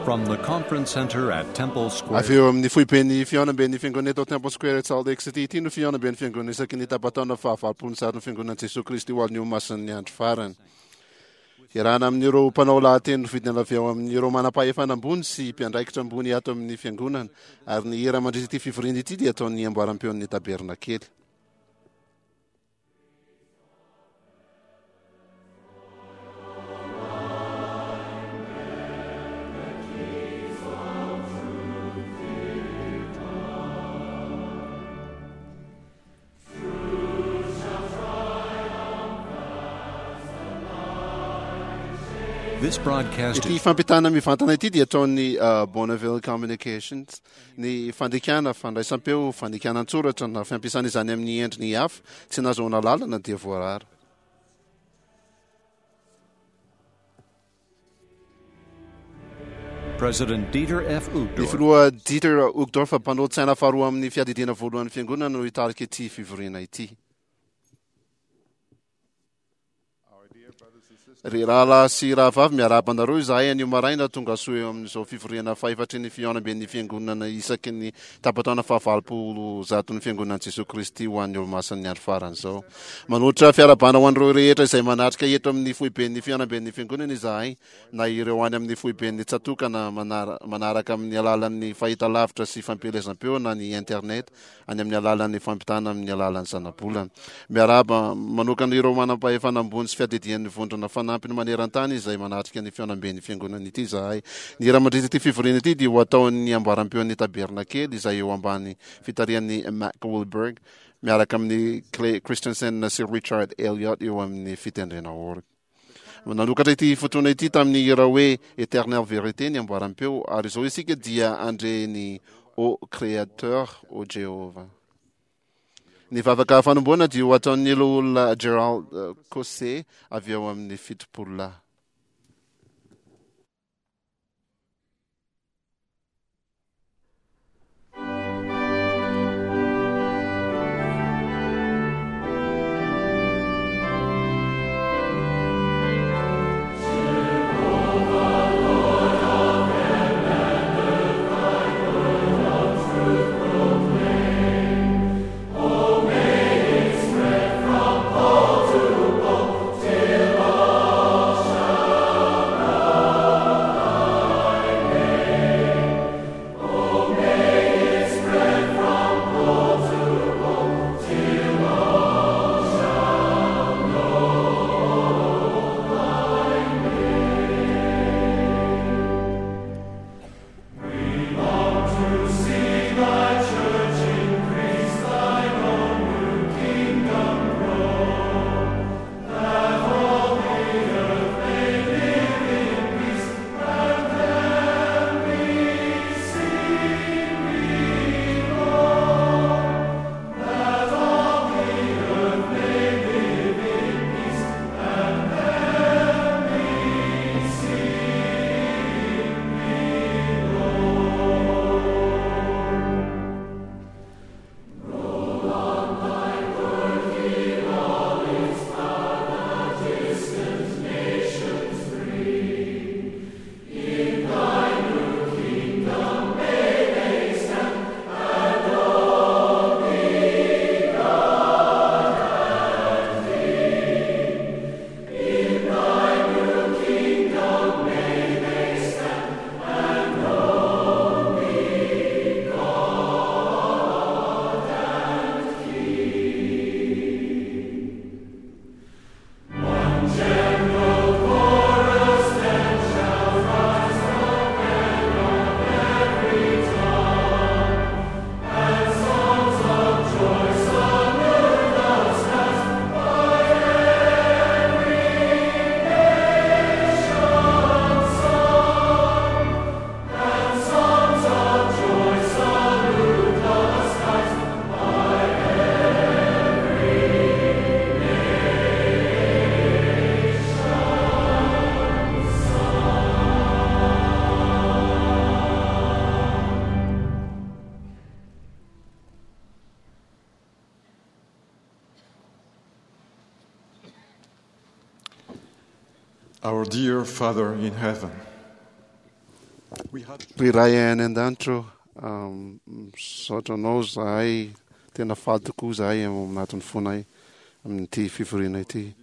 From the conference center at Temple Square. Avy eo amin'ny foiben'ny fihaonamben'ny Fiangonana eto Temple Square eto Salt Lake City ity no fihaonamben'ny Fiangonana isaky ny tapa-taona fahavalopolo ny sarin'ny Fiangonan'i Jesoa Kristy ho an'ny Olomasin'ny Andro Farany. Iarahana amin'ireo mpanao lahateny nofidina avy ao amin'ireo manam-pahefana ambony sy mpiandraikitra ambony ato amin'ny Fiangonana, ary ny hira mandritra ity fivoriana ity dia ataon'ny amboaram-peon'ny Tabernakely. Ity fampitana mivantana ity dia ataon'ny Bonneville Communications. Ny fandikana, fandraisam-peo, fandikana an-tsoratra na fampiasana izany amin'ny endriny hafa tsy nahazoana alalana dia voarara. President Dieter F. Ny Uchtdorf. Filoha Dieter Uchtdorf, mpanolotsaina faharoa amin'ny Fiadidiana Voalohan'ny Fiangonana no hitarika ity fivoriana ity. Ry rahalahy sy rahavavy, miarahaba anareo izahay anio maraina tonga soa eo amin'izao fivoriana fahefatry ny fihaonamben'ny Fiangonana isaky ny tapa-taona fahavalopolo zaton'ny Fiangonan'i Jesoa Kristy ho an'ny Olomasin'ny Andro Farany izao. Manolotra fiarahabana ho an'ireo rehetra izay manatrika eto amin'ny foiben'ny fihaonamben'ny Fiangonana izahay, na ireo any amin'ny foiben'ny tsatòka na manaraka amin'ny alalan'ny fahitalavitra sy fampielezam-peo na ny internet any amin'ny alalan'ny fampitana amin'ny alalan'ny zanabolana. Miarahaba manokana ireo manam-pahefana ambony sy fiadidian'ny vondrona fanampiny maneran-tany izay manatrika ny fihaonamben'ny Fiangonana ity izahay. Ny hira mandritra ity fivoriana ity dia ho ataon'ny amboaram-peon'ny Tabernakely izay eo ambany fitarihan'i Mack Wilberg miaraka amin'i Clay Christensen sy Richard Elliott eo amin'ny fitendrena orga. Nanokatra ity fotoana ity tamin'ny hira hoe Eternelle Vérité ny amboaram-peo, ary izao isika dia handre ny Ô Créateur, Ô Jéhovah. Ny vavaka fanombohana dia ho ataon'ny Loholona Gerald Caussé avy ao amin'ny Fitopololahy. Our dear Father in heaven. Ry Ray any an-danitra ô, misaotra Anao izahay, tena faly tokoa izahay ao anatin'ny fonay amin'ity fivoriana ity.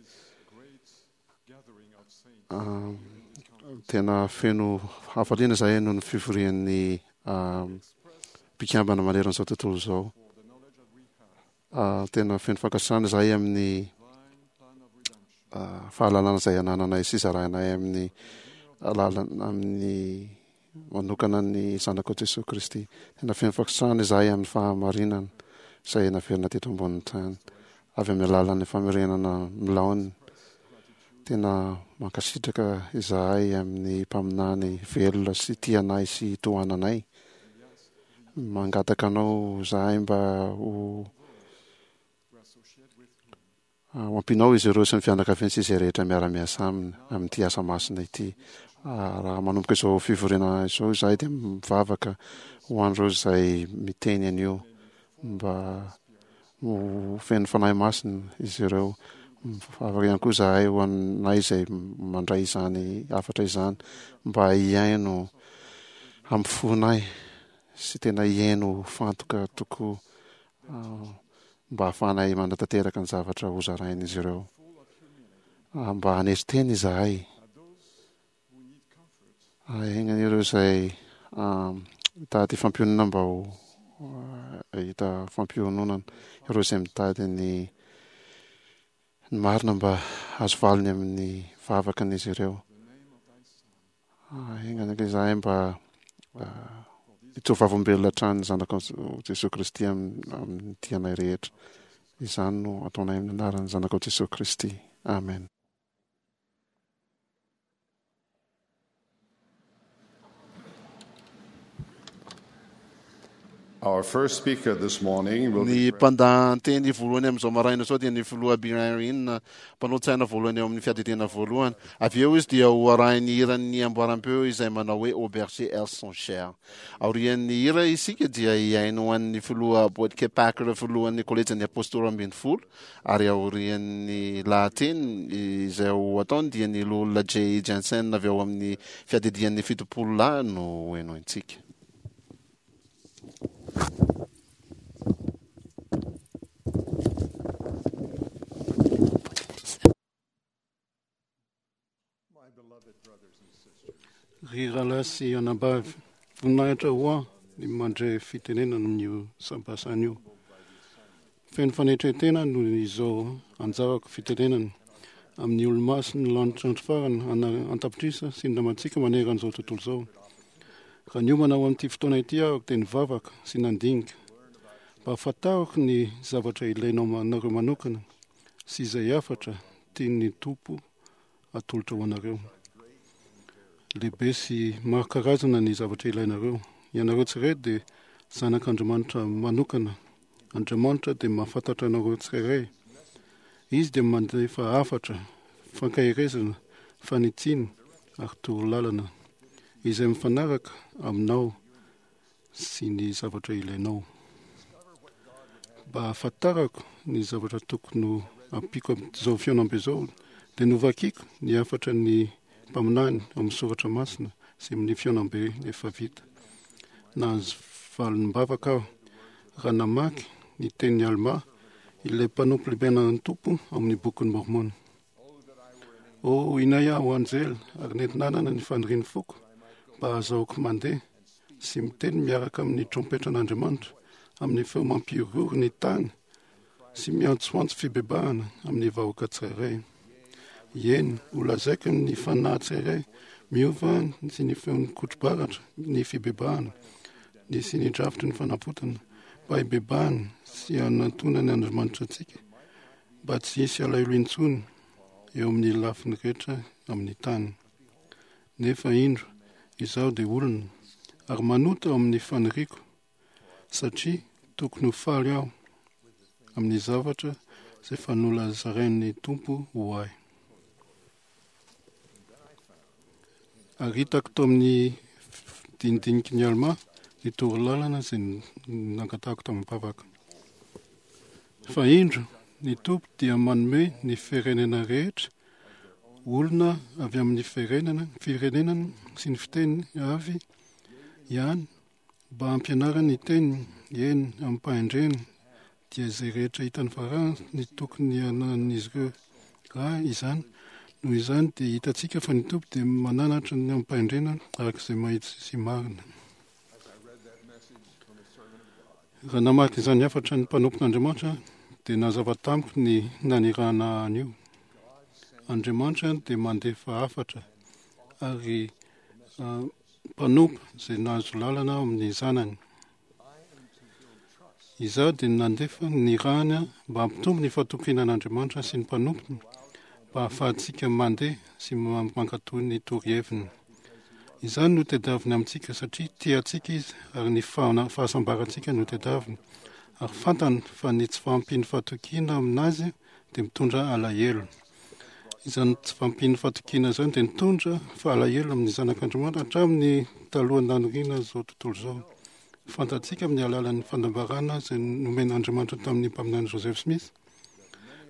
Tena feno hafaliana izahay noho ny fivorian'ny mpikambana manerana izao tontolo izao. Tena feno fankasitrahana izahay amin'ny fahalalana izay anananay sy zarainay amin'ny alalana amin'ny manokana ny Zanakao Jesoa Kristy. Tena feno fankasitrahana izahay amin'ny fahamarinana izay naverina teto ambonin'ny tany avy amin'ny alalan'ny famerenana milaoniny. Tena mankasitraka izahay amin'ny mpaminany velona sy tia anay sy tohananay. Mangataka anao izahay mba ho ho ampianao izy ireo sy ny fianakaviany sy izay rehetra miara-miasa aminy amin'ity asa masina ity. Raha manomboka izao fivoriana izao izahay dia mivavaka ho an'ireo izay miteny an'io mba ho feno Fanahy Masina izy ireo. Mivavaka ihany koa izahay ho anay izay mandray izany hafatra izany mba hihaino amin'ny fonay sy tena hihaino fantoka tokoa mba hahafahanay manatanteraka ny zavatra hozarain'izy ireo. Mba hanetry tena izahay. Ahaingana ireo izay mitady fampiononana mba ho hahita fampiononana. Ireo izay mitady ny ny marina mba hahazo valiny amin'ny vavakan'izy ireo. Ahaingana izahay mba hijoro vavolombelona hatrany ny Zanakao Jesoa Kristy amin'ny tianay rehetra. Izany no ataonay amin'ny anaran'ny Zanakao Jesoa Kristy. Amen. Our first speaker this morning will Ny be mpandahan-teny voalohany amin'izao maraina izao dia ny filoha Birin, mpanolo-tsaina voalohany ao amin'ny fiadidiana voalohany. Avy eo izy dia ho arahin'ny hiran'ny amboaram-peo izay manao hoe Au berger elles sont chères. Aorian'ny hira isika dia hihaino an'ny filoha Boyd K. Packer filohan'ny kolejin'ny Apostoly 12 Ary aorian'ny lahateny izay ho ataony dia ny Loholona Jay Jensen avy ao amin'ny Fiadidian'ny Fitopololahy no ho henointsika. Ry rahalahy sy anabavy, voninahitra ho ahy ny mandre fitenenana amin'io sampasana io. Feno fanetren-tena noho izao anjarako fitenenana amin'ny olo-masin'ny lanitra andro farany an-tapitrisa sy ny namantsika manerana izao tontolo izao. Raha niomana ho amin'ity fotoana ity aho dia nivavaka sy nandinika mba hahafantarako ny zavatra ilainao anareo manokana sy izay hafatra tian'ny Tompo atolotra ho anareo. Lehibe sy maro karazana ny zavatra ilainareo. Ianareo tsirairay dia zanak'Andriamanitra manokana. Andriamanitra dia mahafantatra anareo tsirairay. Izy dia mandefa hafatra, fankaherezana, fanitsiana ary torolalana izay mifanaraka aminao sy ny zavatra ilainao. Mba hahafantarako ny zavatra tokony ho ampiako amin'izao fihaonambe izao, dia novakiko ny hafatra ny mpaminany ao amin'ny soratra masina sy amin'ny fihaonambe efa vita. Nahazo valim-bavaka aho raha namaky ny tenin'i Almà, ilay mpanompo lehiben'ny Tompo ao amin'ny Bokin'i Môrmôna. Oh, inay aho anjely ary nenti-nanana ny fanirian'ny foko mba hahazahoako mandeha sy miteny miaraka amin'ny trompetran'Andriamanitra amin'ny feo mampihorohoro ny tany sy miantsoantso fibebahana amin'ny vahoaka tsirairay. Eny, holazaiko amin'ny fanahy tsirairay miova sy ny feon'ny kotro-baratra ny fibebahana ny sy ny drafitry ny fanavotana mba hibebahana sy hanantonany Andriamanitra antsika mba tsy hisy alahelo intsony eo amin'ny lafiny rehetra amin'ny tany. Nefa indro, izaho dia olona, ary manota ao amin'ny faniriako, satria tokony ho faly aho amin'ny zavatra izay efa nolazarain'ny Tompo ho ahy. Ary hitako tao amin'ny dinidiniky ny Almà ny torolalana izay nangatahako tamin'ny vavaka. Fa indro, ny Tompo dia manome ny firenena rehetra olona avy amin'ny firenena, firenena sy ny fiteny avy. ihany mba hampianarany ny teniny, eny, amim-pahendrena, dia izay rehetra hitan'ny Farao ny tokony hananan'izy ireo raha izany. Noho izany dia hitantsika fa ny Tompo dia mananatra ny amim-pahendrena araka izay mahitsy sy marina. Raha namaky izany hafatra ny mpanompon'Andriamanitra dia nazava tamiko ny nanirahana an'io. Andriamanitra dia mandefa hafatra ary mpanompo izay nahazo lalana amin'ny zanany. Izaho dia nandefa ny rany mba hampitombo ny fahatokiana an'Andriamanitra sy ny mpanompony mba hahafahantsika mandeha sy mankatò ny toroheviny. Izany no tadiaviny amintsika satria tia antsika Izy ary ny fahasambarantsika no tadiaviny. Ary fantany fa ny tsy fahampian'ny fahatokiana aminazy dia mitondra alahelo. Izany tsy fahampian'ny fahatokiana izany dia nitondra fahalahelo amin'ny zanak'Andriamanitra hatramin'ny talohan'ny nanoriana izao tontolo izao. Fantatsika amin'ny alalan'ny fanambarana izay nomen'Andriamanitra tamin'ny mpaminany Joseph Smith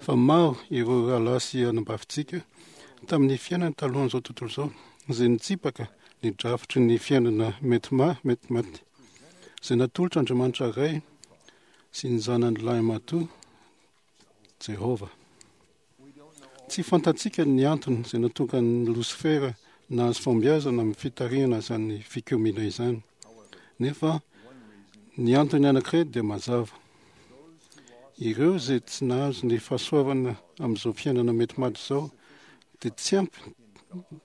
fa maro ireo rahalahy sy anabavintsika tamin'ny fiainany talohan'izao tontolo izao izay nitsipaka ny drafitry ny fiainana mety ma mety maty izay natolotr'Andriamanitra Ray sy ny Zanany lahimatoa Jehovah. Tsy fantatsika ny antony izay nahatonga an'i Losifera nahazo fahombiazana amin'ny fitarihana izany fikomiana izany. Nefa ny antony anankiray dia mazava. Ireo izay tsy nahazo ny fahasoavana amin'izao fiainana mety maty izao dia tsy ampy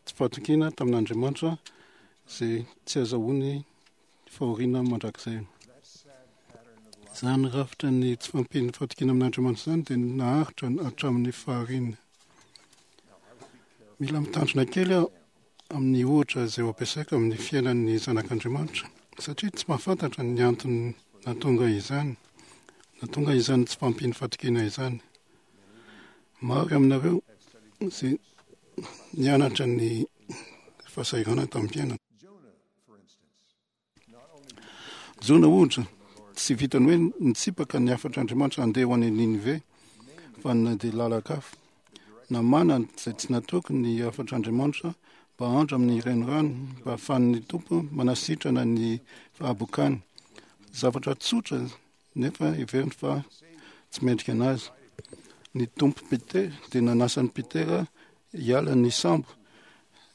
tsy fahatokiana tamin'Andriamanitra izay tsy azahoany fahoriana mandrakizay. Izany rafitra ny tsy fahampian'ny fahatokiana amin'Andriamanitra izany dia naharitra hatramin'ny fahariana. Mila mitandrina kely aho amin'ny ohatra izay ho ampiasaiko amin'ny fiainan'ny zanak'Andriamanitra satria tsy mahafantatra ny antony nahatonga izany, nahatonga izany tsy fahampian'ny fahatokiana izany. Maro aminareo izay nianatra ny fahasahiranana tamin'ny fiainana. Jona, ohatra, tsy vitan'ny hoe nitsipaka ny hafatr'Andriamanitra handeha ho any Ninive, fa nandeha lalan-kafa. Namana izay tsy natoky ny hafatr'Andriamanitra mba handra amin'ny renirano mba hahafahan'ny Tompo manasitrana ny fahabokany. Zavatra tsotra nefa heveriny fa tsy mendrika anazy. Ny Tompo Petera dia nanasa an'i Petera hiala ny sambo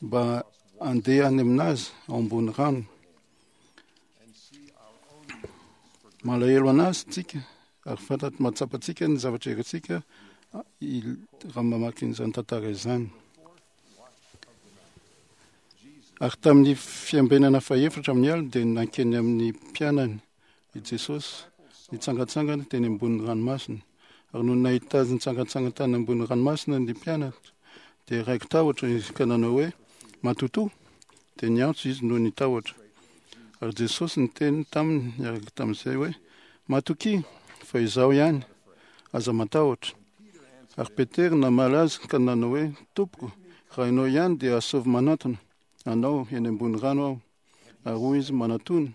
mba handeha any aminazy ao ambony rano. Malahelo anazy tsika ary fantatry mahatsapantsika ny zavatra irintsika raha mamaky an'izany tantara izany. Ary tamin'ny fiambenana fahefatra amin'ny alina dia nankeny amin'ny mpianany i Jesosy nitsangantsangana teny ambonin'ny ranomasina. Ary nony nahita azy nitsangantsangana tany ambonin'ny ranomasina ny mpianatra, dia raiki-tahotra izy ka nanao hoe, Matotoa! Dia niantso izy noho ny tahotra. Ary Jesosy niteny taminy niaraka tamin'izay hoe, Matokia, fa izaho ihany, aza matahotra. Ary Petera namaly azy ka nanao hoe, Tompoko, raha ianao ihany dia asaovy manantona anao eny ambony rano aho. Ary hoy izy, Manatòna.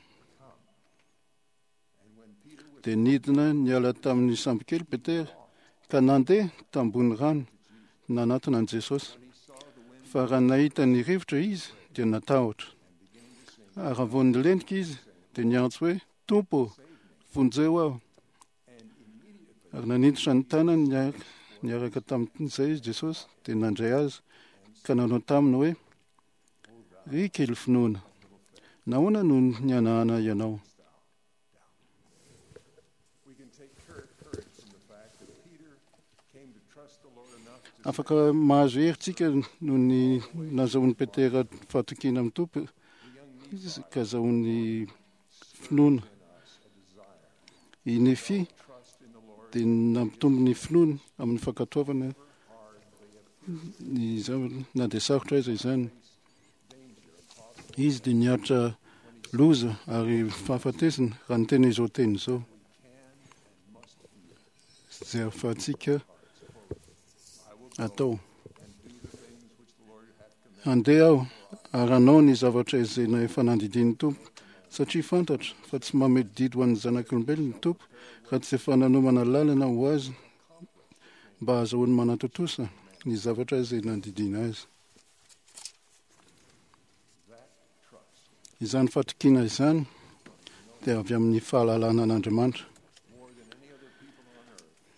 Dia nidina niala tamin'ny sambokely Petera ka nandeha tambony rano nanatona an'i Jesosy. Fa raha nahita ny rivotra izy dia natahotra. Ary raha vao nilentika izy dia niantso hoe, Tompo ô, vonjeo aho. Ary nanintotra ny tanany niaraka tamin'izay izy Jesosy dia nandray azy ka nanao taminy hoe, Ry kely finoana, nahoana no nihanahana ianao? Afaka mahazo hery tsika noho ny nazahoan'i Petera fahatokiana amin'ny Tompo ka azahoany finoana. I Nefia dia nampitombo ny finoany amin'ny fankatoavana ny zavatra na dia sarotra aiza izany. Izy dia niaritra loza ary fahafatesana raha niteny izao teny izao. Izay ahafahantsika atao. Handeha aho ary hanao ny zavatra izay efa nandidian'ny Tompo, satria fantatro fa tsy mamehy didy ho an'ny zanak'olombelona ny Tompo raha tsy efa nanomana lalana ho azy mba hahazahoany manatontosa ny zavatra izay nandidiana azy. Izany fatokiana izany dia avy amin'ny fahalalana an'Andriamanitra.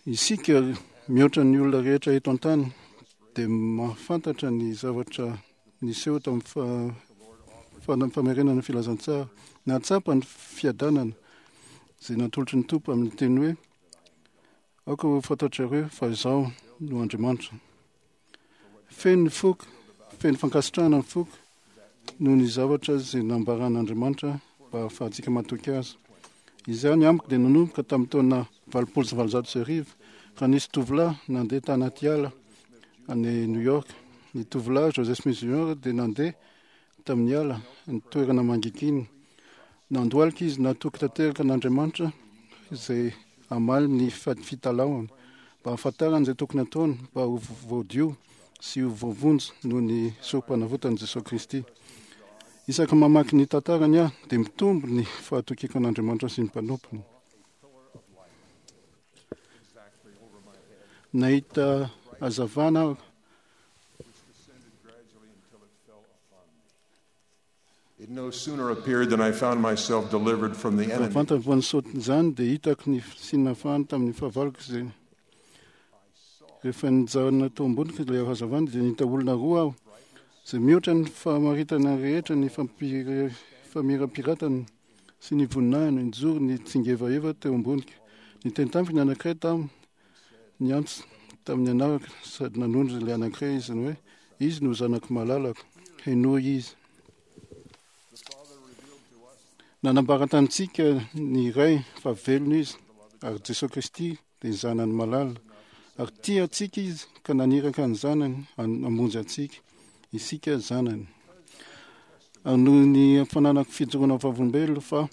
Isika mihoatra ny olona rehetra eto an-tany dia mahafantatra ny zavatra niseho tamin'ny famerenana ny filazantsara. Nahatsapa ny fiadanana izay natolotry ny Tompo amin'ny teny hoe aoka ho fantatrareo fa izaho no Andriamanitra. Feno ny foko, feno fankasitrahana ny foko noho ny zavatra izay nambaran'Andriamanitra mba hahafahantsika matoky azy. Izany amiko dia nanomboka tamin'ny taona 1880 raha nisy tovolahy nandeha tanaty ala any New York. Ny tovolahy Joseph Smith Jr. dia nandeha tamin'ny ala, ny toerana mangigina. Nandohalika izy natoky tanteraka an'Andriamanitra izay hamaly ny fitalahoany mba hahafantarany izay tokony hataony mba ho voadio sy ho voavonjy noho ny sorom-panavotan'i Jesoa Kristy. Isaky mamaky ny tantarany aho dia mitombo ny fahatokiako an'Andriamanitra sy ny mpanompony. Nahita hazavana aho It no sooner appeared than I found myself delivered from the Raha enemy. vantany vao nisaotin'izany dia hitako ny fisian'ny tamin'ny fahavaloko izay rehefa nijanona tao amboniko ilay hazavana dia nahita olona roa aho izay mihoatra ny fahamaritana rehetra ny famirapiratana sy ny voninahiny nijoro ny tsingevaheva teo amboniko. Niteny tamiko ny anankiray tamin'ny niantso tamin'ny anarako sady nanondro ilay anankiray izy ny hoe izy no zanako malalako, henoy izy. Nanambara tamintsika ny Ray fa velona izy ary Jesoa Kristy dia zanany malala ary tia antsika izy ka naniraka ny zanany hamonjy antsika, isika zanany. Ary noho ny fananako fijoroana vavolombelona fa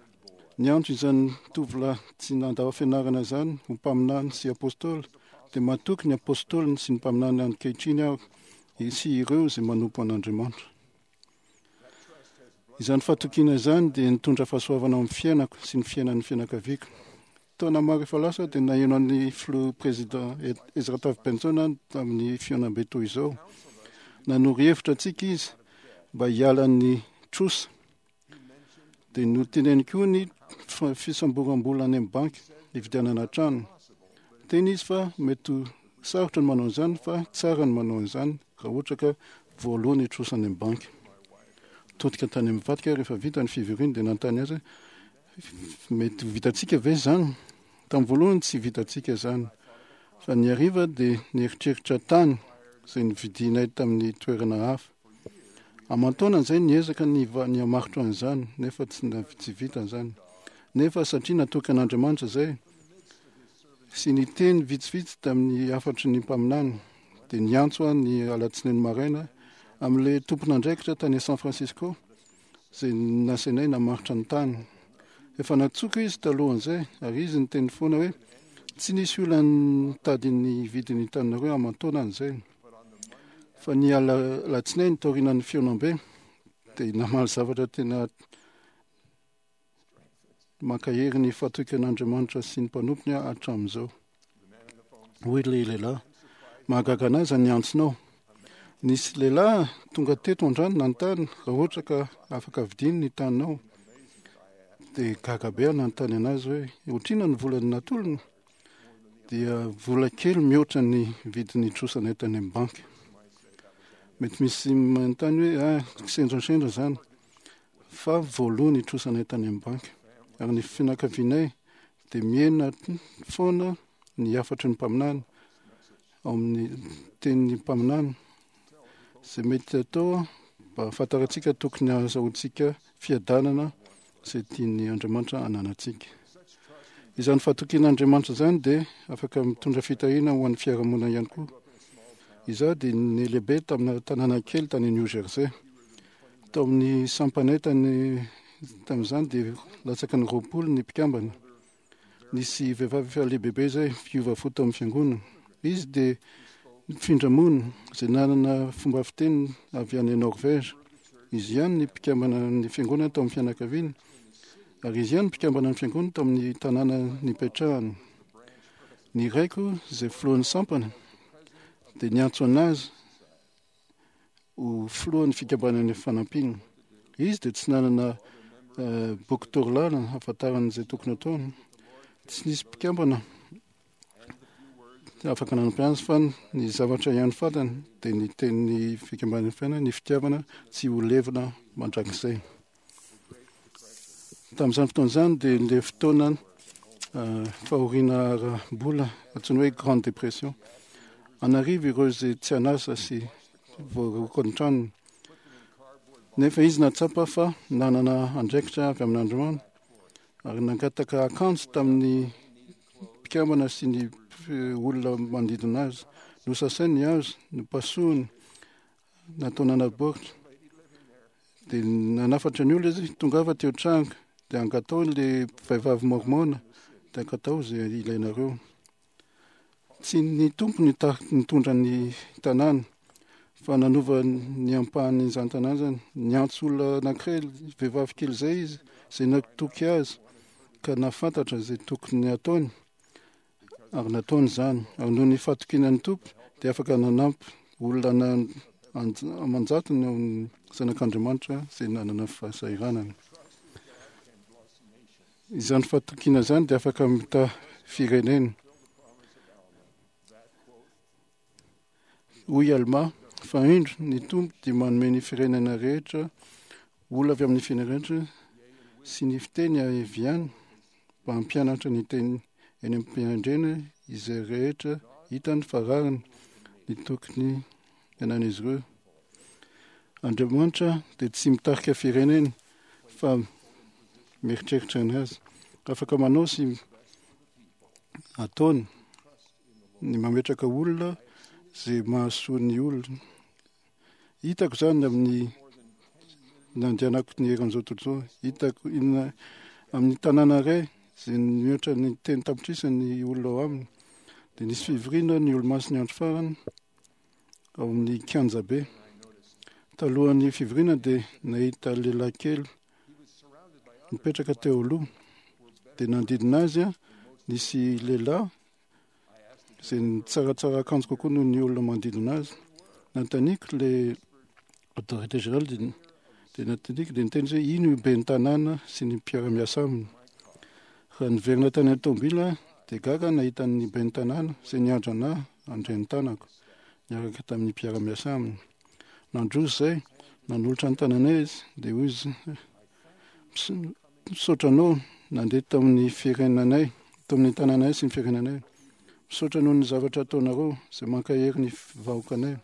niantso izany tovolahy tsy nandao fianarana izany ho mpaminany sy apôstôly dia matoky ny apôstôliny sy ny mpaminany ankehitriny aho sy ireo izay manompo an'Andriamanitra. Izany fatokiana izany dia nitondra fahasoavana ao amin'ny fiainako sy ny fiainan'ny fianakaviako. Taona maro efa lasa dia naheno an'ny filoha président Ezra Taft Benson tamin'ny fihaonambe toy izao. Nanoro hevitra antsika izy mba hiala ny trosa. Dia noteneniny koa ny fisamboram-bola any amin'ny banky hividianana trano. Teny izy fa mety ho sarotra ny manao an'izany fa tsara ny manao an'izany raha ohatra ka voaloa ny trosa any amin'ny banky. Todika tany amin'ny vadiko aho rehefa vita ny fivoriana dia nanontany azy hoe mety ho vitantsika ve izany? Tamin'ny voalohany tsy vitantsika izany. Fa ny hariva dia nieritreritra tany izay novidianay tamin'ny toerana hafa. Aman-taonany izay niezaka ny ny hamaritra an'izany nefa tsy tsy vita izany. Nefa satria natoky an'Andriamanitra izay sy niteny vitsivitsy tamin'ny hafatry ny mpaminany dia niantso aho ny alatsinainy maraina amin'ilay tompon'andraikitra tany San Francisco izay nasainay namaritra ny tany. Efa nantsoiko izy talohan'izay ary izy niteny foana hoe tsy nisy olona nitady ny vidin'ny taninareo aman-taonany izay. Fa ny alatsinainy taorianan'ny fihaonambe dia namaly zavatra tena mankahery ny fatokian'Andriamanitra sy ny mpanompony aho hatramin'izao. Hoy ilay lehilahy, mahagaga an'ahy izany antsonao. Nisy lehilahy tonga teto androany nanontany raha ohatra ka afaka vidiany ny taninao. Dia gaga be aho nanontany anazy hoe ohatr'inona ny vola natolony? Dia vola kely mihoatra ny vidin'ny trosanay tany amin'ny banky. Mety misy manontany hoe ah, kisendrasendra izany. Fa voaloa ny trosanay tany amin'ny banky. Ary ny fianakavianay dia mihena foana ny hafatry ny mpaminany ao amin'ny tenin'ny mpaminany izay mety atao mba hahafantarantsika tokony hahazahoantsika fiadanana izay tian'ny Andriamanitra hananantsika. Izany fahatokian'Andriamanitra izany dia afaka mitondra fitahiana ho an'ny fiarahamonina ihany koa. Izaho dia nilehibe tamina tanàna kely tany New Jersey. Tao amin'ny sampanay tany tamin'izany dia latsaky ny 20 ny mpikambana. Nisy vehivavy efa lehibebe izay mpiova fo tao amin'ny fiangonana. Izy dia nifindra monina, izay nanana fomba fiteny avy any Norvège. Izy ihany ny mpikambana ny fiangonana tao amin'ny fianakaviany, ary izy ihany mpikambana ny fiangonana tao amin'ny tanàna nipetrahany. Ny raiko izay filohan'ny sampana dia niantso anazy ho filohan'ny fikambanan'ny fanampiana. Izy dia tsy nanana boky torolalana hahafantarany izay tokony ataony. Tsy nisy mpikambana afaka nanampy azy fa ny zavatra ihany fantany dia ny tenin'ny fikambanan'ny fiainana, ny fitiavana tsy ho levona mandrakizay. Tamin'izany fotoana izany dia ilay fotoana fahoriana ara-bola antsoina hoe Grande Dépression. An'arivo ireo izay tsy an'asa sy voaroaka ny tranony. Nefa izy nahatsapa fa nanana andraikitra avy amin'Andriamanitra ary nangataka akanjo tamin'ny mpikambana sy ny olona manodidina azy. Nosasainy ny hazo, nopasohiny, nataony anaty baoritra. Dia nanafatra ny olona izy, tongava teo an-trano, dia angatao ilay vehivavy mormona, dia angatao izay ilainareo. Tsy ny Tompo no nitondra ny tanàna, fa nanova ny ampahan'izany tanàna izany. Niantso olona anankiray, vehivavy kely izay izy, izay natoky azy, ka nahafantatra izay tokony hataony. Ary nataony izany. Ary noho ny fahatokiana ny Tompo, dia afaka nanampy olona aman-jatony ao amin'ny Zanak'Andriamanitra izay nanana fahasahiranana. Izany fahatokiana izany dia afaka mitaha firenena. Hoy Almà, Fa indro, ny Tompo dia manome ny firenena rehetra, olona avy amin'ny firenena rehetra sy ny fiteny avy any, mba hampianatra ny teny eny am-piandrena izay rehetra hitany fa rariny ny tokony hiainan'izy ireo. Andriamanitra dia tsy mitarika firenena fa mieritreritra ny azy. Afaka manao sy ataony ny mametraka olona izay mahasoa ny olona. Hitako izany amin'ny nandehanako ny eran'izao tontolo izao. Hitako inona amin'ny tanàna iray izay mihoatra ny telo tapitrisa ny olona ao aminy. Dia nisy fivoriana ny olomasin'ny andro farany ao amin'ny kianjabe. Talohan'ny fivoriana dia nahita lehilahy kely nipetraka teo aloha. Dia nanodidina azy nisy lehilahy izay nitsaratsara akanjo kokoa noho ny olona manodidina azy. Nanontaniako ilay autorité générale dia dia nanontaniako dia niteny izy hoe ino io ben'ny tanàna sy ny mpiara-miasa aminy. Raha niverina tany an-tomobila aho dia gaga nahita ny ben'ny tanàna izay niandry anà handray ny tanako niaraka tamin'ny mpiara-miasa aminy. Nandroso izay, nanolotra ny tananay izy dia hoy izy Misaotra anao nandeha tamin'ny firenanay, tamin'ny tanànay sy ny firenanay. Misaotra noho ny zavatra ataonareo izay mankahery ny vahoakanay.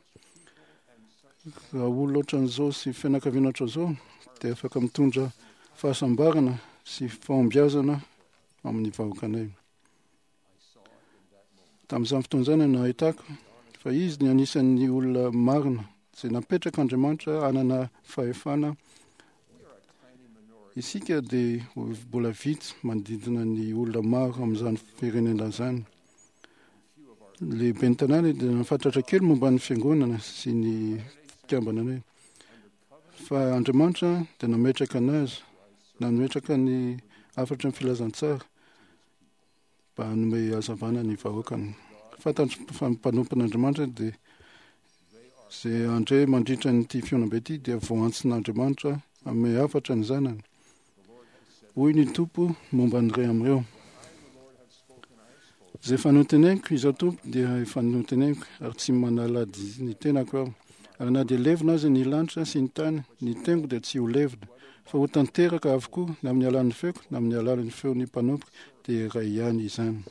Raha olona ohatran'izao sy fianakaviana ohatran'izao dia afaka mitondra fahasambarana sy fahombiazana amin'ny vahoakanay. Tamin'izany fotoana izany no nahitako fa izy ny anisan'ny olona marina izay napetrak'Andriamanitra hanana fahefana. Isika dia mbola vitsy manodidina ny olona maro amin'izany firenena izany. Lehiben'ny tanàna dia nahafantratra kely momba ny fiangonana sy ny fikambananay. Fa Andriamanitra dia nametraka anazy, nametraka ny hafatry ny filazantsara. mba hanome hazavana ny vahoakany. Fantatro fa ny mpanompon'Andriamanitra dia izay handre mandritra an'ity fihaonambe ity dia voantsin'Andriamanitra hanome hafatra ny zanany. Hoy ny Tompo momba ny iray amin'ireo. Izay efa noteneniko, izaho Tompo dia efa noteneniko, ary tsy manala ny tenako aho. Ary na dia levona aza ny lanitra sy ny tany, ny teniko dia tsy ho levona, fa ho tanteraka avokoa na amin'ny alalan'ny feoko na amin'ny alalan'ny feon'ny mpanompoko, dia iray ihany izany.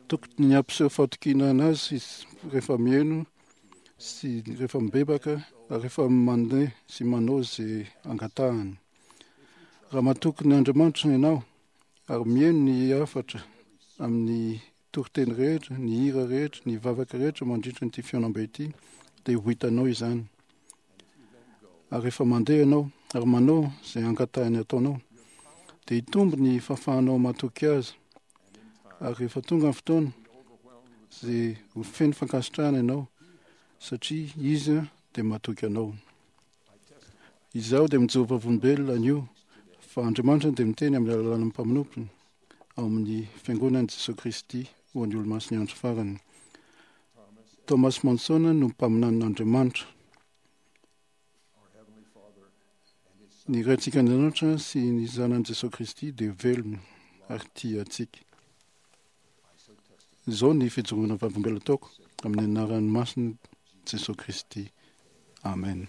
Tokony hampiseho fahatokiana anazy izy rehefa mihaino sy rehefa mibebaka ary rehefa mandeha sy manao izay angatahany. Raha matoky ny Andriamanitra ianao ary mihaino ny hafatra amin'ny toriteny rehetra, ny hira rehetra, ny vavaka rehetra mandritra ity fihaonambe ity, dia ho hitanao izany. Ary rehefa mandeha ianao ary manao izay angatahiny ataonao, dia hitombo ny fahafahanao matoky azy. Ary rehefa tonga ny fotoana, izay ho feno fankasitrahana ianao, satria izy dia matoky anao. Izaho dia mijoro vavolombelona anio fa Andriamanitra dia miteny amin'ny alalan'ny mpamonompony ao amin'ny Fiangonan'i Jesoa Kristy ho an'ny Olomasin'ny Andro Farany. Thomas Monson no mpaminanin'Andriamanitra. Ny Raintsika Andriamanitra sy ny Zanany Jesoa Kristy dia velona ary tia antsika. Izao ny fijoroana vavolombelona ataoko amin'ny anaran'ny masina Jesoa Kristy. Amen.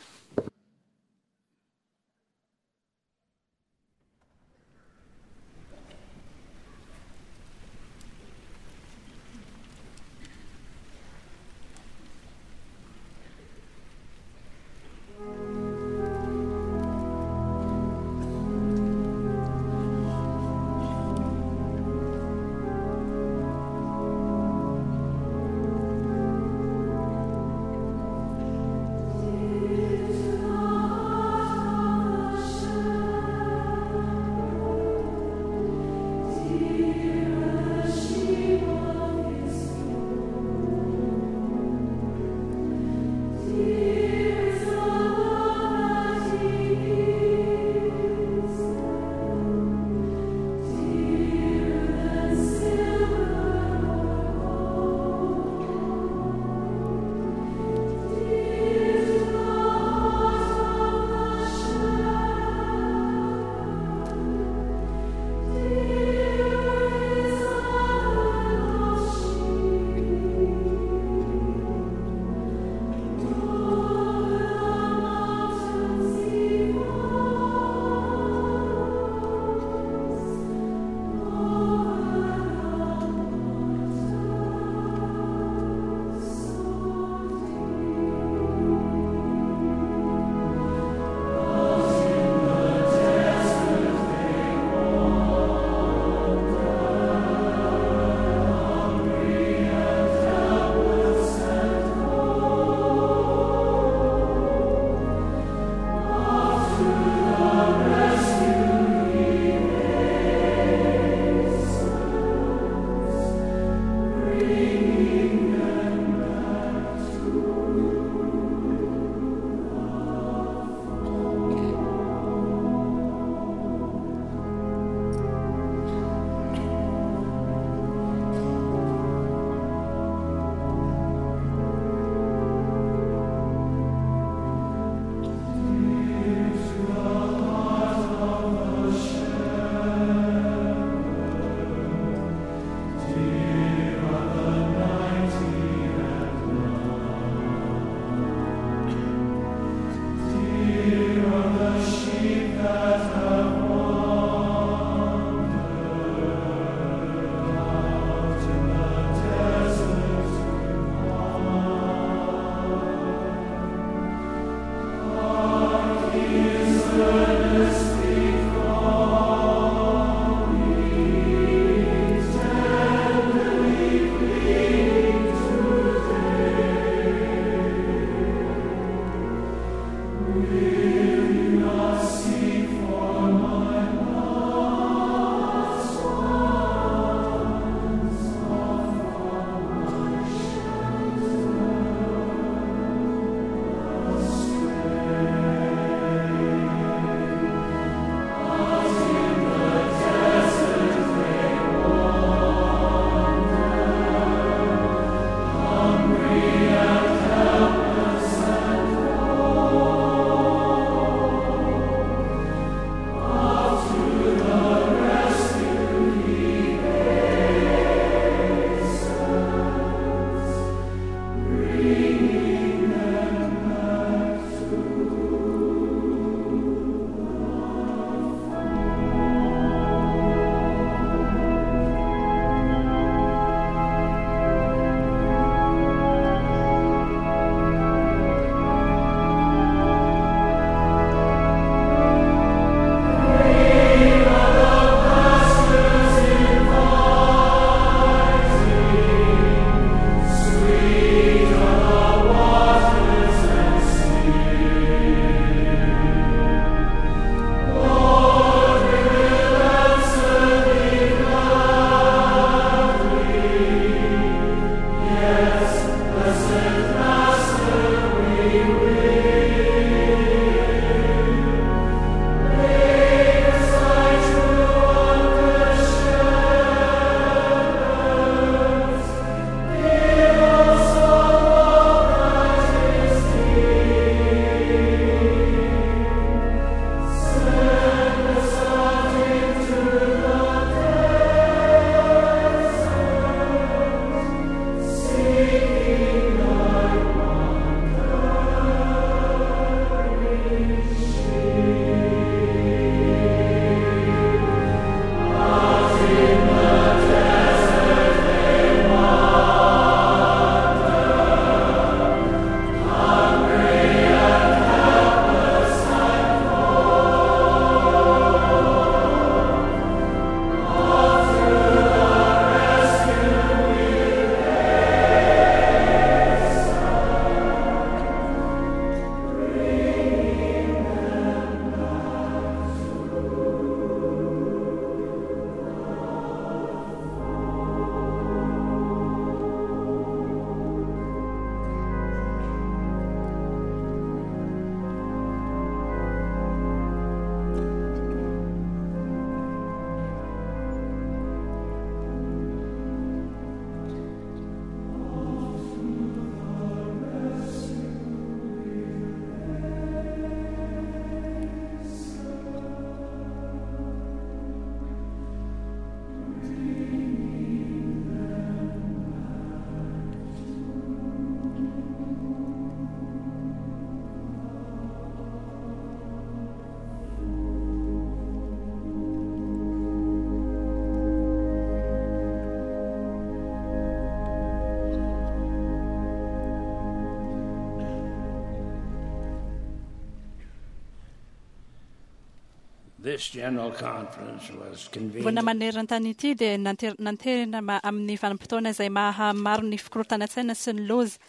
This general conference was convened Vona maneran-tany ity dia nanterina amin'ny vanim-potoana izay maha maro ny fikorontanan-tsaina sy ny loza,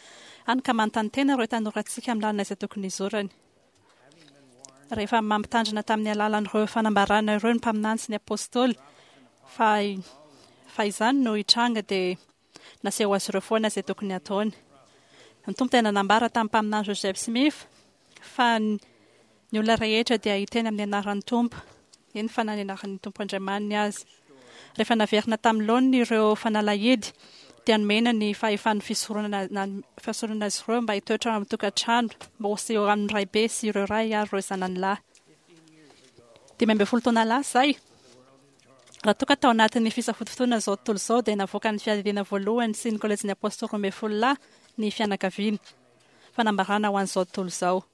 hany ka manontany tena ireo tanorantsika amin'ny lalana izay tokony hizorany. Rehefa mampitandrina tamin'ny alalan'ireo fanambarana ireo ny mpaminany sy ny apostoly fa fa izany no hitranga dia naseho azy ireo foana izay tokony hataony. Ny Tompo dia nanambara tamin'ny mpaminany Joseph Smith fa ny olona rehetra dia hiteny amin'ny anaran'ny Tompo, eny fa na ny anaran'ny Tompo Andriamaniny aza. Rehefa naverina tamin'ny laoniny ireo fanalahidy, dia nomena ny fahefan'ny fisoronana na fisoronana azy ireo mba hitoetra ao amin'ny tokantrano, mba ho seho amin'ny raibe sy ireo ray ary ireo zanany lahy. 15 taona lasa izay, raha toa ka tao anatin'ny fisafotofotoana izao tontolo izao, dia navoakan'ny Fiadidiana Voalohany sy ny Kolejin'ny Apôstôly 12 Lahy ny fianakaviana. Fanambarana ho an'izao tontolo izao.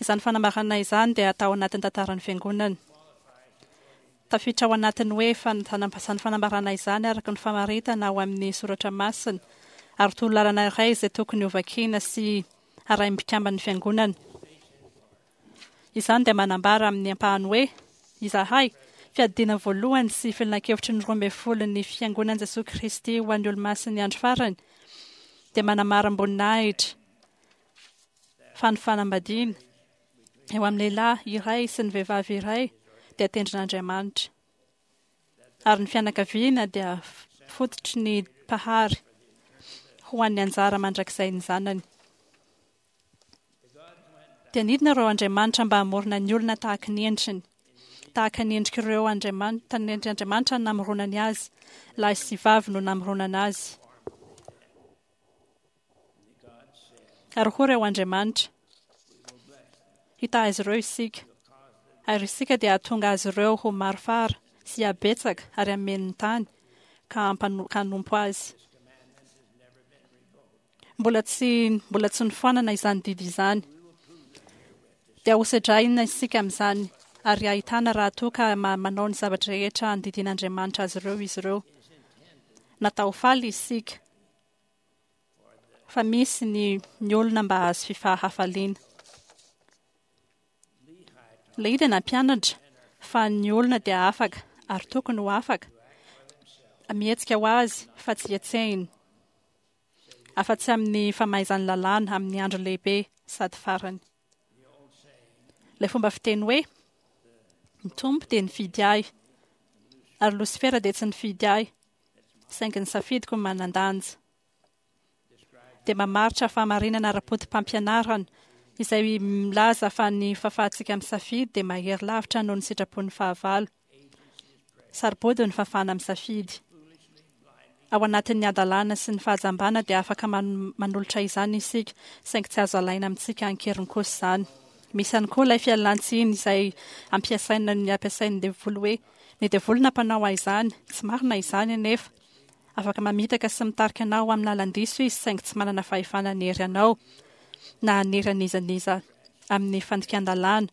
Izany fanambarana izany dia atao anatin'ny tantaran'ny Fiangonana. Tafiditra ao anatin'ny hoe izany fanambarana izany araka ny famaritana ao amin'ny soratra masina, ary torolalana iray izay tokony hovakiana sy harahin'ny mpikamban'ny Fiangonana. Izany dia manambara amin'ny ampahany hoe, Izahay, Fiadidiana Voalohany sy Filankevitry ny Roambefolon'ny Fiangonan'i Jesoa Kristy ho an'ny Olomasin'ny Andro Farany, dia manamarim-boninahitra fa ny fanambadiana eo amin'ny lehilahy iray sy ny vehivavy iray dia tendrin'Andriamanitra, ary ny fianakaviana dia fototry ny Mpahary ho an'ny anjara mandrakizain'ny zanany. Dia nidina ireo andriamanitra mba hamorona ny olona tahaka ny endriny. Tahaka ny endrik'ireo andriamanitra, ny endrik'Andriamanitra no namoronany azy, lahy sy vavy no namoronana azy. Ary hoy ireo andriamanitra, Hitahy azy ireo isika, ary isika dia hahatonga azy ireo ho maro fara sy habetsaka ary hameno ny tany ka hanompo azy. Mbola tsy mbola tsy nofoanana izany didy izany. Dia hosedraina isika amin'izany ary hahitana raha toa ka manao ny zavatra rehetra andidian'Andriamanitra azy ireo izy ireo. Natao ho faly isika. Fa misy ny ny olona mba hahazo fifahafaliana. Lehia dia nampianatra fa ny olona dia afaka ary tokony ho afaka mihetsika ho azy fa tsy hetsehina afa-tsy amin'ny famaizan'ny lalàna amin'ny andro lehibe sady farany. Ilay fomba fiteny hoe ny Tompo dia nifidy ahy ary Losifera dia tsy nifidy ahy saingy ny safidiko no manan-danja dia mamaritra fahamarinana ara-poto-pampianarana izay milaza fa ny fahafahantsika misafidy dia mahery lavitra noho ny sitrapon'ny fahavalo. Sarobody ny fahafahana misafidy. Ao anatin'ny hadalana sy ny fahajambana dia afaka manolotra izany isika, saingy tsy azo alaina amintsika an-keriny kosa izany. Misy ihany koa ilay fialan-tsiny izay ampiasaina ny ampiasain'ny devoly hoe ny devoly nampanao ahy izany, tsy marina izany anefa. Afaka mamitaka sy mitarika anao amin'ny lalan-diso izy saingy tsy manana fahefana hanery anao na hanery an'iza n'iza amin'ny fandikan-dalàna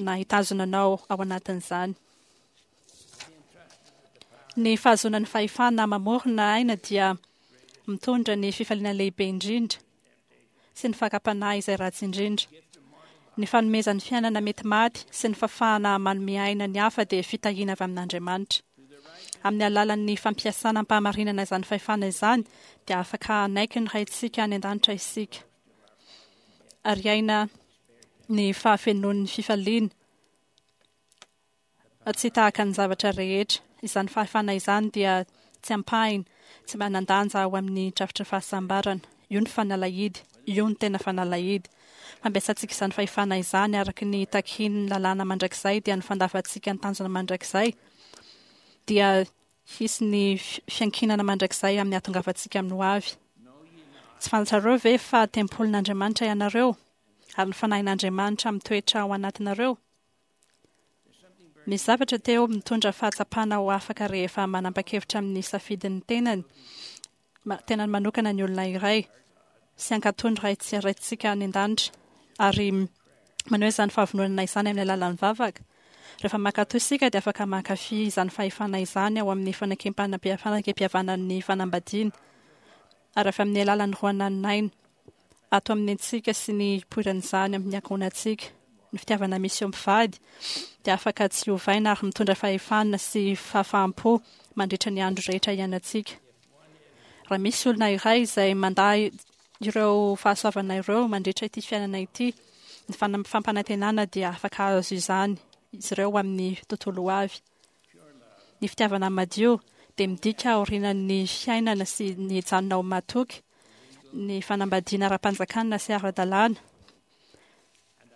na hitazona anao ao anatin'izany. Ny fahazoana ny fahefana mamorona aina dia mitondra ny fifaliana lehibe indrindra sy ny fakam-panahy izay ratsy indrindra. Ny fanomezan'ny fiainana mety maty sy ny fahafahana manome aina ny hafa dia fitahiana avy amin'Andriamanitra. Amin'ny alalan'ny fampiasana am-pahamarinana izany fahefana izany dia afaka hanaiky ny Raintsika any an-danitra isika ary hiaina ny fahafenoan'ny fifaliana. Tsy tahaka ny zavatra rehetra, izany fahefana izany dia tsy ampahiny, tsy manan-danja ao amin'ny drafitry ny fahasambarana. Io ny fanalahidy, io no tena fanalahidy. Fampiasantsika izany fahefana izany araka ny takian'ny lalàna mandrakizay dia ny fandavantsika ny tanjona mandrakizay dia hisy ny fiankinana mandrakizay amin'ny hahatongavantsika amin'ny hoavy. Tsy fantatrareo ve fa tempolin'Andriamanitra ianareo ary ny Fanahin'Andriamanitra mitoetra ao anatinareo? Misy zavatra teo mitondra fahatsapana ho afaka rehefa manapa-kevitra amin'ny safidin'ny tenany, tenany manokana ny olona iray, sy hankatò ny Ray tsy Raintsika any An-danitra, ary maneho izany fahavononana izany amin'ny alalan'ny vavaka. Rehefa mankatò isika dia afaka mankafy izany fahefana izany ao amin'ny fanekem-pihavanan'ny fanambadiana, ary avy amin'ny alalan'ny roanan'aina ato amin'ny antsika sy ny hipoiran'izany amin'ny ankohonantsika. Ny fitiavana misy eo amin'ny mpivady dia afaka tsy ovaina ary mitondra fahefana sy fahafaham-po mandritra ny andro rehetra iainantsika. Raha misy olona iray izay mandà ireo fahasoavana ireo mandritra ity fiainana ity, ny fampanantenana dia afaka hahazo izany izy ireo amin'ny tontolo ho avy. Ny fitiavana madio dia midika aorianan'ny fiainana sy ny hijanona ho matoky, ny fanambadiana ara-panjakana sy ara-dalàna,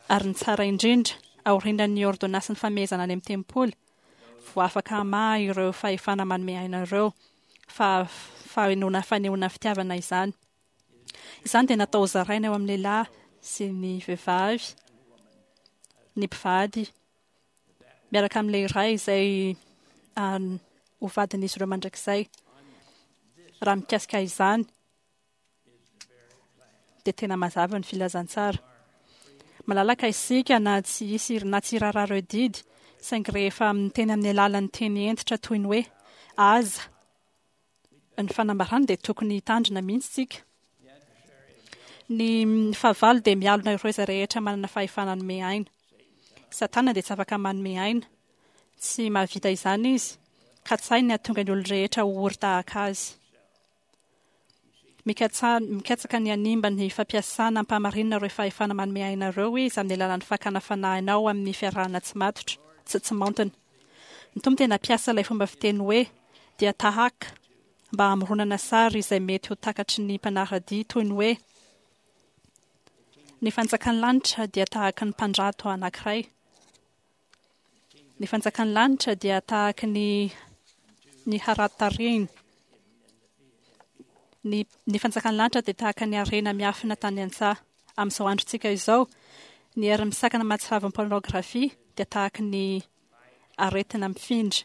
ary ny tsara indrindra, aorianan'ny ôrdônasin'ny famehezana any amin'ny tempoly, vao afaka hamaha ireo fahefana manome aina ireo, fa fahainoana fanehoana fitiavana izany. Izany dia natao hozaraina eo amin'ny lehilahy sy ny vehivavy, ny mpivady, miaraka amin'ilay iray izay ho vadin'izy ireo mandrakizay. Raha mikasika izany, dia tena mazava ny filazantsara. Malalaka isika na tsy hisy na tsy hiraharaha ireo didy, saingy rehefa miteny amin'ny alalan'ny teny hentitra toy ny hoe aza ny fanambarana dia tokony hitandrina mihitsy isika. Ny fahavalo dia mialona ireo izay rehetra manana fahefana hanome aina. Satana dia tsy afaka manome aina. Tsy mahavita izany izy. Katsahiny ny hahatonga ny olon-drehetra ho ory tahaka azy. Mikatsaka ny hanimba ny fampiasana am-pahamarinana ireo fahefana manome aina ireo izy amin'ny alalan'ny fakana fanahy anao amin'ny fiarahana tsy matotra, tsy tsy maontina. Ny Tompo dia nampiasa ilay fomba fiteny hoe dia tahaka mba hamoronana sary izay mety ho takatry ny mpanara-dia toy ny hoe ny fanjakan'ny lanitra dia tahaka ny mpandrato anankiray. Ny fanjakan'ny lanitra dia tahaka ny ny harato tarehiny. Ny, ny fanjakan'ny lanitra dia tahaka ny harena miafina tany an-tsaha. Amin'izao androntsika izao, ny hery misakana mahatsiravon'ny pornografia dia tahaka ny aretina mifindra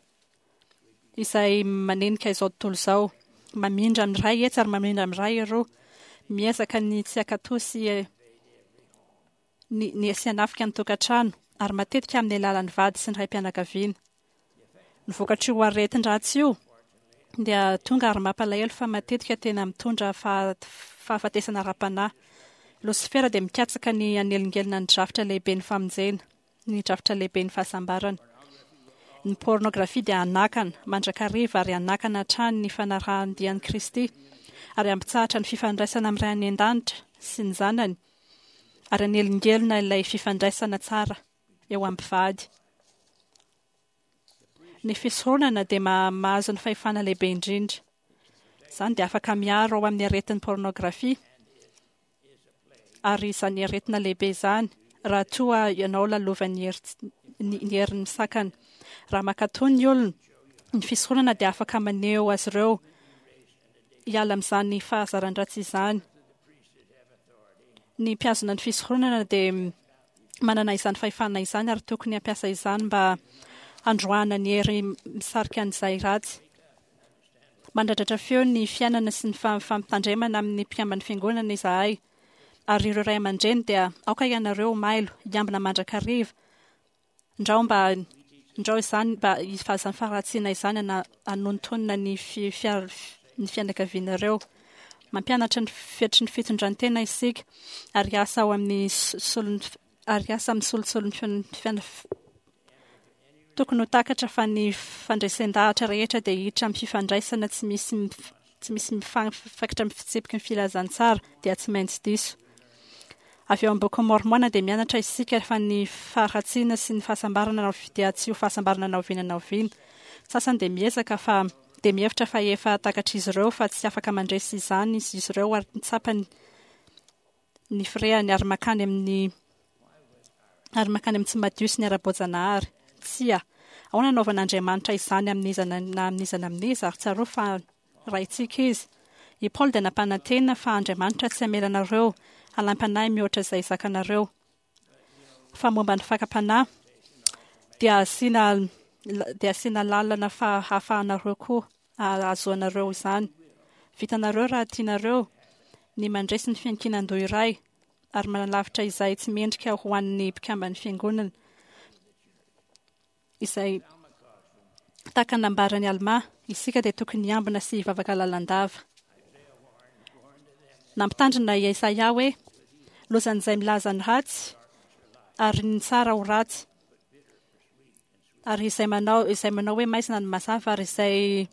izay manenika izao tontolo izao. Mamindra amin'ny iray etsy ary mamindra amin'ny iray eroa. Miezaka ny tsy hankatò sy ny ny sy hanafika ny tokantrano, ary matetika amin'ny alalan'ny vady sy ny raim-pianakaviana. Ny vokatr'io aretin-dratsy io dia tonga ary mampalahelo fa matetika tena mitondra fahafatesana ara-panahy. Losifera dia mikatsaka ny hanelingelina ny drafitra lehiben'ny famonjena, ny drafitra lehiben'ny fahasambarana. Ny pornografia dia hanakana mandrakariva ary hanakana hatrany ny fanarahan-dia an'i Kristy, ary hampitsahatra ny fifandraisana amin'ny Ray any An-danitra sy ny Zanany, ary hanelingelina ilay fifandraisana tsara eo amin'ny mpivady. Ny fisoronana dia mahazo ny fahefana lehibe indrindra. Izany dia afaka miaro ao amin'ny aretin'ny pornografia, ary izany aretina lehibe izany, raha toa ianao lalovan'ny ny herin'ny misakana. Raha mankatò ny olona, ny fisoronana dia afaka maneho azy ireo hiala amin'izany fahazaran-dratsy izany. Ny mpihazona ny fisoronana dia manana izany fahefana izany ary tokony hampiasa izany mba handroahana ny hery misarika an'izay ratsy. Mandradratra feo ny fiainana sy ny fampitandremana amin'ny mpikamban'ny fiangonana izahay. Ary ireo ray aman-dreny dia aoka ianareo ho mailo, hiambina mandrakariva Ndrao mba ndrao izany mba izany faharatsiana izany ana anontonona ny fi, fiar, ny fianakavianareo. Mampianatra ny fetry ny fitondran-tena isika ary hiasa ao amin'ny solon'ny ary hiasa amin'ny solotsolon'ny fiana Tokony ho takatra fa ny fandresen-dahatra rehetra dia hiditra amin'ny fifandraisana tsy misy tsy misy mifankitra amin'ny fitsipiky ny filazantsara dia tsy maintsy diso. Avy ao amin'ny Bokin'i Môrmôna dia mianatra isika fa ny faharatsiana sy ny fahasambarana dia tsy ho fahasambarana na oviana na oviana. Ny sasany dia miezaka fa dia mihevitra fa efa takatr'izy ireo fa tsy afaka mandresy izany izy ireo ary tsapany ny firehany ary mankany amin'ny ary mankany amin'ny tsy madio sy ny ara-boajanahary. Tsia. Ahoana anaovan'Andriamanitra izany amin'iza na amin'iza na amin'iza ary tsarovy fa Raintsika Izy. I Paoly dia nampanantena fa Andriamanitra tsy hamela anareo halaim-panahy mihoatra izay zakanareo. Fa momba ny fakam-panahy dia asiana dia asiana lalana fa hahafahanareo koa ahazoanareo izany. Vitanareo raha tianareo ny mandresy ny fiankinan-doha iray ary manalavitra izay tsy mendrika ho an'ny mpikamban'ny fiangonana izay tahaka ny nambaran'i Almà, isika dia tokony hiambina sy hivavaka lalandava. Nampitandrina i Isaia hoe, Lozan'izay milaza ny ratsy. ary ny tsara ho ratsy. Ary izay manao izay manao hoe maizina ny mazava ary izay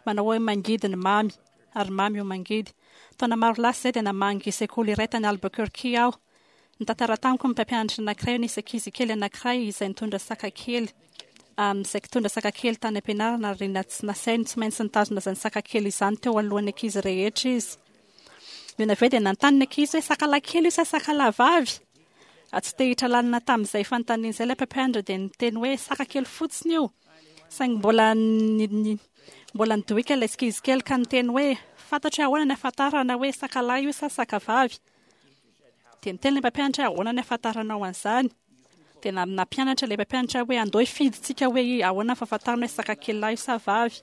manao hoe mangidy ny mamy ary mamy ho mangidy. Taona maro lasa izay dia namangy sekoly iray tany Albuquerque aho. Nitantara tamiko ny mpampianatra anankiray nisy ankizy kely anankiray izay nitondra saka kely izay nitondra saka kely tany am-pianarana ary nasainy tsy maintsy nitazona izany saka kely izany teo alohan'ny ankizy rehetra izy. Nony avy eo dia nanontany ny ankizy hoe saka lahy kely io sa saka lahy vavy? Tsy te hiditra lalina tamin'izay fanontaniana izay ilay mpampianatra dia niteny hoe saka kely fotsiny io. Saingy mbola mbola nidohika ilay ankizy kely ka niteny hoe fantatro hoe ahoana ny ahafantarana hoe saka lahy io sa saka vavy. Dia niteny ilay mpampianatra hoe ahoana ny ahafantaranao an'izany? Dia nampianatra ilay mpampianatra hoe andao hifidintsika hoe ahoana ny fahafantarana hoe saka kely lahy io sa vavy.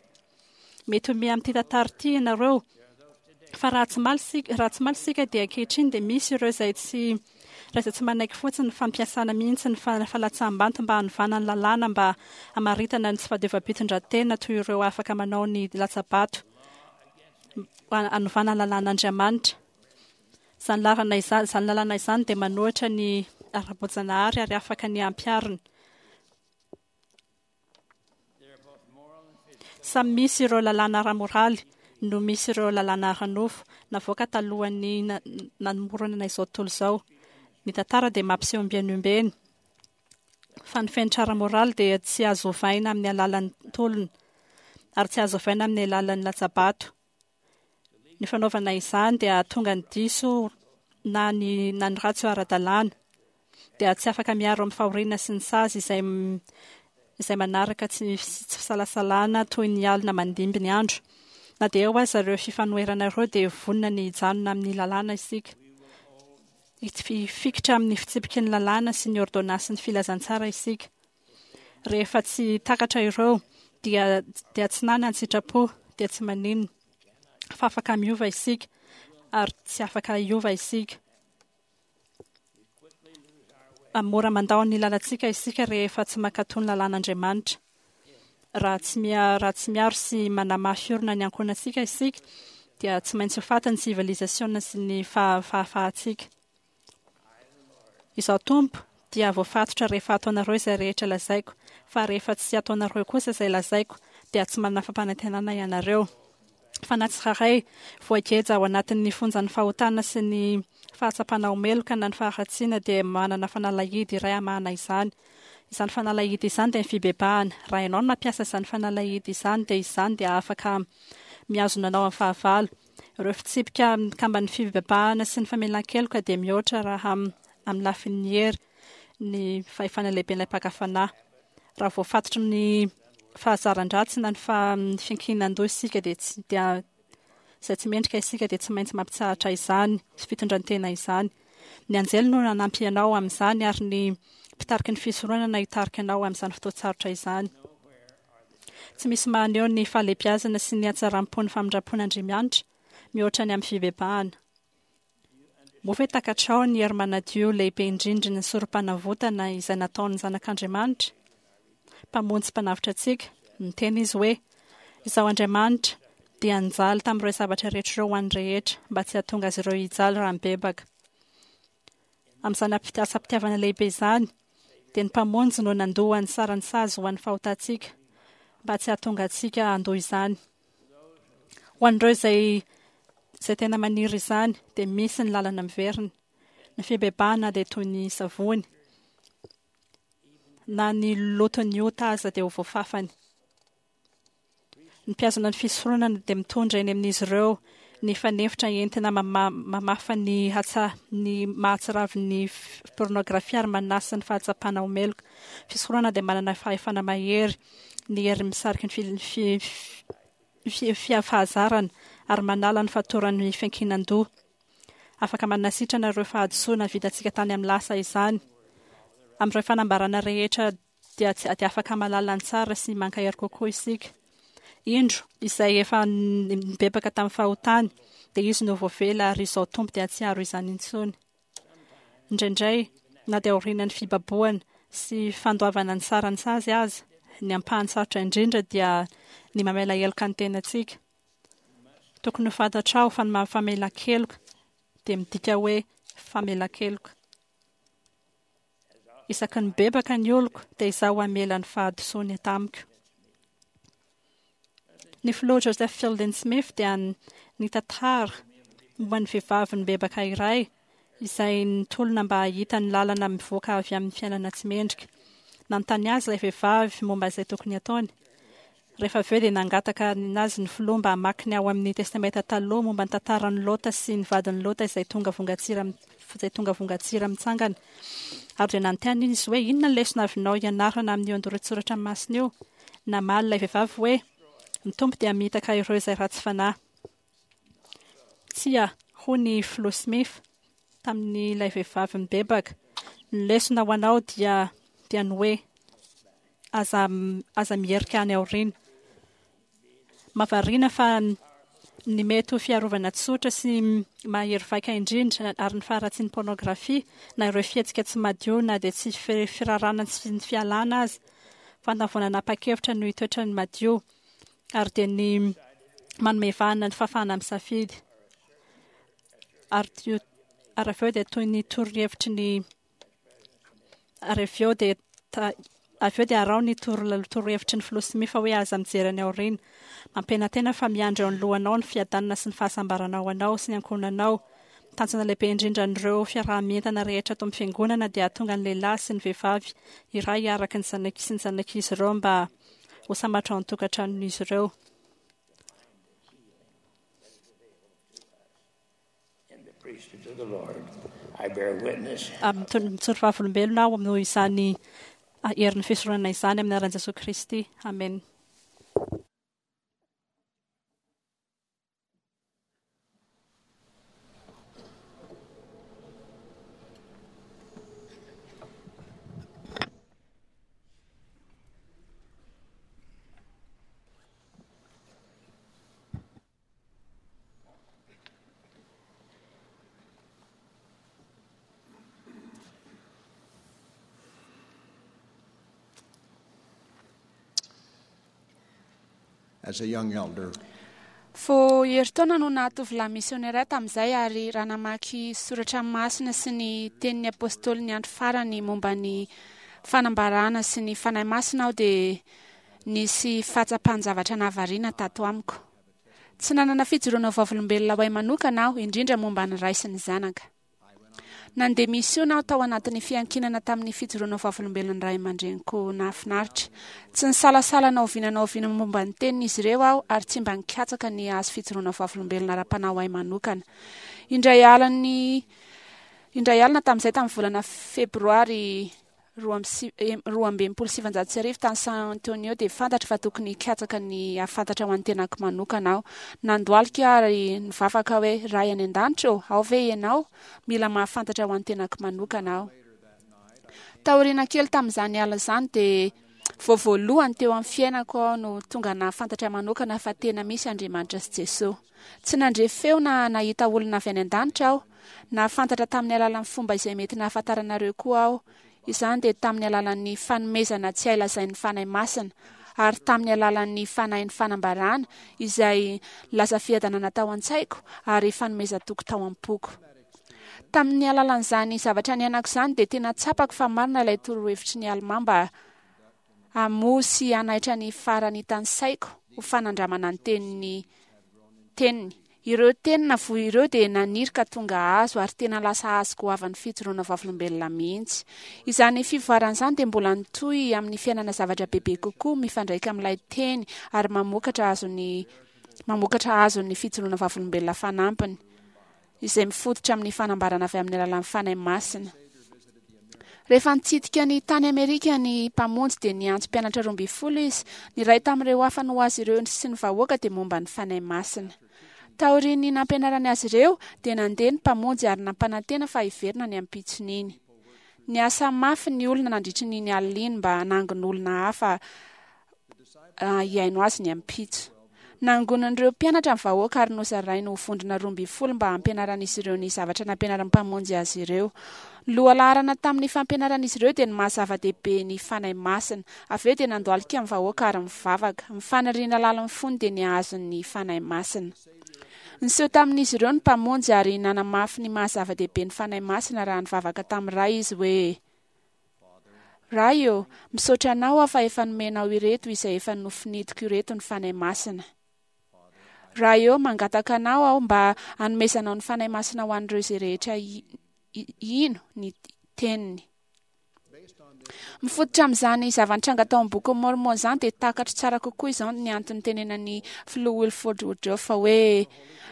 Mety ho amin'ity tantara ity ianareo. Fa raha tsy maly isika, raha tsy maly isika dia ankehitriny dia misy ireo izay tsy raha izay tsy manaiky fotsiny ny fampiasana mihitsy ny falatsaham-banto mba hanovana ny lalàna mba hamaritana ny tsy fahadiovam-pitondran-tena toy ireo afaka manao ny latsa-bato hanovana ny lalàn'Andriamanitra. Izany lalana izany, izany lalàna izany dia manohitra ny ara-boajanahary ary afaka ny hampiharina. Samy misy ireo lalàna ara-moraly no misy ireo lalàna ara-nofo navoaka talohan'ny namoronana izao tontolo izao. Ny tantara dia mampiseho ombieny ombieny fa ny fenitra ara-moraly dia tsy azo ovaina amin'ny alalan'ny tolona ary tsy azo ovaina amin'ny alalan'ny latsa-bato. Ny fanaovana izany dia hahatonga ny diso na ny na ny ratsy ho ara-dalàna. Dia tsy afaka miaro amin'ny fahoriana sy ny sazy izay izay manaraka tsy tsy fisalasalana toy ny alina mandimby ny andro. Na dia eo aza ireo fifanoherana ireo dia vonona ny hijanona amin'ny lalàna isika. Hifikitra amin'ny fitsipiky ny lalàna sy ny ôrdônansin'ny filazantsara isika. Rehefa tsy takatra ireo dia dia tsy nana ny sitrapo dia tsy maninona fa afaka miova isika ary tsy afaka hiova isika. Mora mandao ny lalantsika isika rehefa tsy mankatò ny lalàn'Andriamanitra. Raha tsy raha tsy miaro sy manamafy orina ny ankohonantsika isika dia tsy maintsy ho faty ny sivilizasiona sy ny fahafahantsika. Izaho Tompo dia voafatotra rehefa ataonareo izay rehetra lazaiko, fa rehefa tsy ataonareo kosa izay lazaiko, dia tsy manana fampanantenana ianareo. Fa na tsirairay voageja ao anatin'ny fonjan'ny fahotana sy ny fahatsapana ho meloka na ny faharatsiana dia manana fanalahidy iray hamahana izany. Izany fanalahidy izany dia ny fibebahana. Raha ianao no mampiasa izany fanalahidy izany dia izany dia afaka mihazona anao amin'ny fahavalo. Ireo fitsipika mikamban'ny fibebahana sy ny famelan-keloka dia mihoatra raha amin'ny lafin'ny hery ny fahefana lehiben'ilay mpaka fanahy. Raha voafatotry ny fahazaran-dratsy na ny fiankinan-doha isika dia tsy dia izay tsy mendrika isika dia tsy maintsy mampitsahatra izany fitondran-tena izany. Ny anjely no nanampy anao amin'izany ary ny mpitariky ny fisoronana hitarika anao amin'izany fotoan-tsarotra izany. Tsy misy mahaneho ny fahalehibiazana sy ny hatsaram-pon'ny famindram-pon'Andriamianitra mihoatra ny amin'ny fibebahana. Moa ve takatrao ny hery manadio lehibe indrindry ny sorom-panavotana izay nataon'ny Zanak'Andriamanitra, Mpamonjy sy Mpanavotra antsika? Niteny Izy hoe, Izaho Andriamanitra dia nijaly tamin'ireo zavatra rehetra ireo ho an'ny rehetra, mba tsy hahatonga azy ireo hijaly raha mibebaka. Amin'izany asam-pitiavana lehibe izany, dia ny Mpamonjy no nandoa ny saran'ny sazy ho an'ny fahotantsika, mba tsy hahatonga antsika handoa izany. Ho an'ireo izay izay tena maniry izany, dia misy ny lalana miverina. Ny fibebahana dia toy ny savony. Na ny loton'ny ota aza dia ho voafafany. Ny mpihazona ny fisoronana dia mitondra eny amin'izy ireo ny fanefitra entina mamafa ny hatsa ny mahatsiravin'ny pornografia ary manasa ny fahatsapana ho meloka. Fisoronana dia manana fahefana mahery ny hery misariky ny fahazarana ary manala ny fatoran'ny fiankinan-doha. Afaka manasitrana ireo fahadisoana vitantsika tany amin'ny lasa izany. Amin'ireo fanambarana rehetra dia tsy dia afaka mahalala ny tsara sy mankahery kokoa isika. Indro, izay efa nibebaka tamin'ny fahotany, dia izy no voavela ary izao Tompo dia tsy hiaro izany intsony. Indraindray, na dia aorianan'ny fibabohana sy fandoavana ny saran'ny sazy aza, ny ampahany sarotra indrindra dia ny mamela heloka ny tenantsika. Tokony ho fantatrao fa ny maha-famelan-keloka dia midika hoe famelan-keloka. Isaky ny mibebaka ny oloko, dia Izaho hamela ny fahadisoany tamiko. Ny filoha Joseph Fielding Smith dia nitantara momba ny vehivavy nibebaka iray izay nitolona mba hahita ny lalana mivoaka avy amin'ny fiainana tsy mendrika. Nanontany azy ilay vehivavy momba izay tokony hataony. Rehefa avy eo dia nangataka azy ny filoha mba hamaky ny ao amin'ny Testamenta Taloha momba ny tantaran'i Lota sy ny vadin'i Lota izay tonga vongantsira izay tonga vongantsira mitsangana. Ary dia nanontany izy hoe, Inona ny lesona avinao ianarana amin'io andoran-tsoratra masina io? Namaly ilay vehivavy hoe, Ny Tompo dia hamitaka ireo izay ratsy fanahy. Tsia, hoy ny Filoha Smith tamin'ilay vehivavy nibebaka, ny lesona ho anao dia dia ny hoe aza aza miherika any aoriana. Mahavariana fa ny mety ho fiarovana tsotra sy mahery vaika indrindra ary ny faharatsian'ny pôrnôgrafia na ireo fihetsika tsy madio na dia tsy firarana sy ny fialana aza fantany vao nanapa-kevitra no hitoetra ny madio ary dia ny manome vahana ny fahafahana misafidy ary ary avy eo dia toy ny torohevitry ny ary avy eo dia avy eo dia araho ny torohevitry ny filoha Smith hoe aza mijery any aoriana. Mampianantena fa miandry eo anoloanao ny fiadanana sy ny fahasambarana ho anao sy ny ankohonanao. Tanjona lehibe indrindra an'ireo fiaraha-mientana rehetra ato amin'ny Fiangonana dia hahatonga ny lehilahy sy ny vehivavy iray araka ny zanak sy ny zanak'izy ireo mba ho sambatra ao an-tokantranon'izy ireo. Mijoro vavolombelona aho noho izany herin'ny fisoronana izany amin'ny anaran'i Jesoa Kristy. Amena. As a young elder, Vao herintaona no naha-tovolahy misionera ahy tamin'izay, ary raha namaky soratra masina sy ny tenin'ny apôstôlin'ny andro farany momba ny fanambarana sy ny Fanahy Masina aho dia nisy fahatsapan-javatra nahavariana tato amiko. Tsy nanana fijoroana ho vavolombelona ho ahy manokana aho, indrindra momba ny Ray sy ny Zanaka. Nandeha misiona aho tao anatin'ny fiankinana tamin'ny fijoroana ho vavolombelon'ny ray aman-dreniko nahafinaritra. Tsy nisalasala na oviana na oviana momba ny tenin'izy ireo aho ary tsy mba nikatsaka ny hahazo fijoroana ho vavolombelona ara-panahy ho ahy manokana. Indray alina indray alina tamin'izay tamin'ny volana Febroary 1962 tany San Antonio dia fantatro fa tokony hikatsaka ny hahafantatra ho an'ny tenako manokana aho. Nandohalika aho ary nivavaka hoe, Ray any An-danitra ô, ao ve Ianao? Mila mahafantatra ho an'ny tenako manokana aho. Taoriana kely tamin'izany alina izany dia vao voalohany teo amin'ny fiainako aho no tonga nahafantatra manokana fa tena misy Andriamanitra sy Jesoa. Tsy nandre feo na nahita olona avy any an-danitra aho. Nahafantatra tamin'ny alalan'ny fomba izay mety nahafantaranareo koa aho. Izany dia tamin'ny alalan'ny fanomezana tsy hay lazain'ny Fanahy Masina, ary tamin'ny alalan'ny fanahin'ny fanambarana izay nilaza fiadanana tao an-tsaiko ary fanomezan-toky tao am-poko. Tamin'ny alalan'izany zavatra niainako izany dia tena tsapako fa marina ilay torohevitry ny Alemà mba hamoha sy hanaitra ny faranitan'ny saiko ho fanandramana ny tenin'ny teniny. Ireo teny navoa ireo dia naniry ka tonga hazo ary tena lasa hazo goavan'ny fijoroana vavolombelona mihitsy. Izany fivoarana izany dia mbola nitohy amin'ny fiainana zavatra bebe kokoa mifandraika amin'ilay teny ary mamokatra azon'ny mamokatra azon'ny fijoroana vavolombelona fanampiny. izay mifototra amin'ny fanambarana avy amin'ny alalan'ny Fanahy Masina. Rehefa nitsidika ny tany Amerika ny Mpamonjy dia niantso mpianatra 12 izy. Ny iray tamin'ireo hafany ho azy ireo sy ny vahoaka dia momba ny Fanahy Masina. Taorian'ny nampianarany azy ireo dia nandeha ny Mpamonjy ary nampanantena fa hiverina ny ampitson'iny. Niasa mafy ny olona nandritry ny iny alina iny mba hanangon'olona hafa hihaino azy ny ampitso. Nangonin'ireo mpianatra ny vahoaka ary nozarainy ho vondrona 12 mba hampianaran'izy ireo ny zavatra nampianarin'ny Mpamonjy azy ireo. Ny lohalaharana tamin'ny fampianaran'izy ireo dia ny maha zava-dehibe ny Fanahy Masina. Avy eo dia nandohalika ny vahoaka ary nivavaka. Ny faniriana lalin'ny fony dia ny hahazo ny Fanahy Masina. Niseho tamin'izy ireo ny Mpamonjy ary nanamafy ny maha zava-dehibe ny Fanahy Masina raha nivavaka tamin'ny Ray izy hoe. Ray ô, misaotra Anao aho fa efa nomenao ireto izay efa nofinidiko ireto ny Fanahy Masina. Ray ô, mangataka Anao aho mba hanomezanao ny Fanahy Masina ho an'ireo izay rehetra hino ny Teniny. Mifototra amin'izany zava-nitranga tao amin'ny Bokin'i Môrmôna izany dia takatro tsara kokoa izao ny antony nitenenan'ny Filoha Wilford Woodruff hoe,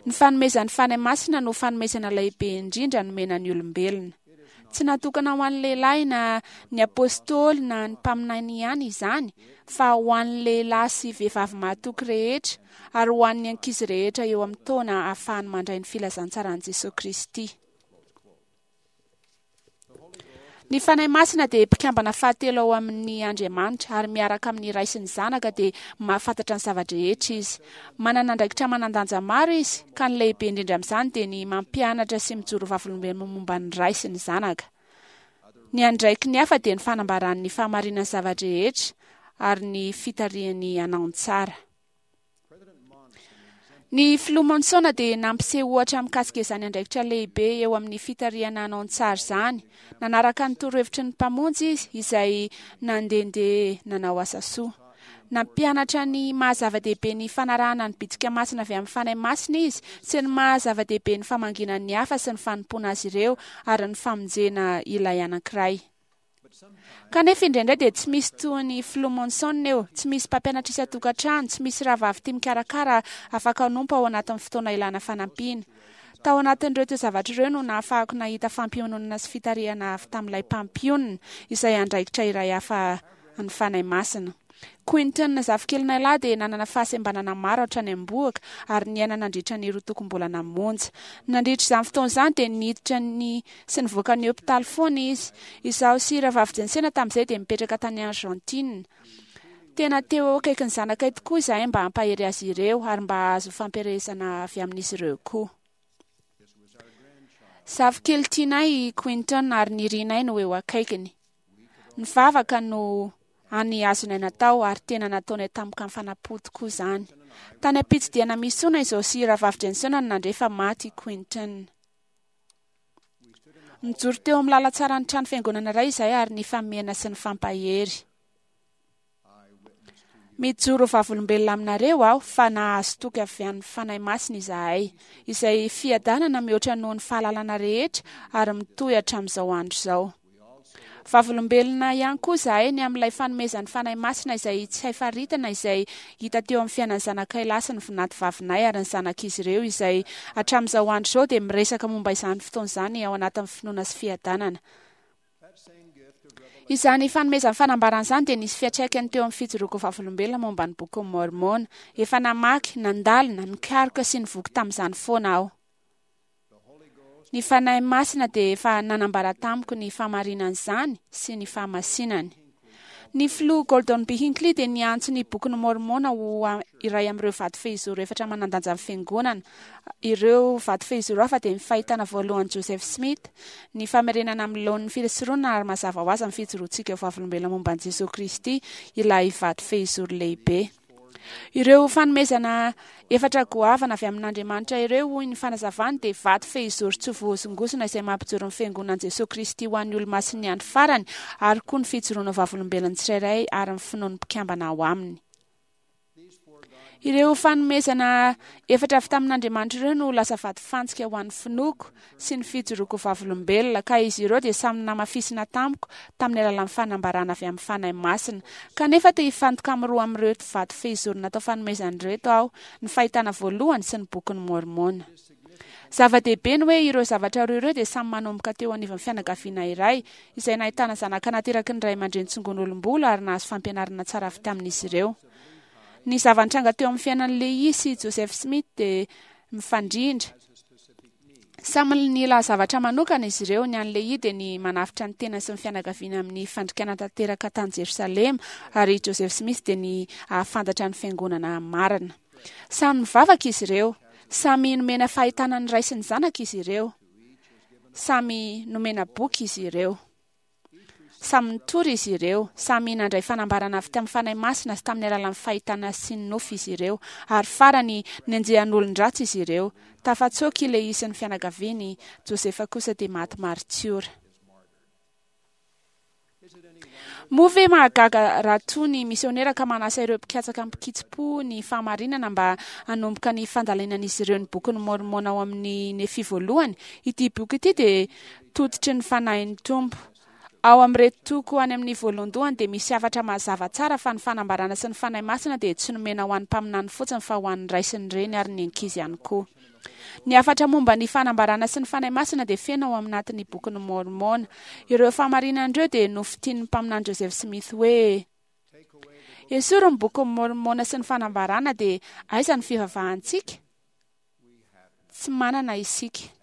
Ny fanomezan'ny Fanahy Masina no fanomezana lehibe indrindra nomena ny olombelona. Tsy natokana ho an'ny lehilahy na ny apôstôly na ny mpaminany ihany izany, fa ho an'ny lehilahy sy vehivavy mahatoky rehetra ary ho an'ny ankizy rehetra eo amin'ny taona ahafahany mandray ny filazantsaran'i Jesoa Kristy. Ny Fanahy Masina dia mpikambana fahatelo ao amin'ny Andriamanitra ary miaraka amin'ny Ray sy ny Zanaka dia mahafantatra ny zava-drehetra Izy. Manana andraikitra manan-danja maro Izy, ka ny lehibe indrindra amin'izany dia ny mampianatra sy mijoro vavolombelona momba ny Ray sy ny Zanaka. Ny andraikiny hafa dia ny fanambarany ny fahamarinan'ny zava-drehetra ary ny fitarihany hanao ny tsara. Ny Filoha Monson dia nampiseho ohatra mikasika izany andraikitra lehibe eo amin'ny fitarihana hanao ny tsara izany. Nanaraka ny torohevitry ny Mpamonjy izy, izay nandehandeha nanao asa soa. Nampianatra ny maha zava-dehibe ny fanarahana ny bitsika masina avy amin'ny Fanahy Masina izy, sy ny maha zava-dehibe ny famangiana ny hafa sy ny fanompoana azy ireo ary ny famonjena ilay anankiray. Kanefa indraindray dia tsy misy toa ny Filoha Monson eo, tsy misy mpampianatra isan-tokantrano, tsy misy rahavavy tia mikarakara afaka hanompo ao anatin'ny fotoana ilana fanampiana. Tao anatin'ireo toe-javatra ireo no nahafahako nahita fampiononana sy fitarihana avy tamin'ilay Mpampionona, izay andraikitra iray hafa an'ny Fanahy Masina. Quinton zafikelinay lahy dia nanana fahasembanana maro hatrany am-bohoka ary niaina nandritra ny roatokom-bolana monja. Nandritra izany fotoana izany dia niditra ny sy nivoaka ny hopitaly foana izy. Izaho sy Rahavavy Jensena tamin'izay dia nipetraka tany Argentine. Tena teo eo akaikin'ny zanakay tokoa izahay mba hampahery azy ireo ary mba hahazo fampielezana avy amin'izy ireo koa. Zafikely tianay i Quinton ary nirinay no eo akaikiny. Nivavaka no hany azonay natao ary tena nataonay tamim-kafanam-po tokoa izany. Tany am-pitsidihana misiona izao sy Rahavavy Jensena no nandre fa maty i Quinton. Nijoro teo amin'ny lalan-tsaran'ny trano fiangonana iray izahay ary nifamena sy nifampahery. Mijoro ho vavolombelona aminareo aho fa nahazo toky avy amin'ny Fanahy Masina izahay, izay fiadanana mihoatra noho ny fahalalana rehetra ary mitohy hatramin'izao andro izao. Vavolombelona ihany koa izahay ny amin'ilay fanomezan'ny Fanahy Masina izay tsy hay faritana izay hita teo amin'ny fiainan'ny zanakay lahy sy ny vinantovavinay ary ny zanak'izy ireo izay hatramin'izao andro izao dia miresaka momba izany fotoana izany ao anatin'ny finoana sy fiadanana. Izany fanomezan'ny fanambarana izany dia nisy fiantraikany teo amin'ny fijoroako vavolombelona momba ny Bokin'i Môrmôna. Efa namaky, nandalina, nikaroka sy nivoky tamin'izany foana aho. Ny Fanahy Masina dia efa nanambara tamiko ny fahamarinan'izany sy ny fahamasinany. Ny Filoha Gordon B. Hinckley dia niantso ny Bokin'i Môrmôna ho iray amin'ireo vato fehizoro efatra manan-danjan'ny Fiangonana. Ireo vato fehizoro hafa dia ny Fahitana Voalohan'i Joseph Smith, ny Famerenana amin'ny laoniny ny Fisoronana ary mazava ho azy ny fijoroantsika ho vavolombelona momba an'i Jesoa Kristy, ilay vato fehizoro lehibe. Ireo fanomezana efatra goavana avy amin'Andriamanitra ireo, hoy ny fanazavany, dia vato fehizoro tsy voahozongozona izay mampijoro ny Fiangonan'i Jesoa Kristy ho an'ny Olomasin'ny Andro Farany, ary koa ny fijoroana ho vavolombelon'ny tsirairay ary ny finoan'ny mpikambana ao aminy. Ireo fanomezana efatra avy tamin'Andriamanitra ireo no lasa vatofantsika ho an'ny finoako sy ny fijoroako ho vavolombelona, ka izy ireo dia samy namafisina tamiko tamin'ny alalan'ny fanambarana avy amin'ny Fanahy Masina. Kanefa te hifantoka amin'ny roa amin'ireto vato fehizoro natao fanomezana ireto aho, ny Fahitana Voalohany sy ny Bokin'i Môrmôna. Zava-dehibe ny hoe ireo zavatra roa ireo dia samy manomboka teo anivon'ny fianakaviana iray, izay nahitana zanaka nateraky ny ray aman-dreny tsongon'olom-bolo ary nahazo fampianarana tsara avy tamin'izy ireo. Ny zava-nitranga teo amin'ny fiainan'i Lehi sy Joseph Smith dia mifandrindra. Samy nila zavatra manokana izy ireo. Ny an'i Lehi dia ny manavotra ny tenany sy ny fianakaviany amin'ny fandikana tanteraka tany Jerosalema, ary i Joseph Smith dia ny hahafantatra ny fiangonana marina. Samy nivavaka izy ireo. Samy nomena fahitana ny Ray sy ny Zanaka izy ireo. Samy nomena boky izy ireo. Samy nitory izy ireo, samy nandray fanambarana avy tamin'ny Fanahy Masina sy tamin'ny alalan'ny fahitana sy ny nofy izy ireo, ary farany, nenjehan'olon-dratsy izy ireo. Tafatsoaka i Lehia sy ny fianakaviany, Josefa kosa dia maty maritiora. Moa ve mahagaga raha toa ny misionera ka manasa ireo mpikatsaka mpikitsi-po ny fahamarinana mba hanomboka ny fandalinan'izy ireo ny Bokin'i Môrmôna ao amin'ny Nefia Voalohany? Ity boky ity dia tototry ny Fanahin'ny Tompo. Ao amin'ireto toko any amin'ny voalohandohany dia misy hafatra mazava tsara fa ny fanambarana sy ny Fanahy Masina dia tsy nomena ho an'ny mpaminany fotsiny fa ho an'ny ray sy ny reny ary ny ankizy ihany koa. Ny hafatra momba ny fanambarana sy ny Fanahy Masina dia feno ao aminatin'ny Bokin'i Môrmôna. Ireo fahamarinana ireo dia nofintinin'ny mpaminany Joseph Smith hoe, Esory ny Bokin'i Môrmôna sy ny fanambarana dia aiza ny fivavahantsika? Tsy manana isika.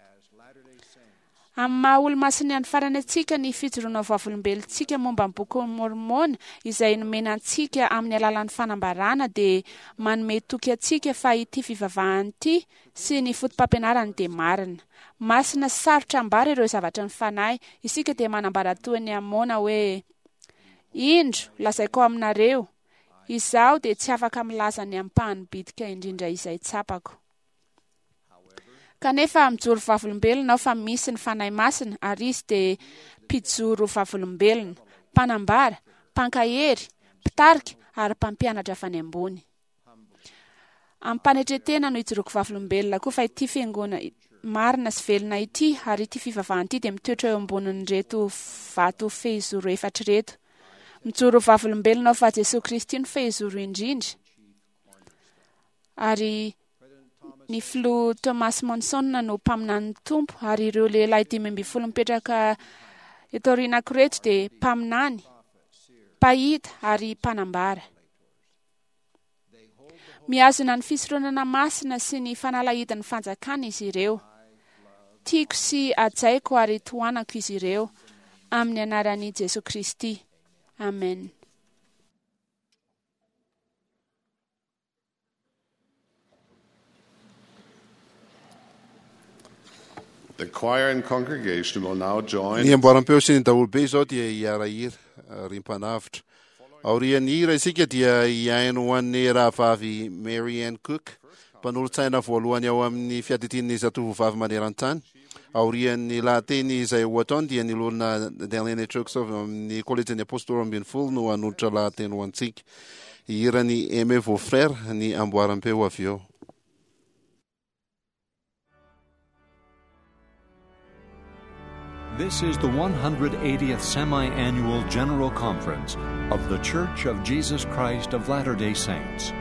Amin'ny maha Olomasin'ny Andro Farany antsika, ny fijoroana ho vavolombelontsika momba ny Bokin'i Môrmôna izay nomena antsika amin'ny alalan'ny fanambarana dia manome toky antsika fa ity fivavahana ity sy ny fotopampianarany dia marina. Masina sy sarotra ambara ireo zavatry ny fanahy. Isika dia manambara toy ny Amôna hoe, Indro, lazaiko aminareo, izaho dia tsy afaka milaza ny ampahany bitika indrindra izay tsapako. Kanefa mijoro vavolombelona aho fa misy ny Fanahy Masina ary Izy dia mpijoro vavolombelona, mpanambara, mpankahery, mpitarika ary mpampianatra avy any ambony. Amim-panetren-tena no ijoroako vavolombelona koa fa ity fiangonana marina sy velona ity ary ity fivavahana ity dia mitoetra eo ambonin'ireto vato fehizoro efatra ireto. Mijoro vavolombelona aho fa Jesoa Kristy no fehizoro indrindra ary Ny filoha Thomas Monson no mpaminanin'ny Tompo ary ireo lehilahy 15 mipetraka eto aorianako ireto dia mpaminany, mpahita ary mpanambara. Mihazona ny fisoronana masina sy ny fanalahidin'ny fanjakana izy ireo. Tiako sy hajaiko ary tohanako izy ireo amin'ny anaran'i Jesoa Kristy. Amen. The choir and congregation will now join. Ny amboaram-peo sy ny daholobe izao dia hiara-hira, ry mpanavotra. Aorian'ny hira isika dia hihaino ho an'ny rahavavy Mary Ann Cook, mpanolotsaina voalohany ao amin'ny fiadidian'ny zatovovavy maneran-tany. Aorian'ny lahateny izay ho ataony dia ny loholona Darlene Chucks avy amin'ny Kolejin'ny Apôstôly 12 no hanolotra lahateny ho antsika. Hiran'i Aimez vos frères ny amboaram-peo avy eo. This is the 180th Semi-Annual General Conference of The Church of Jesus Christ of Latter-day Saints.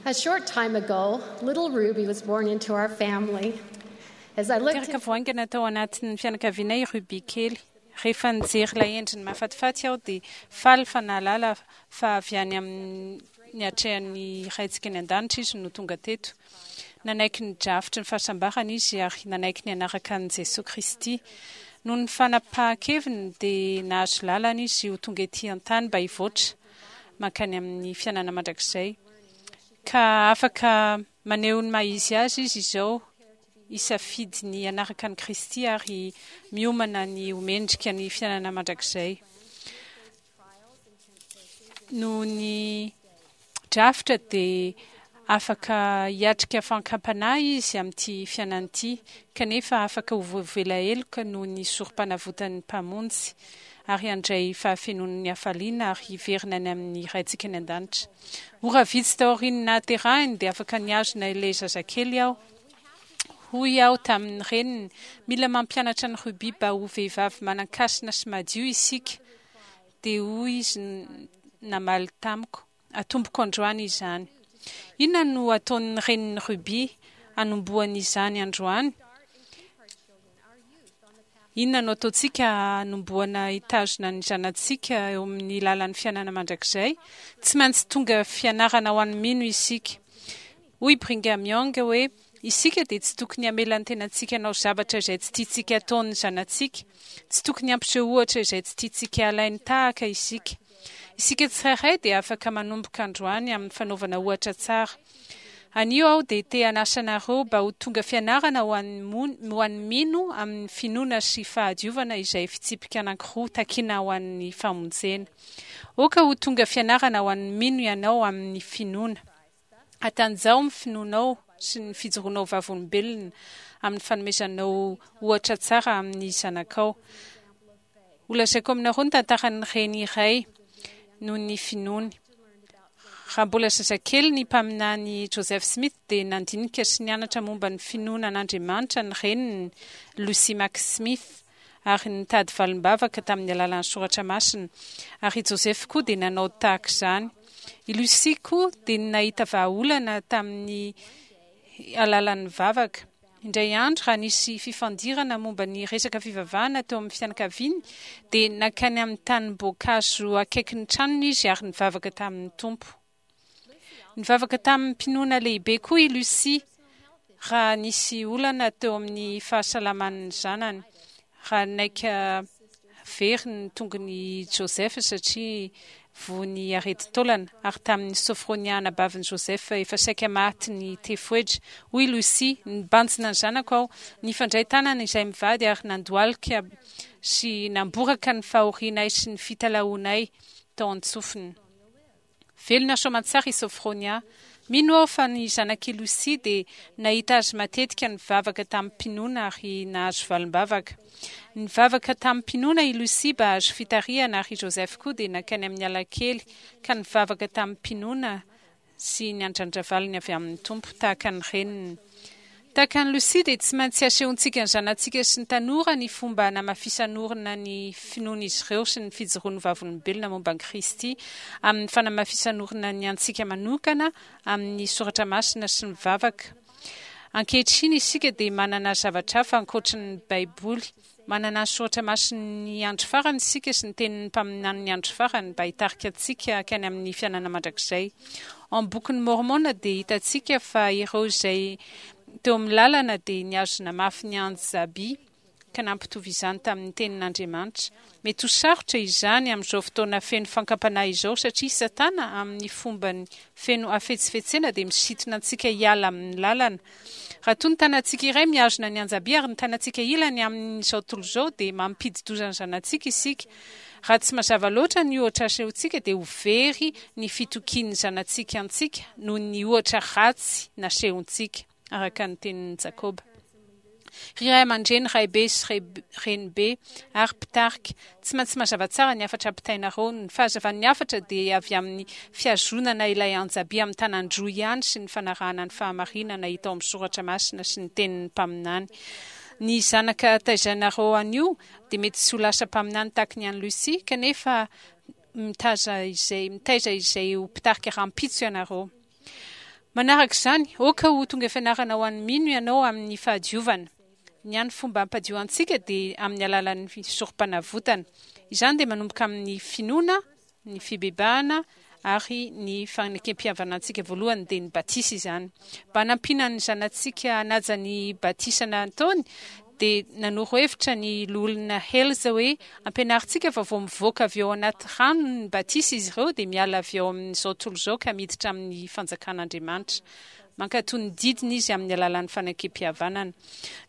A short time ago, little Ruby was born into our family. As I looked Teraka vao haingana tao anatin'ny fianakavianay i Ruby kely. Rehefa nijery ilay endriny mahafatifaty aho dia faly fa nahalala fa avy any amin'ny atrehan'ny Raintsika any an-danitra izy no tonga teto. Nanaiky ny drafitry ny fahasambarana izy ary nanaiky ny hanaraka an'i Jesoa Kristy. Noho ny fanapahan-keviny dia nahazo lalana izy ho tonga ety an-tany mba hivoatra mankany amin'ny fiainana mandrakizay. Ka afaka maneho ny maha izy azy izy izao, hisafidy ny hanaraka an'i Kristy ary miomana ny ho mendrika ny fiainana mandrakizay. Noho ny drafitra dia afaka hiatrika fankam-panahy izy amin'ity fiainana ity, kanefa afaka ho voavela heloka noho ny sorom-panavotan'ny Mpamonjy, ary handray fahafenoan'ny hafaliana ary hiverina any amin'ny Raintsika any An-danitra. Ora vitsy taorian'ny nahaterahiny dia afaka nihazona ilay zazakely aho. Hoy aho tamin'ny reniny, Mila mampianatra an'i Ruby mba ho vehivavy manan-kasina sy madio isika. Dia hoy izy namaly tamiko, Atomboko androany izany. Inona no ataon'ny renin'i Ruby hanombohany izany androany? Inona no ataontsika hanombohana hitazona ny zanatsika eo amin'ny lalan'ny fiainana mandrakizay? Tsy maintsy tonga fianarana ho an'ny mino isika. Hoy Brigham Young hoe, Isika dia tsy tokony hamela ny tenantsika hanao zavatra izay tsy tiantsika hataon'ny zanatsika. Tsy tokony hampiseho ohatra izay tsy tiantsika halainy tahaka isika. Isika tsirairay dia afaka manomboka androany amin'ny fanaovana ohatra tsara. Anio aho dia te hanasa anareo mba ho tonga fianarana ho an'ny ho an'ny mino amin'ny finoana sy fahadiovana izay fitsipika anankiroa takina ho an'ny famonjena. Aoka ho tonga fianarana ho an'ny mino ianao amin'ny finoana. Hatanjaho ny finoanao sy ny fijoroanao vavolombelona amin'ny fanomezanao ohatra tsara amin'ny zanakao. Holazaiko aminareo ny tantaran'ny reny iray noho ny finoany. Raha mbola zazakely ny mpaminany Joseph Smith dia nandinika sy nianatra momba ny finoana an'Andriamanitra ny reniny, Lucy Mack Smith, ary nitady valim-bavaka tamin'ny alalan'ny soratra masina, ary i Joseph koa dia nanao tahaka izany. I Lucy koa dia nahita vahaolana tamin'ny alalan'ny vavaka. Indray andro, raha nisy fifandirana momba ny resaka fivavahana teo amin'ny fianakaviany, dia nankany amin'ny tanim-boankazo akaikin'ny tranony izy ary nivavaka tamin'ny Tompo. Nivavaka tamim-pinoana lehibe koa i Lucy raha nisy olana teo amin'ny fahasalaman'ny zanany, raha naika very ny tongon'i Joseph satria voan'ny aretin-taolana, ary tamin'i Sophronia anabavin'i Joseph efa saika maty ny tefoedra. Hoy Lucy, Nibanjina ny zanako aho, nifandray tanana izahay mivady ary nandohalika sy namboraka ny fahorianay sy ny fitalahoanay tao an-tsofiny. Velona soamantsara i Sophronia. Mino aho fa ny zanak'i Lucy dia nahita azy matetika nivavaka tamim-pinoana ary nahazo valim-bavaka. Nivavaka tamim-pinoana i Lucy mba hahazo fitarihana ary i Joseph koa dia nankany amin'ny alakely ka nivavaka tamim-pinoana sy niandrandra valiny avy amin'ny Tompo tahaka ny reniny. Tahaka an'i Lucy dia tsy maintsy asehontsika ny zanatsika sy ny tanora ny fomba hanamafisan'orina ny finoan'izy ireo sy ny fijoroany vavolombelona momba an'i Kristy amin'ny fanamafisan'orina ny antsika manokana amin'ny soratra masina sy ny vavaka. Ankehitriny isika dia manana zavatra hafa ankoatry ny Baiboly. Manana ny soratra masin'ny andro farany isika sy ny tenin'ny mpaminanin'ny andro farany mba hitarika antsika hankany amin'ny fiainana mandrakizay. Ao amin'ny Bokin'i Môrmôna dia hitantsika fa ireo izay teo amin'ny lalana dia nihazona mafy ny anjaby ka nampitovy izany tamin'ny tenin'Andriamanitra. Mety ho sarotra izany amin'izao fotoana feno fankam-panahy izao satria Satana amin'ny fombany feno hafetsifetsena dia misintona antsika hiala amin'ny lalana. Raha toa ny tanantsika iray mihazona ny anjaby ary ny tanantsika ilany amin'izao tontolo izao dia mampidi-doza ny zanatsika isika. Raha tsy mazava loatra ny ohatra asehontsika dia ho very ny fitokian'ny zanatsika antsika noho ny ohatra ratsy nasehontsika, araka ny tenin'i Jakoba. Ry ray aman-dreny, raibe sy renibe ary mpitarika, tsy maintsy mazava tsara ny hafatra ampitainareo. Ny fahazavan'ny hafatra dia avy amin'ny fihazonana ilay anjaby amin'ny tanan-droa ihany sy ny fanarahana ny fahamarinana hita ao amin'ny soratra masina sy ny tenin'ny mpaminany. Ny zanaka taizainareo anio dia mety tsy ho lasa mpaminany tahaka ny an'i Lucy, kanefa mitaiza izay mitaiza izay ho mpitarika rahampitso ianareo. Manaraka izany, aoka ho tonga fianarana ho an'ny mino ianao amin'ny fahadiovana. Ny hany fomba hampadio antsika dia amin'ny alalan'ny sorompanavotana. Izany dia manomboka amin'ny finoana, ny fibebahana ary ny fanekem-pihavanantsika voalohany dia ny batisa izany. Mba hanampiana ny zanatsika hanaja ny batisa nataony dia nanoro hevitra ny Loholona Hales hoe ampianarintsika fa vao mivoaka avy ao anaty rano ny batisa izy ireo dia miala avy ao amin'izao tontolo izao ka miditra amin'ny fanjakan'Andriamanitra. Mankatò ny didiny izy amin'ny alalan'ny fanekem-pihavanana.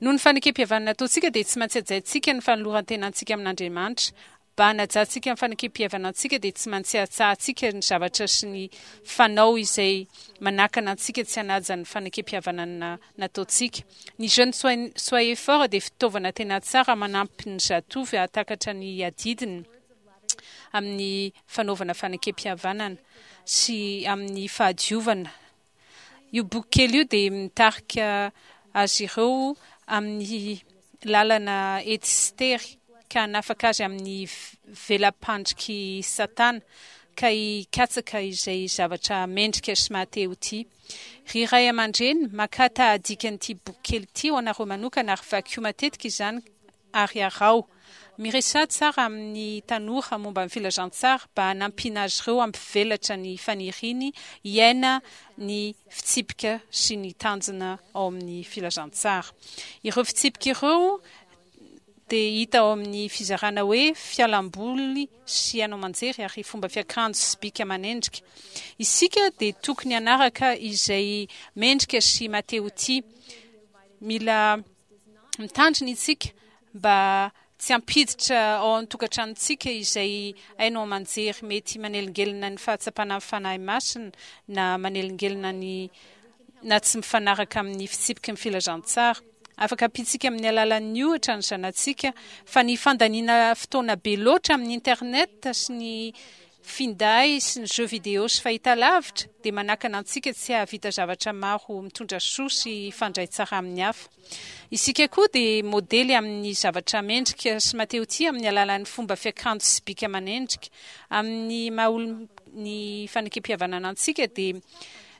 Noho ny fanekem-pihavanana ataontsika dia tsy maintsy hajaintsika ny fanoloran-tenantsika amin'Andriamanitra Mba hanajantsika ny fanekem-pihavanantsika dia tsy maintsy hatsahantsika ny zavatra sy ny fanao izay manakana antsika tsy hanaja ny fanekem-pihavanana nataontsika. Ny Jeunes Soyez Forts dia fitaovana tena tsara manampy ny zatovo hahatakatra ny adidiny amin'ny fanaovana fanekem-pihavanana sy amin'ny fahadiovana. Io boky kely io dia mitarika azy ireo amin'ny lalana ety sy tery ka hanafaka azy amin'ny vela-pandrik'i Satana ka hikatsaka izay zavatra mendrika sy maha-te ho tia. Ry ray aman-dreny, makà tahadikan'ity boky kely ity ho anareo manokana ary vakio matetika izany ary araho. Miresaha tsara amin'ny tanora momba ny filazantsara mba hanampiana azy ireo hampivelatra ny faniriany hiaina ny fitsipika sy ny tanjona ao amin'ny filazantsara. Ireo fitsipika ireo dia hita ao amin'ny fizarana hoe Fialamboly sy haino aman-jery ary Fomba fiakanjo sy bika aman'endrika. Isika dia tokony hanaraka izay mendrika sy maha-te-ho tia. Mila Mitandrina isika mba tsy hampiditra ao an-tokantranontsika izay haino aman-jery mety manelingelina ny fahatsapana ny Fanahy Masina na manelingelina ny na tsy mifanaraka amin'ny fitsipiky ny filazantsara. Afaka ampiantsika amin'ny alalan'ny ohatra ny zanatsika fa ny fandaniana fotoana be loatra amin'ny internet sy ny finday sy ny jeux vidéo sy fahitalavitra dia manakana antsika tsy hahavita zavatra maro mitondra soa sy hifandray tsara amin'ny hafa. Isika koa dia modely amin'ny zavatra mendrika sy matehotia amin'ny alalan'ny fomba fiakanjo sy bika aman'endrika. Amin'ny maha olon'ny fanekempihavanana antsika dia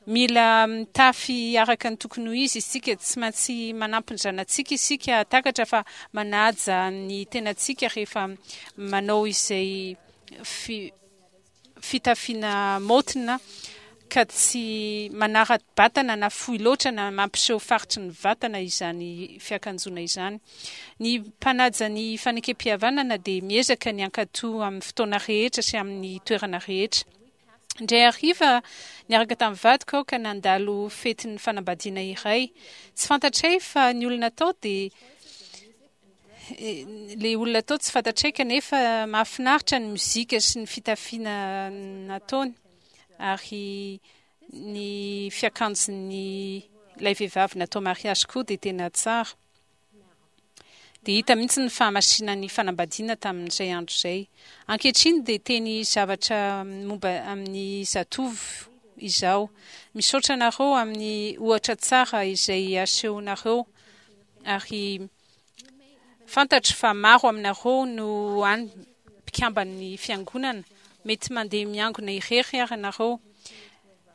mila mitafy araka ny tokony ho izy isika. Tsy maintsy manampy ny zanatsika isika hahatakatra fa manaja ny tenantsika rehefa manao izay fitafiana maotina ka tsy manara-batana na fohy loatra na mampiseho faritry ny vatana izany fiakanjoana izany. Ny mpanaja ny fanekem-pihavanana dia miezaka ny hankatò amin'ny fotoana rehetra sy amin'ny toerana rehetra. Indray hariva, niaraka tamin'ny vadiko aho ka nandalo fetin'ny fanambadiana iray. Tsy fantatray fa ny olona tao dia Ilay olona tao tsy fantatray kanefa mahafinaritra ny mozika sy ny fitafiana nataony ary ny fiakanjon'ny ilay vehivavy natao mariage koa dia tena tsara. Dia hita mihitsy ny fahamasinan'ny fanambadiana tamin'izay andro izay. Ankehitriny dia teny zavatra momba amin'ny zatovo izaho. Misaotra anareo amin'ny ohatra tsara izay asehonareo ary Fantatro fa maro aminareo no any mpikamban'ny Fiangonana, mety mandeha miangona irery ary ianareo.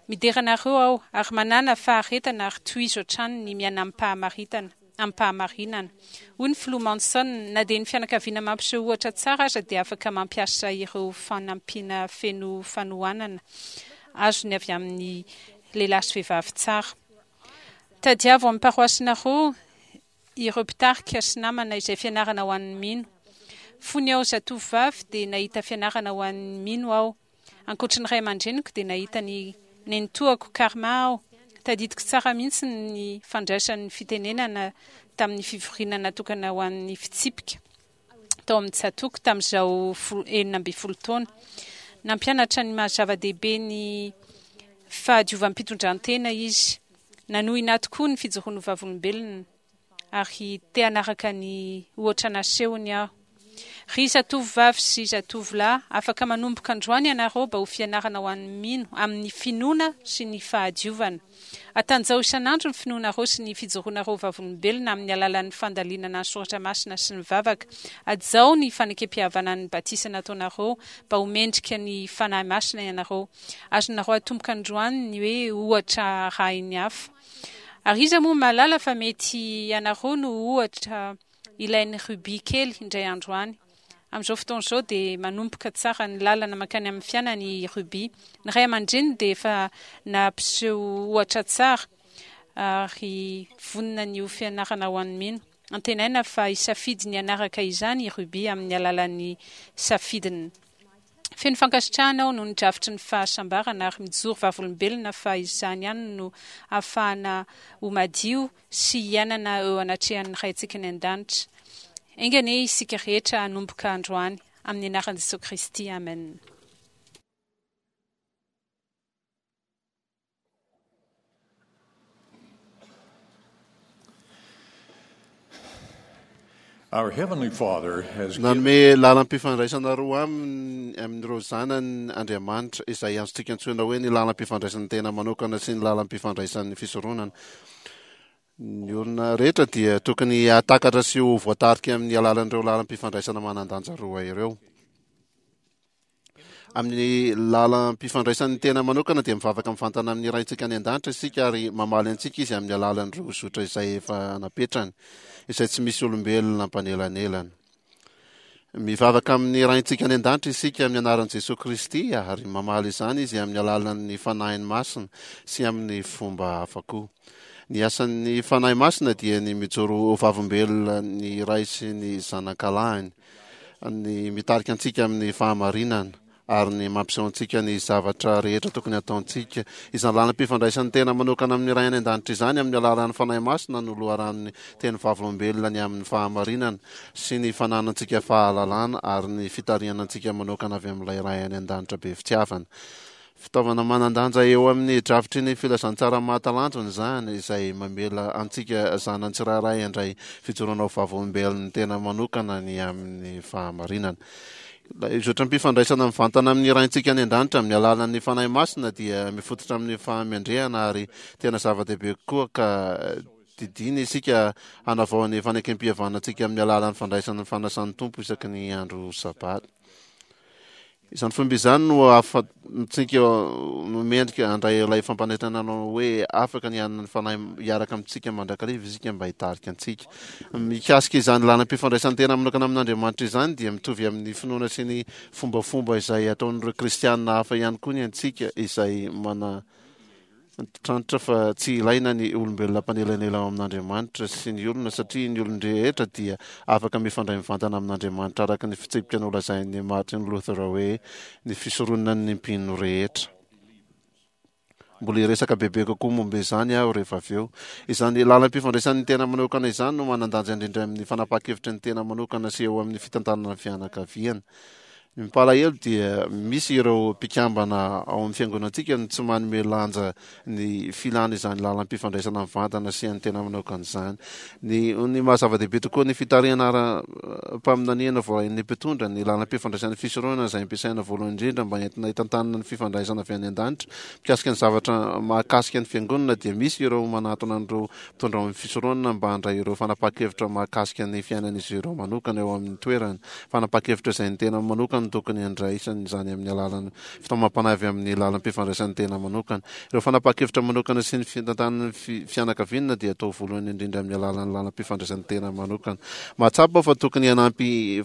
Midera anareo aho, ary manàna faharetana ary tohizo hatrany ny miaina amim-pahamaritana, amim-pahamarinana. Hoy ny Filoha Monson, Na dia ny fianakaviana mampiseho ohatra tsara aza dia afaka mampiasa ireo fanampiana feno fanohanana azony avy amin'ny lehilahy sy vehivavy tsara. Tadiavo amin'ny paroasinareo ireo mpitarika sy namana izay fianarana ho an'ny mino. Fony aho zatovovavy dia nahita fianarana ho an'ny mino aho. Ankoatry ny ray aman-dreniko dia nahita ny nenitoako Karma aho. Tadidiko tsara mihitsy ny fandraisany fitenenana tamin'ny fivoriana natokana ho an'ny fitsipika tao amin'ny tsatòko tamin'izaho 16 taona. Nampianatra ny maha zava-dehibe ny fahadiovam-pitondran-tena izy. Nanohina ahy tokoa ny fijoroany ho vavolombelona, ary te hanaraka ny ohatra nasehony aho. Ry zatovovavy sy zatovolahy, afaka manomboka androany ianareo mba ho fianarana ho an'ny mino amin'ny finoana sy ny fahadiovana. Atanjaho isan'andro ny finoanareo sy ny fijoroanareo ho vavolombelona amin'ny alalan'ny fandalinana ny soratra masina sy ny vavaka. Hajao ny fanekempihavanan'ny batisa nataonareo mba ho mendrika ny Fanahy Masina ianareo. Azonareo atomboka androany ny hoe ohatra arahin'ny hafa. Ary iza moa mahalala fa mety ianareo no ohatra ilain'i Ruby kely indray andro any. Amin'izao fotoana izao dia manomboka tsara ny lalana mankany amin'ny fiainany i Ruby. Ny ray aman-dreniny dia efa nampiseho ohatra tsara ary vonona ny ho fianarana ho an'ny mino. Antenaina fa hisafidy ny hanaraka izany i Ruby amin'ny alalan'ny safidiny. Feno fankasitrahana aho noho ny drafitry ny fahasambarana ary mijoro vavolombelona fa izany ihany no ahafahana ho madio sy hiainana eo anatrehan'ny Raintsika any An-danitra. Enga anie isika rehetra hanomboka androany, amin'ny anaran'i Jesoa Kristy, amen. Our Heavenly Father has Nanome lalam-pifandraisana roa aminy amin'ireo zanany Andriamanitra, izay azontsika antsoina hoe ny lalam-pifandraisan'ny tena manokana sy ny lalam-pifandraisan'ny fisoronana. Ny olona rehetra dia tokony hahatakatra sy ho voatarika amin'ny alalan'ireo lalam-pifandraisana manan-danja roa ireo. Amin'ny lalam-pifandraisan'ny tena manokana dia mivavaka mivantana amin'ny Raintsika any an-danitra isika ary mamaly antsika Izy amin'ny alalan'ireo zotra izay efa napetrany, izay tsy misy olombelona mpanelanelana. Mivavaka amin'ny Raintsika any an-danitra isika amin'ny anaran'i Jesoa Kristy ary mamaly izany Izy amin'ny alalan'ny Fanahiny Masina sy amin'ny fomba hafa koa. Ny asan'ny Fanahy Masina dia ny mijoro ho vavolombelona ny Ray sy ny Zanakalahiny. ny mitarika antsika amin'ny fahamarinana ary ny mampiseho antsika ny zavatra rehetra tokony hataontsika. Izany lalam-pifandraisan'ny tena manokana amin'ny Ray any An-danitra izany amin'ny alalan'ny Fanahy Masina no loharanon'ny teny vavolombelona ny amin'ny fahamarinana sy ny fananantsika fahalalana ary ny fitarihana antsika manokana avy amin'ilay Ray any An-danitra be fitiavana. Fitaovana manan-danja eo amin'ny drafitry ny filazantsara mahatalanjona izany, izay mamela antsika zanany tsirairay handray fijoroana ho vavolombelon'ny tena manokana ny amin'ny fahamarinana. Ilay zotram-pifandraisana mivantana amin'ny Raintsika any An-danitra amin'ny alalan'ny Fanahy Masina dia mifototra amin'ny fahamendrehana ary tena zava-dehibe kokoa ka didiana isika hanavao ny fanekempihavanantsika amin'ny alalan'ny fandraisana ny fanasan'ny Tompo isaky ny andro Sabata. Izany fomba izany no ahafahantsika no mendrika handray ilay fampanentanana hoe afaka ny hanana ny Fanahy hiaraka amintsika mandrakariva isika mba hitarika antsika. Mikasika izany lalam-pifandraisan-tena manokana amin'Andriamanitra izany dia mitovy amin'ny finoana sy ny fombafomba izay ataon'ireo kristiana hafa ihany koa ny antsika izay mana Antitrantitra fa tsy ilaina ny olombelona mpanelanela ao amin'Andriamanitra sy ny olona satria ny olon-drehetra dia afaka mifandray mivantana amin'Andriamanitra araka ny fitsipika nolazain'i Martin Luther hoe ny fisoronan'ny mpino rehetra. Mbola hiresaka bebe kokoa momba izany aho rehefa avy eo. Izany lalam-pifandraisan'ny tena manokana izany no manan-danja indrindra amin'ny fanapahan-kevitry ny tena manokana sy eo amin'ny fitantanana ny fianakaviana. Ny mampalahelo dia misy ireo mpikambana ao amin'ny fiangonantsika no tsy manome lanja ny filana izany lalam-pifandraisana mivantana sy an'ny tena manokana izany. Ny ny maha zava-dehibe tokoa ny fitarihana ara-paminaniana voarain'ny mpitondra, ny lalam-pifandraisan'ny fisoronana izay ampiasaina voalohany indrindra mba entina hitantanana ny fifandraisana avy any an-danitra mikasika ny zavatra mahakasika ny fiangonana dia misy ireo manatona an'ireo mpitondra ao amin'ny fisoronana mba handray ireo fanapahan-kevitra mahakasika ny fiainan'izy ireo manokana eo amin'ny toerany. Fanapahan-kevitra izay ny tena manokana no tokony handraisany izany amin'ny alalan'ny fitaomam-panahy avy amin'ny lalam-pifandraisan'ny tena manokana. Ireo fanapahan-kevitra manokana sy ny fitantanan'ny fianakaviana dia atao voalohany indrindra amin'ny alalan'ny lalam-pifandraisan'ny tena manokana. Mahatsapa aho fa tokony hanampy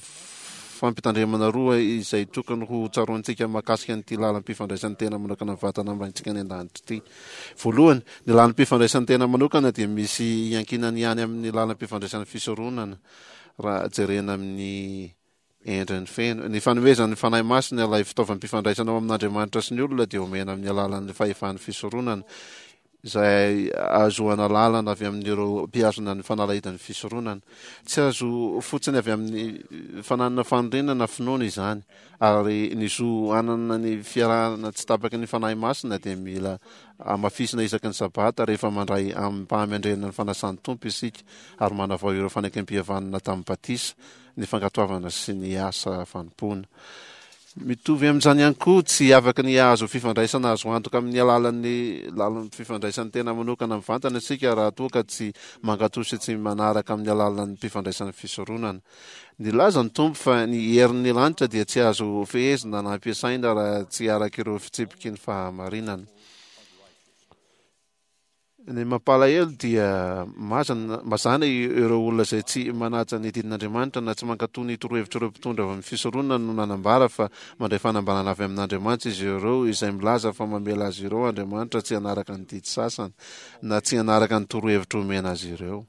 fampitandremana roa izay tokony ho tsaroantsika mahakasika an'ity lalam-pifandraisan'ny tena manokana mivantana amintsika any an-danitra ity. Voalohany, ny lalam-pifandraisan'ny tena manokana dia misy iankinany ihany amin'ny lalam-pifandraisan'ny fisoronana. raha jerena amin'ny endriny feno. Ny fanomezan'ny Fanahy Masina ilay fitaovam-pifandraisana ao amin'Andriamanitra sy ny olona dia omena amin'ny alalan'ny fahefan'ny fisoronana, izay ahazoana lalana avy amin'ireo mpihazona ny fanalahidin'ny fisoronana. Tsy azo fotsiny avy amin'ny fananana faniriana na finoana izany, ary ny zo hanana ny fiarahana tsy tapaky ny Fanahy Masina dia mila Hamafisina isaky ny Sabata rehefa mandray amim-pahamendrehana ny fanasan'ny Tompo isika ary manavao ireo fanekempihavanana tamin'ny batisa. ny fankatoavana sy ny asa fanompoana. Mitovy amin'izany ihany koa, tsy afaka ny hahazo fifandraisana azo antoka amin'ny alalan'ny lalan'ny fifandraisan'ny tena manokana mivantana isika raha toa ka tsy mankatò sy tsy manaraka amin'ny alalan'ny mpifandraisan'ny fisoronana. Nilaza ny Tompo fa ny herin'ny lanitra dia tsy azo fehezina na ampiasaina raha tsy araka ireo fitsipiky ny fahamarinana. Ny mampalahelo dia mazana, mazàna ireo olona izay tsy manaja ny didin'Andriamanitra na tsy mankatò ny torohevitr'ireo mpitondra avy amin'ny fisoronana no nanambara fa mandray fanambarana avy amin'Andriamanitra izy ireo izay milaza fa mamela azy ireo Andriamanitra tsy hanaraka ny didy sasany na tsy hanaraka ny torohevitra omena azy ireo.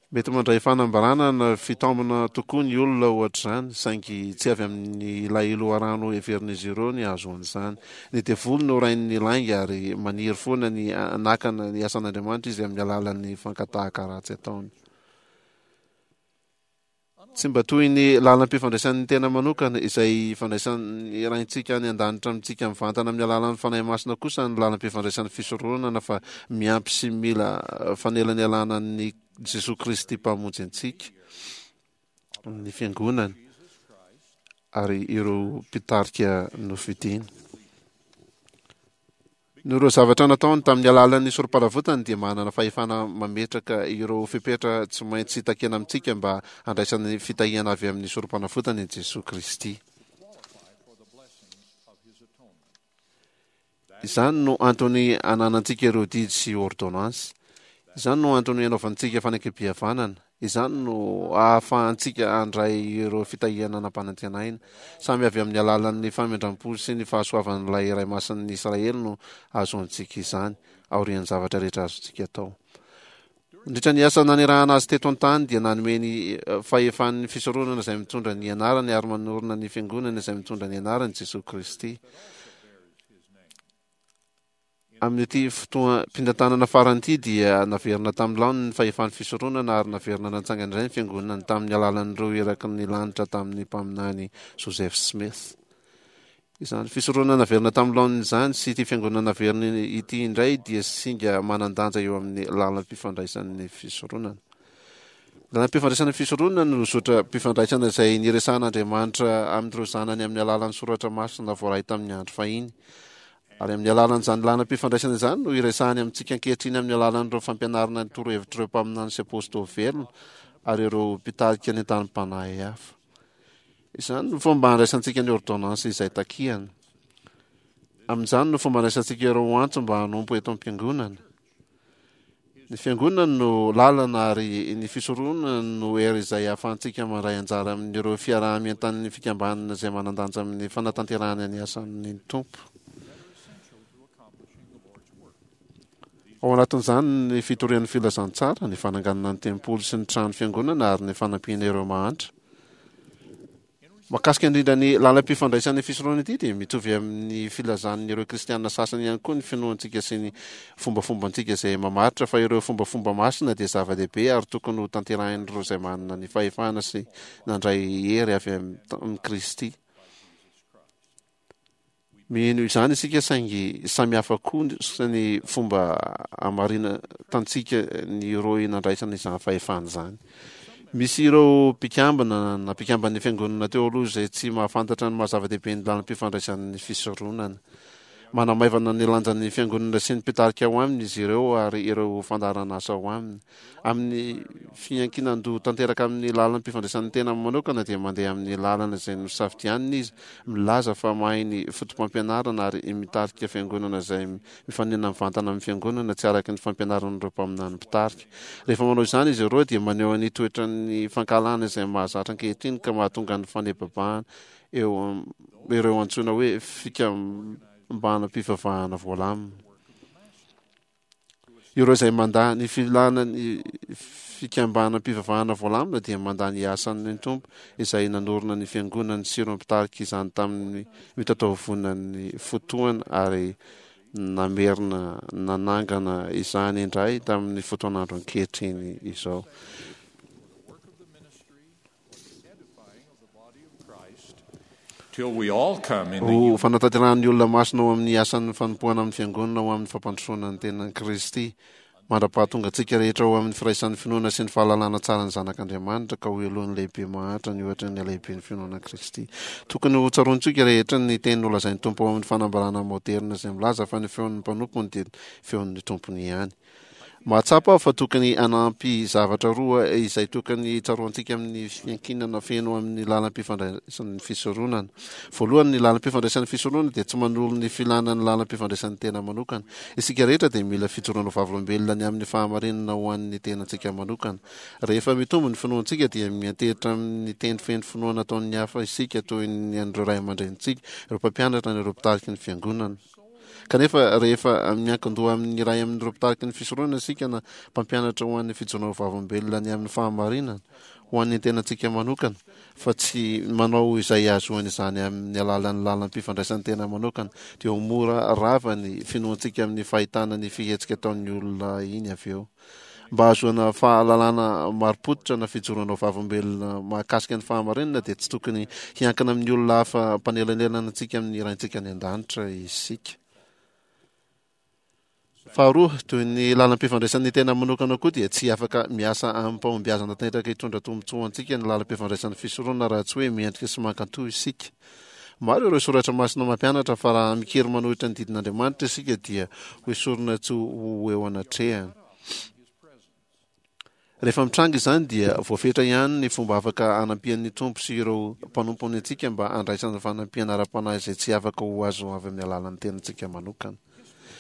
Mety mandray fanambarana na fitaomana tokoa ny olona ohatr'izany, saingy tsy avy amin'ilay loharano heverin'izy ireo ny hahazoany izany. Ny devoly no rain'ny lainga ary maniry foana ny hanakana ny asan'Andriamanitra izy amin'ny alalan'ny fankatahaka ratsy ataony. Tsy mba toy ny lalam-pifandraisan'ny tena manokana, izay ifandraisan'ny Raintsika any An-danitra amintsika mivantana amin'ny alalan'ny Fanahy Masina kosa ny lalam-pifandraisan'ny fisoronana fa miampy sy mila fanelanelana an'i Jesoa Kristy Mpamonjy antsika, ny Fiangonany ary ireo mpitarika nofidiny. Noho ireo zavatra nataony tamin'ny alalan'ny sorom-panavotany dia manana fahefana mametraka ireo fepetra tsy maintsy takiana amintsika mba handraisana ny fitahiana avy amin'ny sorom-panavotany i Jesoa Kristy. Izany no antony ananantsika ireo didy sy ôrdônansy. Izany no antony anaovantsika fanekempihavanana. Izany no ahafahantsika handray ireo fitahiana nampanantenaina. Samy avy amin'ny alalan'ny famindram-po sy ny fahasoavan'ilay Iray Masin'ny Israely no ahazoantsika izany, aorian'ny zavatra rehetra azontsika atao. Nandritra ny asa nanirahana azy teto an-tany dia nanome ny fahefan'ny fisoronana izay mitondra ny anarany ary manorina ny fiangonana izay mitondra ny anarany Jesoa Kristy. Amin'ity fotoam-pitantanana farany ity dia naverina tamin'ny laoniny ny fahefan'ny fisoronana ary naverina natsangana indray ny fiangonana tamin'ny alalan'ireo iraky ny lanitra tamin'ny mpaminany Joseph Smith. Izany fisoronana naverina tamin'ny laoniny izany sy ity fiangonana naverina ity indray dia singa manan-danja eo amin'ny lalam-pifandraisan'ny fisoronana. Ny lalam-pifandraisan'ny fisoronana no zotram-pifandraisana izay niresahan'Andriamanitra amin'ireo zanany amin'ny alalan'ny soratra masina voaray tamin'ny andro fahiny. Ary amin'ny alalan'izany lalam-pifandraisana izany no iresahany amintsika ankehitriny amin'ny alalan'ireo fampianarana ny torohevitr'ireo mpaminany sy apôstôly velona ary ireo mpitarika nentanim-panahy hafa. Izany no fomba handraisantsika ny ôrdônansy izay takiany. Amin'izany no fomba handraisantsika ireo antso mba hanompo eto am-piangonana. Ny Fiangonana no lalana ary ny fisoronana no hery izay ahafahantsika mandray anjara amin'ireo fiaraha-mientan'ny fikambanana izay manan-danja amin'ny fanatanterahana ny asan'ny Tompo. Ao anatin'izany ny fitorian'ny filazantsara, ny fananganana ny tempoly sy ny trano fiangonana ary ny fanampiana ireo mahantra. Mahakasika indrindra ny lalam-pifandraisan'ny fisoronana ity dia mitovy amin'ny filazan'ireo kristiana sasany ihany koa ny finoantsika sy ny fombafombantsika izay mamaritra fa ireo fombafomba masina dia zava-dehibe ary tokony ho tanterahin'ireo izay manana ny fahefana sy nandray hery avy amin'i Kristy. Mino izany isika saingy samy hafa kosa ny fomba hamarinatantsika ny rohy nandraisana izany fahefana izany. Misy ireo mpikambana na mpikamban'ny fiangonana teo aloha izay tsy mahafantatra ny maha zava-dehibe ny lalam-pifandraisan'ny fisoronana. Manamaivana ny lanjan'ny fiangonana sy ny mpitarika ao aminy izy ireo ary ireo fandaharan'asa ao aminy. Amin'ny fiankinan-doha tanteraka amin'ny lalam-pifandraisan'ny tena manokana dia mandeha amin'ny lalana izay nosafidianiny izy, milaza fa mahay ny fotopampianarana ary mitarika fiangonana izay mifanena mivantana amin'ny fiangonana tsy araka ny fampianaran'ireo mpaminany mpitarika. Rehefa manao izany izy ireo dia maneho ny toetran'ny fankahalana izay mahazatra ankehitriny ka mahatonga ny fanebabahana eo ireo antsoina hoe fikambanam-pivavahana voalamina. Ireo izay mandà ny filàna ny fikambanam-pivavahana voalamina dia mandà ny asan'ny Tompo izay nanorina ny Fiangonany sy ireo mpitarika izany tamin'ny mitataovonan'ny fotoana ary namerina nanangana izany indray tamin'ny fotoan'andro ankehitriny izao. Ho fanatanterahan'ny olona masina ao amin'ny asan'ny fanompoana amin'ny Fiangonana ho amin'ny fampandrosoana ny tenan'i Kristy. Mandra-pahatonga antsika rehetra ho amin'ny firaisan'ny finoana sy ny fahalalana tsara ny Zanak'Andriamanitra, ka ho helohin'ny lehibe mahantra ny ohatry ny halehiben'ny finoana an'i Kristy. Tokony hotsaroantsika rehetra ny teny nolazain'ny Tompo ao amin'ny fanambarana maoderina izay milaza fa ny feon'ny mpanompony dia feon'ny tompony ihany. Mahatsapa aho fa tokony hanampy zavatra roa izay tokony tsaroantsika amin'ny fiankinana feno amin'ny lalam-pifandraisan'ny fisoronana. Voalohany, ny lalam-pifandraisan'ny fisoronana dia tsy manolo ny filana ny lalam-pifandraisan'ny tena manokana. Isika rehetra dia mila fijoroana ho vavolombelona ny amin'ny fahamarinana ho an'ny tenantsika manokana. Rehefa mitombo ny finoantsika dia miantehitra amin'ny teny feno finoana ataon'ny hafa isika toy ny an'ireo ray aman-drenintsika, ireo mpampianatra na ireo mpitariky ny fiangonana. Kanefa, rehefa miankin-doha amin'ny iray amin'ireo mpitariky ny fisoronana isika na mpampianatra ho an'ny fijoroana ho vavolombelona ny amin'ny fahamarinana ho an'ny tenantsika manokana, fa tsy manao izay hahazoana izany amin'ny alalan'ny lalam-pifandraisan'ny tena manokana, dia ho mora rava ny finoantsika amin'ny fahitana ny fihetsika ataon'ny olona iny avy eo. Mba hahazoana fahalalana marim-pototra na fijoroana ho vavolombelona mahakasika ny fahamarinana dia tsy tokony hiankina amin'ny olona hafa mpanelanelana antsika amin'ny Raintsika any An-danitra isika. Faharoa, toy ny lalam-pifandraisan'ny tena manokana koa dia tsy afaka miasa amim-pahombiazana tanteraka hitondra tombontsoa ho antsika ny lalam-pifandraisan'ny fisoronana raha tsy hoe mendrika sy mankatò isika. Maro ireo soratra masina mampianatra fa raha mikiry manohitra ny didin'Andriamanitra isika dia hoesorina tsy ho eo anatrehany. Rehefa mitranga izany dia voafetra ihany ny fomba afaka hanampian'ny Tompo sy ireo mpanompony antsika mba handraisana fanampiana ara-panahy izay tsy afaka ho azo avy amin'ny alalan'ny tenantsika manokana.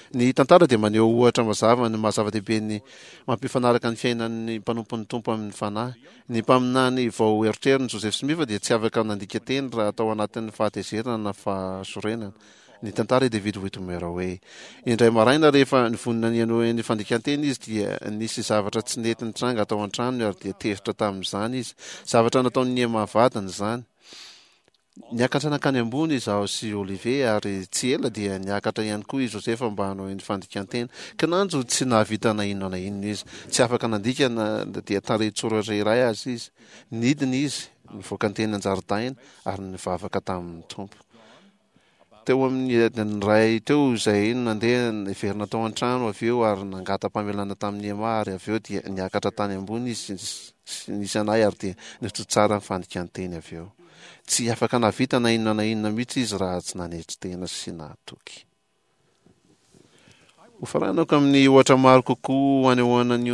Ny tantara dia maneho ohatra mazava ny maha zava-dehibe ny mampifanaraka ny fiainan'ny mpanompon'ny Tompo amin'ny Fanahy. Ny mpaminany vao erotrerony, Joseph Smith, dia tsy afaka nandika teny raha tao anatin'ny fahatezerana na fahasorenana. Nitantara i David Whitmer hoe, Indray maraina rehefa nivonona ny hanohy ny fandikan-teny izy dia nisy zavatra tsy nety nitranga tao an-tranony ary dia tezitra tamin'izany izy. Zavatra nataon'i Emma vadiny izany. Niakatra nankany ambony izaho sy Olivier ary tsy ela dia niakatra ihany koa i Josefa mba hanao ny fandikan-teny. Kinanjo tsy nahavita na inona na inona izy. Tsy afaka nandika na dia tarehin-tsoratra iray aza izy. Nidina izy, nivoaka teny an-jaridaina ary nivavaka tamin'ny Tompo. Teo amin'ny adiny iray teo izahay no nandeha niverina tao an-trano avy eo ary nangata-pamelana tamin'i Emma ary avy eo dia niakatra tany ambony izy sy nisy anay ary dia nitohy tsara ny fandikan-teny avy eo. Tsy afaka nahavita na inona na inona mihitsy izy raha tsy nanetry tena sy nahatoky. Hofaranako amin'ny ohatra maro kokoa hanehoana ny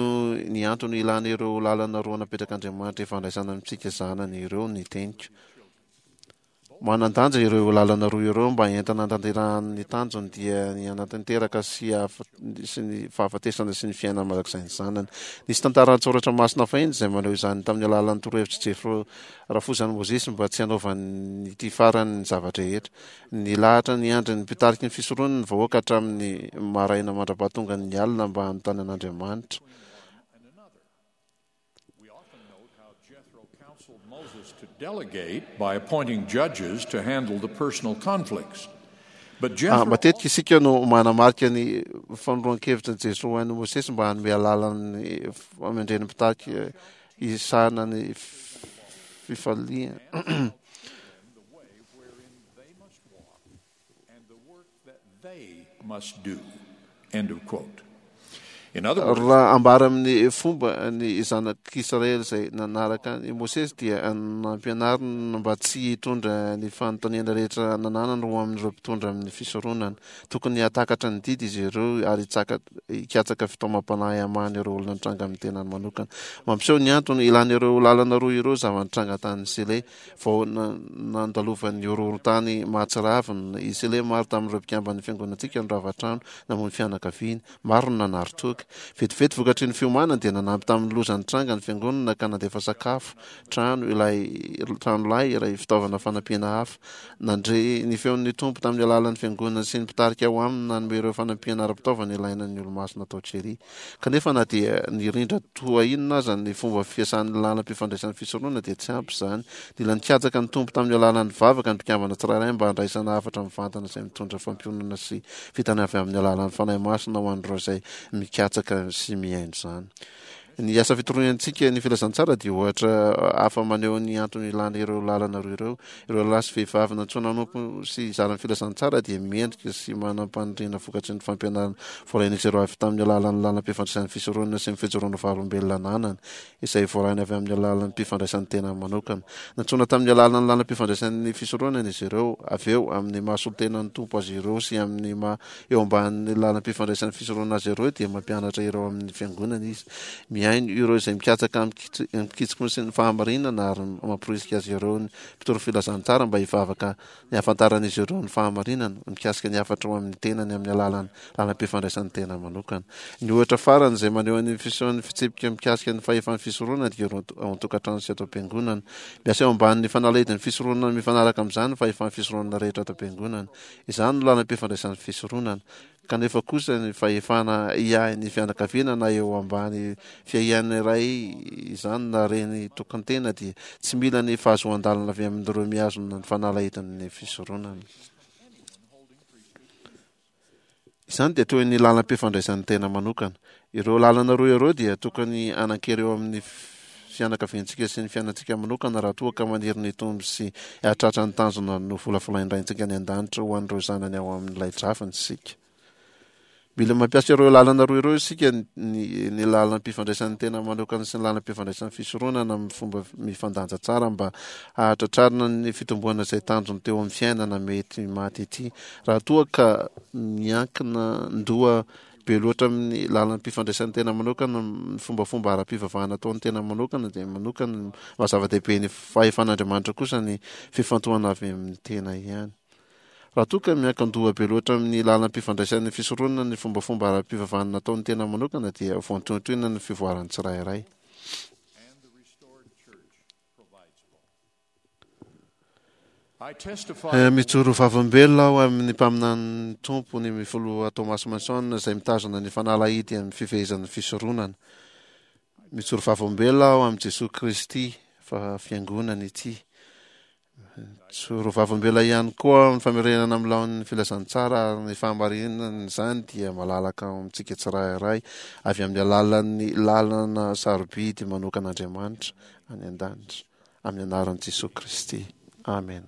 ny antony ilana ireo lalana roa napetrak'Andriamanitra ifandraisana amintsika zanany ireo ny teniko. Manan-danja ireo lalana roa ireo mba entina hanatanterahany ny tanjony dia ny hanatanteraka sy sy ny fahafatesana sy ny fiainana mandrakizay ny zanany. Nisy tantara an-tsoratra masina fahiny izay maneho izany tamin'ny alalan'ny torohevitr'i Jefro rafozan'i Mosesy mba tsy hanaovan'ity farany ny zava-drehetra. Nilahatra niandry ny mpitariky ny fisoronany ny vahoaka hatramin'ny maraina mandra-pahatongan'ny alina mba hanontany an'Andriamanitra. We often note how Jethro counseled Moses to delegate by appointing judges to handle the personal conflicts. But Ah, Jethro matetika isika no manamarika ny fanoroan-kevitra ny Jesoa ho an'i Mosesy mba hanome alalana ny famendren'ny mpitarika hisahana ny fifaliana. Raha ambara amin'ny fomba ny zanak'Israely izay nanaraka an'i Mosesy dia nampianarina mba tsy hitondra ny fanontaniana rehetra nananany ho amin'ireo mpitondra amin'ny fisoronana. Tokony hahatakatra ny didy izy ireo ary hikatsaka fitaomam-panahy hamahana ireo olona nitranga amin'ny tenany manokana. Mampiseho ny antony ilana ireo lalana roa ireo zava-nitranga tany Sile. Vao nandalovan'ny horohorontany mahatsiravina i Sele, maro tamin'ireo mpikamban'ny fiangonantsika no rava trano namoy ny fianakaviany. Maro no nanary toaka. Vetivety vokatry ny fiomanany dia nanampy tamin'ny loza nitranga ny fiangonana ka nandefa sakafo, trano, ilay tranolay, iray fitaovana fanampiana hafa. Nandre ny feon'ny Tompo tamin'ny alalan'ny fiangonana sy ny mpitarika ao aminy nanome ireo fanampiana ara-pitaovana ilaina ny Olomasina tao Cheri. Kanefa na dia nirindra toa inona aza ny fomba fiasan'ny lalam-pifandraisan'ny fisoronana dia tsy ampy izany. Nila nikatsaka ny Tompo tamin'ny alalan'ny vavaka ny mpikambana tsirairay mba handraisana hafatra mivantana izay mitondra fampiononana sy fitana avy amin'ny alalan'ny Fanahy Masina ho an'ireo izay mikatsaka sy mihaino izany. Ny asa fitoriantsika ny filazantsara dia ohatra hafa maneho ny antony ilana ireo lalana roa ireo. Ireo lehilahy sy vehivavy nantsoina hanompo sy hizara ny filazantsara dia mendrika sy manam-paniriana vokatry ny fampianarana voarain'izy ireo avy tamin'ny alalan'ny lalam-pifandraisan'ny fisoronana sy ny fijoroana vavolombelona ananany, izay voarainy avy amin'ny alalan'ny mpifandraisan'ny tenany manokana. Nantsoina tamin'ny alalan'ny lalam-pifandraisan'ny fisoronana izy ireo, avy eo, amin'ny maha solontenan'ny Tompo azy ireo sy amin'ny maha eo ambanin'ny lalam-pifandraisan'ny fisoronana azy ireo dia mampianatra ireo amin'ny fiangonana izy. Mihaino ireo izay mikatsaka amin-kitsim-po sy ny fahamarinana ary mamporisika azy ireo ny mpitory filazantsara mba hivavaka ny hahafantaran'izy ireo ny fahamarinana mikasika ny hafatra ho amin'ny tenany amin'ny alalan'ny lalam-pifandraisan'ny tena manokana. Ny ohatra farany izay maneho ny fisehoan'ny fitsipika mikasika ny fahefan'ny fisoronana dia ireo ao an-tokantrano sy ato am-piangonana. Miasa eo ambanin'ny fanalahidin'ny fisoronana mifanaraka amin'izany ny fahefan'ny fisoronana rehetra ato am-piangonana. Izany no lalam-pifandraisan'ny fisoronana. Kanefa kosa ny fahefana hiahy ny fianakaviana na eo ambany fiahian'ny ray izany na reny tokan-tena dia tsy mila ny fahazoan-dalana avy amin'ireo mihazona ny fanalahidin'ny fisoronana. Izany dia toy ny lalam-pifandraisan'ny tena manokana. Ireo lalana roa ireo dia tokony hanan-kery eo amin'ny fianakaviantsika sy ny fiainantsika manokana raha toa ka maniry ny hitombo sy hahatratra ny tanjona novolavolain'ny Raintsika any An-danitra ho an'ireo zanany ao amin'ilay drafiny isika. Mila mampiasa ireo lalana roa ireo isika, ny, ny lalam-pifandraisan'ny tena manokana sy ny lalam-pifandraisan'ny fisoronana amin'ny fomba mifandanja tsara mba hahatratrarana ny fitomboana izay tanjony teo amin'ny fiainana mety maty ity. Raha toa ka miankina ndoha Be loatra amin'ny lalam-pifandraisan'ny tena manokana, ny fombafomba ara-pivavahana ataon'ny tena manokana dia manokana, maha zava-dehibe ny fahefan'Andriamanitra kosa ny fifantohana avy amin'ny tena ihany. Raha toa ka miankin-doha be loatra amin'ny lalam-pifandraisan'ny fisoronana ny fombafomba ara-pivavahana nataon'ny tena manokana dia voantohintohina ny fivoaran'ny tsirairay. Mijoro vavolombelona aho amin'ny mpaminanin'ny Tompo, ny Filoha Thomas Monson, izay mitazona ny fanalahidy amin'ny fifehezan'ny fisoronana. Mijoro vavolombelona aho amin'i Jesoa Kristy fa Fiangonany ity. Mijoro vavolombelona ihany koa aho amin'ny famerenana amin'ny laoniny ny filazantsara ary ny fahamarinan'izany dia malalaka ao amintsika tsirairay avy amin'ny alalan'ny lalana sarobidy manokan'Andriamanitra any an-danitra. Amin'ny anaran'i Jesoa Kristy. Amen.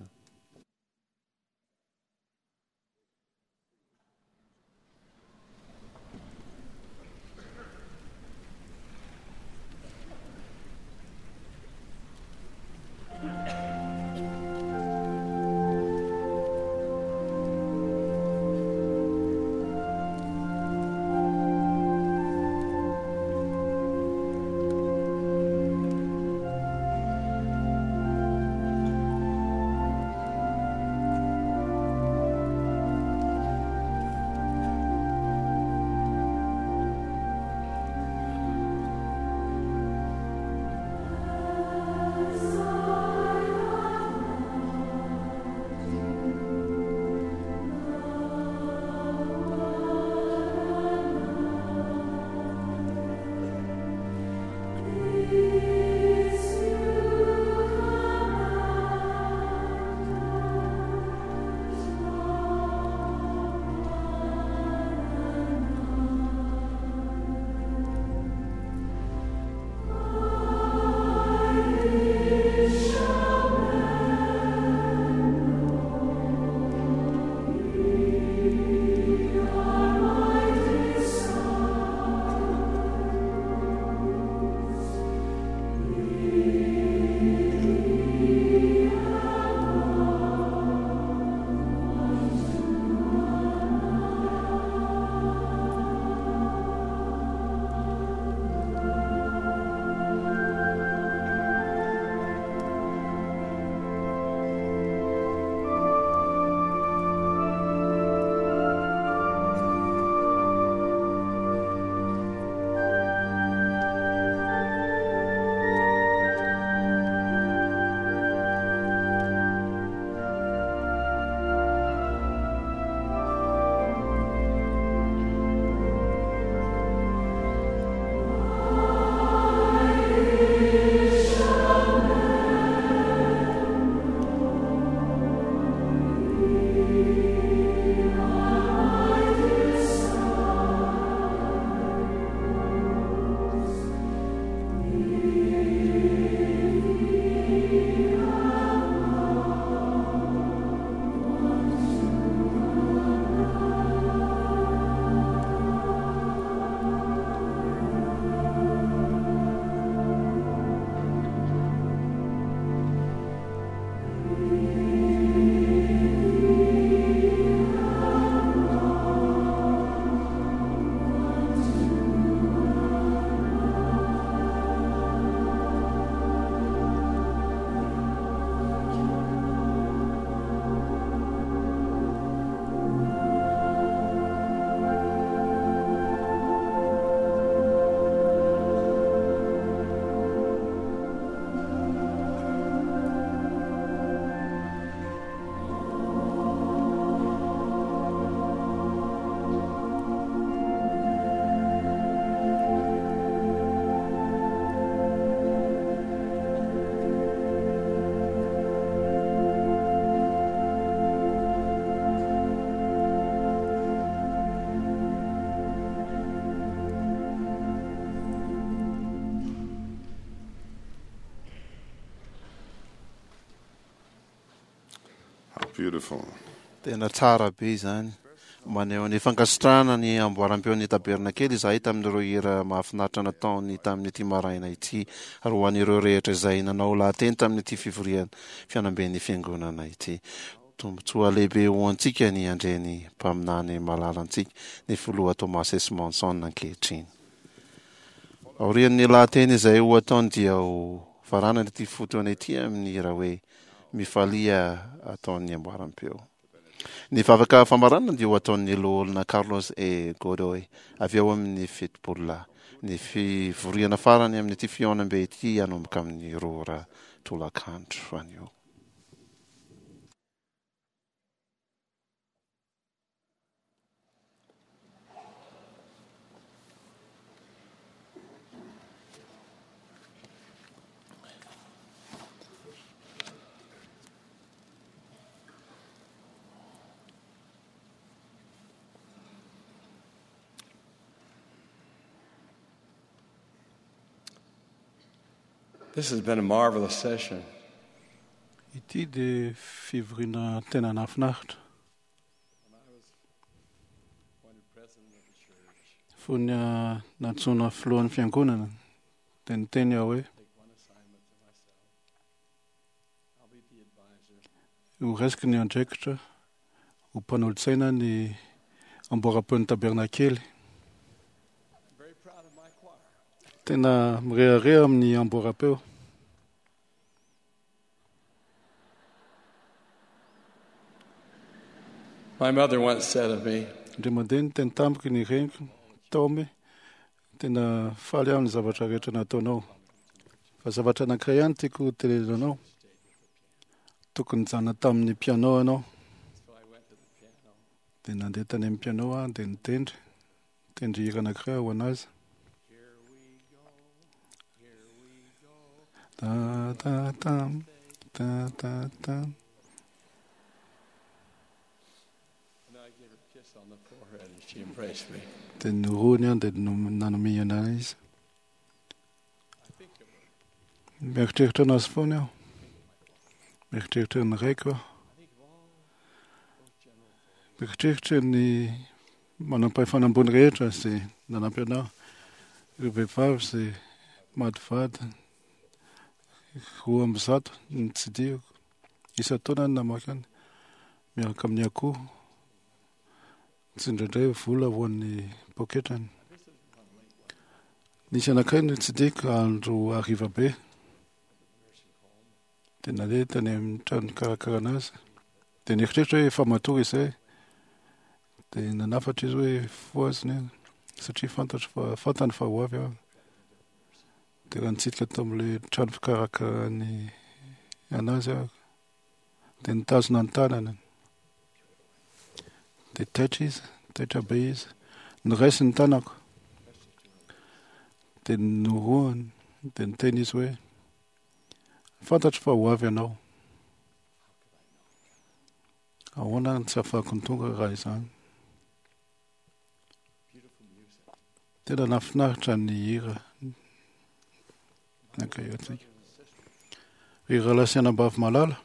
Beautiful. Tena tsara be izany. Maneho ny fankasitrahana ny amboaram-peon'ny Tabernakely izahay tamin'ireo hira mahafinaritra nataony tamin'ity maraina ity, ary ho an'ireo rehetra izay nanao lahateny tamin'ity fivoriana fihaonamben'ny Fiangonana ity. Tombontsoa lehibe ho antsika ny handre ny mpaminany malalantsika, ny Filoha Thomas S. Monson ankehitriny. Aorian'ny lahateny izay ho ataony dia ho faranana ity fotoana ity amin'ny hira hoe Mifalia ataon'ny amboaram-peo. Ny vavaka famaranana dia ho ataon'ny Loholona Carlos E. Godoy avy ao amin'ny Fitopololahy. Ny fivoriana farany amin'ity fihaonambe ity hanomboka amin'ny 2 ora tolakandro anio. This has been a marvelous session. Ity dia fivoriana tena nahafinaritra. Fony nantsoina filohan'ny fiangonana dia niteny aho hoe ho raisiko ny andraikitra ho mpanolotsaina ny amboaram-peon'ny tabernakely. Tena mirehareha amin'ny amboaram-peo. My mother once said of me, Indray mandeha niteny tamiko ny reniko, Taomy, tena faly aho ny zavatra rehetra nataonao. Fa zavatra anankiray ihany tiako ho tenenina anao. Tokony nijanona tamin'ny piano ianao. Dia nandeha tany amin'ny piano aho dia nitendry. Nitendry hira anankiray aho ho an'azy. Ta ta tam, ta ta tam. Dia norohiny aho dia nanome anahy izy. Mieritreritra anazy foana aho. Mieritreritra ny raiko aho. Mieritreritra ny manampahefana ambony rehetra izay nanampy anahy, ireo vehivavy izay maty vady, 102 no notsidihiko. Isan-taona no namaky any miaraka amin'ny akoho, tsindraindray vola ho an'ny poketrany. Nisy anankiray notsidihiko andro hariva be, dia nandeha tany amin'ny trano nikarakarana azy. Dia nieritreritra hoe efa matory izay. Dia nanafatra izy hoe fohaziny aho, satria fantatro fa fantany fa ho avy aho. Dia raha nitsidika tao amin'ilay trano fikarakarany anazy aho, dia nitazona ny tanany. Dia taitra izy, taitra be izy. Noraisiny ny tanako. Dia norohany, dia niteny izy hoe, Fantatro fa ho avy ianao. Ahoana no tsy ahafahako ny tonga raha izany? Tena nahafinaritra ny hira nankaherantsika. Ry rahalahy sy anabavy malala,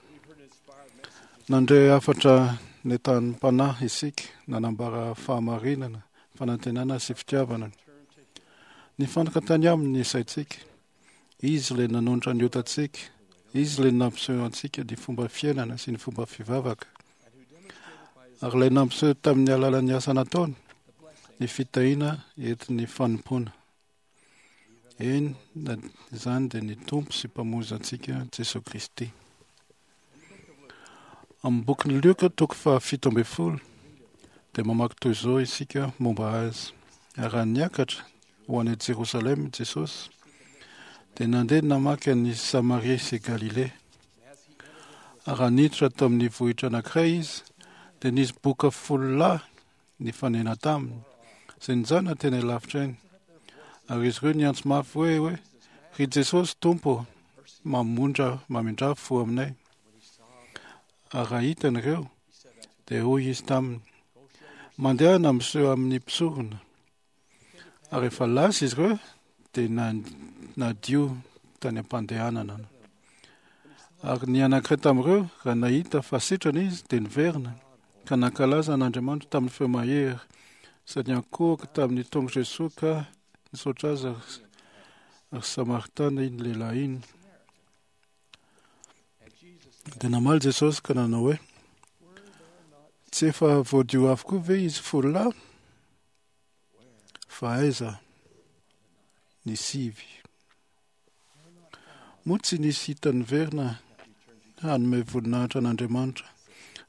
nandre hafatra nentanim-panahy isika, nanambara fahamarinana, fanantenana sy fitiavana. Nifantoka tany aminy ny saintsika. Izy ilay nanonitra ny otantsika. Izy ilay nampiseho antsika ny fomba fiainana sy ny fomba fivavaka. Ary ilay nampiseho tamin'ny alalan'ny asa nataony ny fitahiana entin'ny fanompoana. Eny, na izany dia ny Tompo sy Mpamonjy antsika Jesoa Kristy. Amin'ny bokin'i Lioka toko faha-17 dia mamaky toy izao isika momba azy. Raha niakatra ho any Jerosalema Jesosy, dia nandeha namaky an'i Samaria sy Galilea. Ary raha niditra tao amin'ny vohitra anankiray izy, dia nisy boka folo lahy nifanena taminy, izay nijanona teny alavitra eny. Ary izy ireo niantso mafy hoe hoe, Ry Jesosy Tompo, mamondra mamindrà fo aminay. Ary raha hitany ireo, dia hoy izy taminy, Mandehana miseho amin'ny mpisorona. Ary rehefa lasa izy ireo, dia nadio tany am-pandehanana. Ary ny anankiray tamin'ireo, raha nahita fa sitrana izy, dia niverina, ka nankalaza an'Andriamanitra tamin'ny feo mahery, sady niankohoka tamin'ny tongotr'i Jesoa ka nisaotra azy, ary Samaritana iny lehilahy iny. Dia namaly Jesosy ka nanao hoe, Tsy efa voadio avokoa ve izy fololahy? Fa aiza ny sivy? Moa tsy nisy hita niverina hanome voninahitra an'Andriamanitra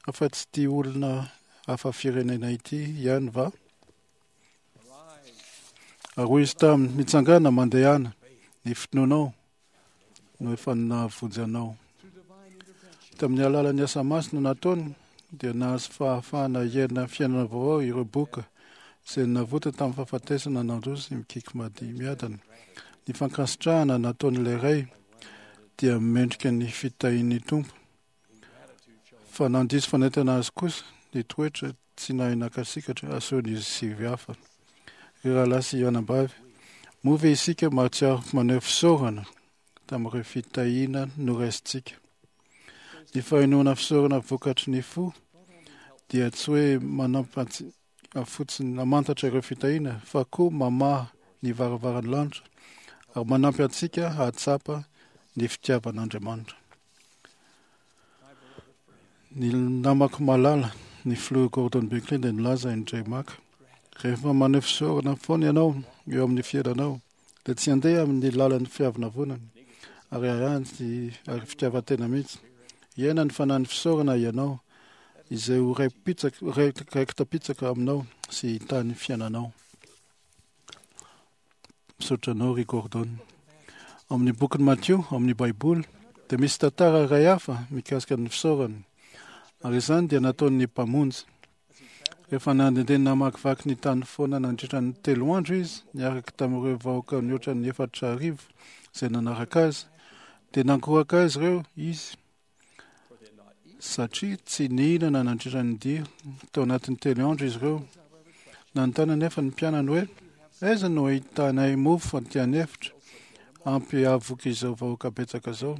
afa-tsy ity olona hafa firenena ity ihany va? Ary hoy izy taminy, Mitsangàna, mandehana, ny finoanao no efa nahavonjy anao. Tamin'ny alalan'ny asa masina nataony dia nahazo fahafahana hiaina fiainana vaovao ireo boka izay navotana tamin'ny fahafatesana nandroso mikiky mady miadana. Ny fankasitrahana nataon'ilay ray dia mendrika ny fitahian'ny Tompo. Fa nandiso fanaitana azy kosa ny toetra tsy nahay nakasikatra asehon'izy sivy hafa. Ry rahalahy sy anabavy, moa ve isika mahatsiaro maneho fisaorana tamin'ireo fitahiana noraisintsika? Ny fahenoana fisaorana vokatry ny fo dia tsy hoe manampy antsika fotsiny hamantatra ireo fitahiana fa koa mamaha ny varavaran'ny lanitra ary manampy antsika hahatsapa ny fitiavan'Andriamanitra. Ny namako malala, ny filoha Gordon Buckley dia nilaza indray maka, rehefa maneho fisaorana foana ianao eo amin'ny fiainanao, dia tsy handeha amin'ny lalan'ny fiavonavonana ary arahany sy ary fitiavan-tena mihitsy. Hiaina ny fanahin'ny fisaorana ianao, izay ho raiki-tapitsaka aminao sy hitany fiainanao. Misaotra anao ry Gordon. Ao amin'ny bokin'i Matio, ao amin'ny Baiboly, dia misy tantara iray hafa mikasika ny fisaorana, ary izany dia nataon'ny Mpamonjy. Rehefa nandehandeha namakivaky ny tany foana nandritra ny telo andro izy, niaraka tamin'ireo vahoaka nihoatra ny 4000 izay nanaraka azy, dia nankoraka azy ireo izy satria tsy nihinana nandritra ny dia tao anatin'ny telo andro izy ireo. Nanontany anefa ny mpianany hoe, Aiza no ahitanay mofo aty an'efitra ampy hahavoky izao vahoaka betsaka izao?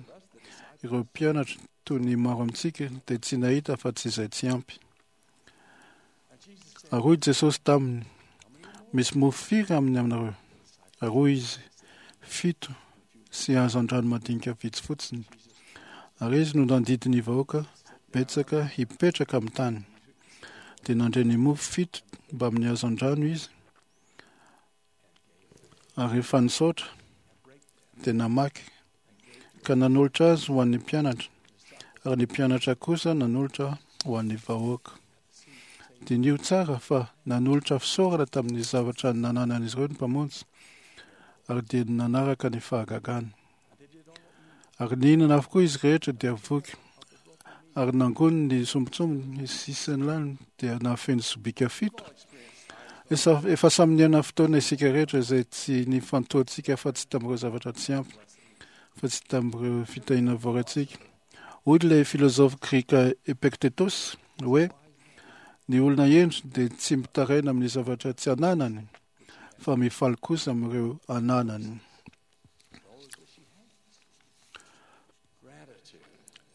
Ireo mpianatra, toy ny maro amintsika, dia tsy nahita afa-tsy izay tsy ampy. Ary hoy Jesosy taminy, Misy mofo firy amin'ny aminareo? Ary hoy izy, Fito sy hazandrano madinika vitsy fotsiny. Ary izy no nandidy ny vahoaka betsaka hipetraka amin'ny tany. Dia nandre ny mofo fito mbamin'ny hazandrano izy, Ary rehefa nisaotra, dia namaky, ka nanolotra azy ho an'ny mpianatra, ary ny mpianatra kosa nanolotra ho an'ny vahoaka. Diniho tsara fa nanolotra fisaorana tamin'ny zavatra nananan'izy ireo ny Mpamonjy, ary dia nanaraka ny fahagagany. Ary nihinana avokoa izy rehetra dia voky, ary nangoniny ny sombintsombiny, ny sisan'ny lany dia nahafeno sobika fito. Efa samy niaina fotoana isika rehetra izay tsy nifantohantsika afa-tsy tamin'ireo zavatra tsy ampy, fa tsy tamin'ireo fitahiana voaraintsika. Hoy ilay filozofy grika Epictetus hoe, Ny olona hendry dia tsy mitaraina amin'ny zavatra tsy ananany, fa mifaly kosa amin'ireo ananany.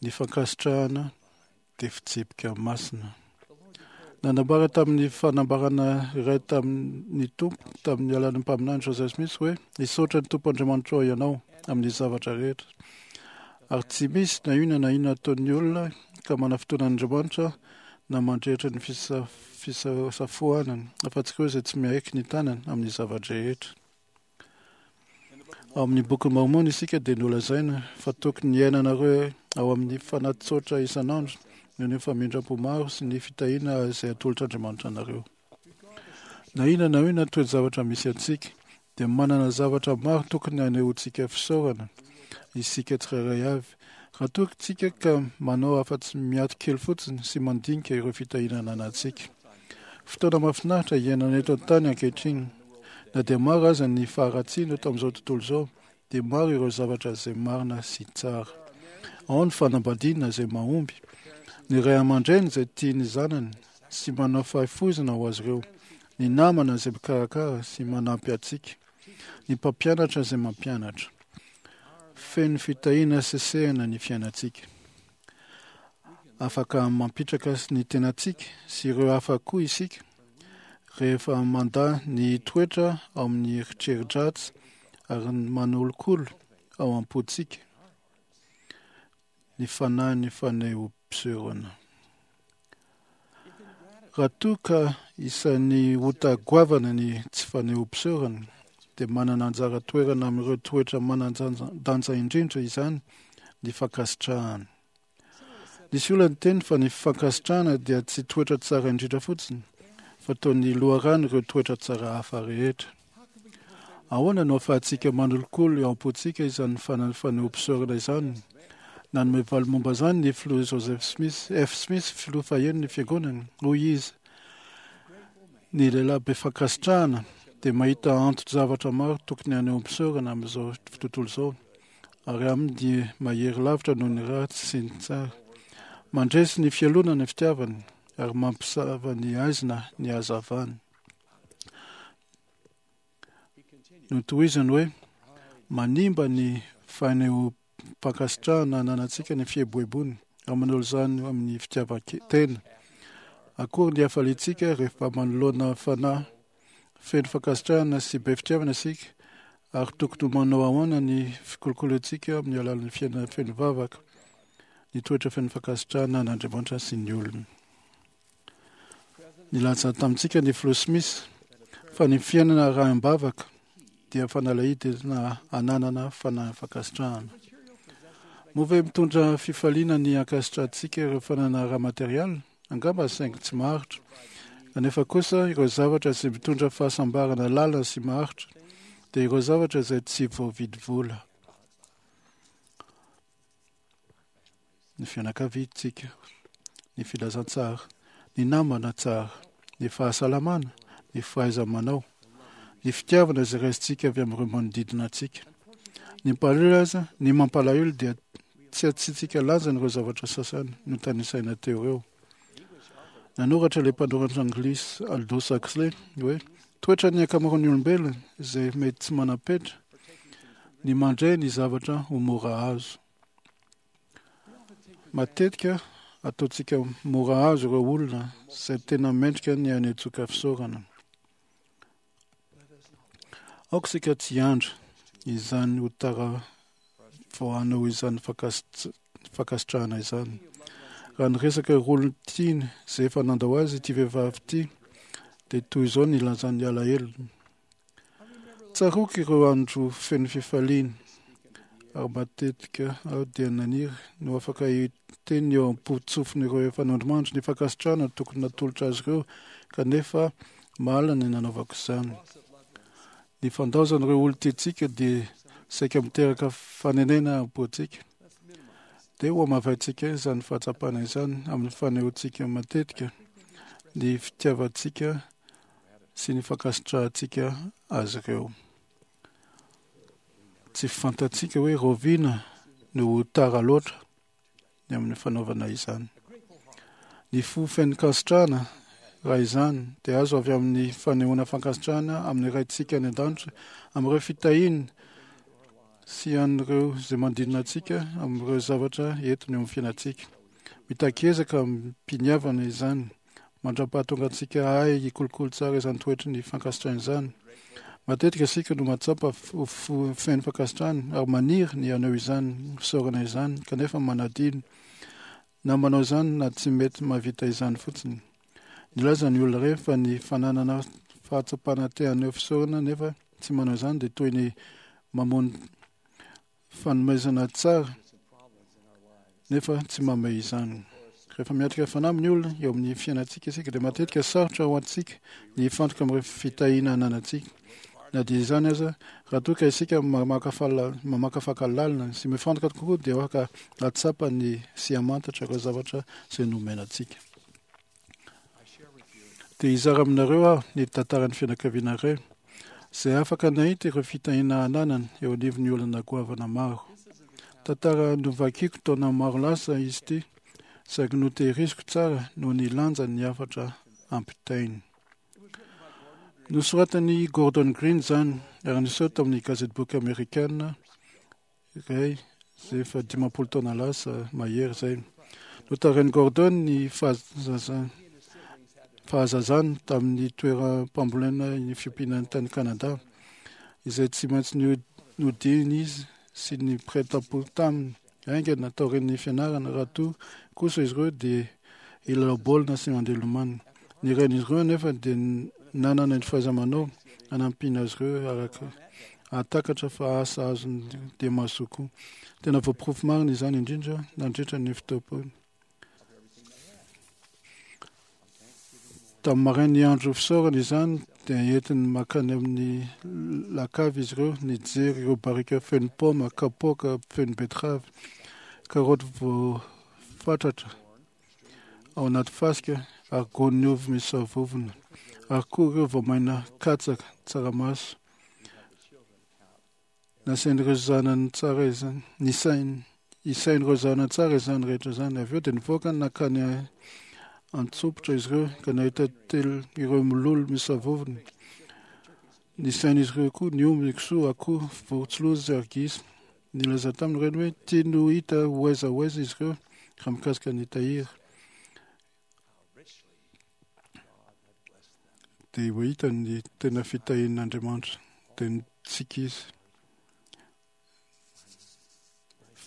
Ny fankasitrahana dia fitsipika masina. Nanambara tamin'ny fanambarana iray tamin'ny Tompo tamin'ny alalan'ny mpaminany Joseph Smith hoe hisaotra ny Tompo Andriamanitrao ianao amin'ny zavatra rehetra. Ary tsy misy na inona na inona ataon'ny olona ka manafotoana an'Andriamanitra na mandrehitra ny fisafoanany afa-tsy ireo izay tsy miaiky ny tanany amin'ny zava-drehetra. Ao amin'ny Bokin'i Môrmôna isika dia nolazaina fa tokony hiainanareo ao amin'ny fanahy tsotra isan'andro noho ny famindram-po maro sy ny fitahiana izay atolotr'Andriamanitra anareo. Na inona na inona toe-javatra misy antsika, dia manana zavatra maro tokony hanehoantsika fisaorana isika tsirairay avy, raha toa isika ka manao afa-tsy miato kely fotsiny sy mandinika ireo fitahiana ananantsika. Fotoana mahafinaritra iainana eto an-tany ankehitriny. Na dia maro aza ny faharatsiana eto amin'izao tontolo izao, dia maro ireo zavatra izay marina sy tsara. Ao ny fanambadiana izay mahomby, ny ray aman-dreny izay tia ny zanany sy manao fahafoizana ho azy ireo, ny namana izay mikarakara sy manampy antsika, ny mpampianatra izay mampianatra. Feno fitahiana sesehana ny fiainantsika. Afaka mampitraka ny tenantsika sy ireo hafa koa isika rehefa mandà ny hitoetra ao amin'ny eritreri-dratsy ary manolokolo ao am-pontsika ny fanahin'ny fanehoam-pisehoana. Raha toa ka isan'ny ota goavana ny tsy fanehoam-pisaorana, dia manana anjara toerana amin'ireo toetra manan-danja indrindra izany ny fankasitrahana. Nisy olona niteny fa ny fankasitrahana dia tsy toetra tsara indrindra fotsiny, fa toa ny loharan'ireo toetra tsara hafa rehetra. Ahoana no ahafahantsika manolokolo eo am-pontsika izany fanehoam-pisaorana izany? Nanome valiny momba izany ny Filoha Joseph Smith, F. Smith, filoha fahenina ny Fiangonana. Hoy izy, Ny lehilahy be fankasitrahana dia mahita anton-javatra maro tokony hanehoam-pisaorana amin'izao tontolo izao, ary aminy dia mahery lavitra noho ny ratsy sy ny tsara. Mandresy ny fialonana ny fitiavany, ary mampisava ny haizina ny hazavany. Notohizany hoe, Manimba ny fanehoam-pankasitrahana ananantsika ny fieboeboana, ary manolo izany amin'ny fitiavan-tena. Akory ny hafaliantsika rehefa manoloana fanahy feno fankasitrahana sy be fitiavana isika, ary tokony ho manao ahoana ny fikolokoloantsika amin'ny alalan'ny fiainana feno vavaka, ny toetra feno fankasitrahana an'Andriamanitra sy ny olona. Nilaza tamintsika ny Filoha Smith fa ny fiainana arahim-bavaka dia fanalahidy entina hananana fanahy fankasitrahana. Moa ve mitondra fifaliana ny ankasitrahantsika ireo fananana ara-materialy? Angamba, saingy tsy maharitra. Kanefa kosa, ireo zavatra izay mitondra fahasambarana lalina sy maharitra dia ireo zavatra izay tsy voavidy vola. ny fianakaviantsika, ny filazantsara, ny namana tsara, ny fahasalamana, ny fahaiza-manao, ny fitiavana izay raisintsika avy amin'ireo manodidina antsika. Ny mpalahelo aza, ny mampalahelo dia tsy asiantsika lanjany ireo zavatra sasany notanisaina teo ireo. Nanoratra ilay mpanoratra anglisy Aldous Huxley hoe, Toetran'ny ankamaroan'ny olombelona izay mety tsy manam-petra ny mandre ny zavatra ho mora azo. Matetika ataontsika mora azo ireo olona izay tena mendrika ny hanetsoka fisaorana. Aoka isika tsy hiandry izany ho tara vao hanao izany fankasitrahana izany. Raha niresaka ireo olon-tiany izay efa nandao azy ity vehivavy ity, dia toy izao ny nilazany ny alahelony. Tsaroako ireo andro feno fifaliana, ary matetika aho dia naniry ny ho afaka hiteny eo am-potsofin'ireo efa nandrimandry ny fankasitrahana tokony natolotra azy ireo, kanefa mahalana ny nanaovako izany. Ny fandaozan'ireo olon-tiantsika dia saika miteraka fanenena am-pontsika. Dia hohamavaintsika izany fahatsapana izany amin'ny fanehoantsika matetika ny fitiavantsika sy ny fankasitrahantsika azy ireo. Tsy fantatsika hoe rahoviana no ho tara loatra ny amin'ny fanaovana izany. Ny fo feno fankasitrahana, raha izany, dia azo avy amin'ny fanehoana fankasitrahana amin'ny Raintsika any an-danitra, amin'ireo fitahiany sy an'ireo izay manodidina antsika, amin'ireo zavatra entiny eo amin'ny fiainantsika. Mitaky ezaka amim-piniavana izany. Mandra-pahatonga antsika hahay hikolokolo tsara izany toetry ny fankasitrahana izany. Matetika isika no mahatsapa ho feno fankasitrahana ary maniry ny haneho izany fisaorana izany, kanefa manadino na manao izany na tsy mety mahavita izany fotsiny. Nilaza ny olona iray fa ny fananana fahatsapana te haneho fisaorana nefa tsy manao izany dia toy ny mamono fanomezana tsara nefa tsy mamehy izany. Rehefa miatrika fanamby ny olona eo amin'ny fiainantsika isika dia matetika sarotra ho antsika ny hifantoka amin'ireo fitahiana ananantsika. Na dia izany aza, raha toa ka isika mamakafaka lalina sy mifantoka kokoa dia afaka hahatsapa ny sy hamantatra ireo zavatra izay nomena antsika. Dia hizara aminareo aho ny tantaran'ny fianakaviana iray izay afaka nahita ireo fitahiana ananany eo anivon'ny olana goavana maro. Tantara novakiko taona maro lasa izy ity, saingy notehiriziko tsara noho ny lanjan'ny hafatra ampitainy. Nosoratan'i Gordon Green izany ary niseho tamin'ny gazetiboky amerikana. iray izay efa 50 taona lasa mahery izay. Notarihin'i Gordon ny fahazazany tamin'ny toeram-pambolena ny fiompiana tany Kanada, izay tsy maintsy nodiany izy sy ny mpiray tampo taminy haingana taorian'ny fianarana, raha toa kosa izy ireo dia hilalao baolina sy mandeha lomano. Ny rain'izy ireo anefa dia nanana ny fahaiza-manao hanampiana azy ireo araka hahatakatra fa asa azony dia mahasoa koa. Tena voaporofo marina izany indrindra nandritra ny fotoam-pohy. Tamin'ny marain'ny andro fisaorana izany dia entiny mankany amin'ny lakavy izy ireo nijery ireo barika feno paoma, kapoaka feno betterave, karaoty voafatratra ao anaty fasika ary gony ovy misy savovona ary koa ireo voamaina katsaka, tsaramaso. Nasain'ireo zanany tsara izany, nisainy, isain'ireo zanany tsara izany rehetra izany. Avy eo dia nivoaka nankany an-tsompitra izy ireo ka nahita telo ireo mololo misavovona. Nisain'izy ireo koa ny omby, ny kisoa, akoho, vorontsiloza ary gisa. Nilaza taminy ireny hoe tiany ho hita ho aiza ho aiza izy ireo raha mikasika ny tahiry. Dia ho hita ny tena fitahian'Andriamanitra. Dia nitsiky izy.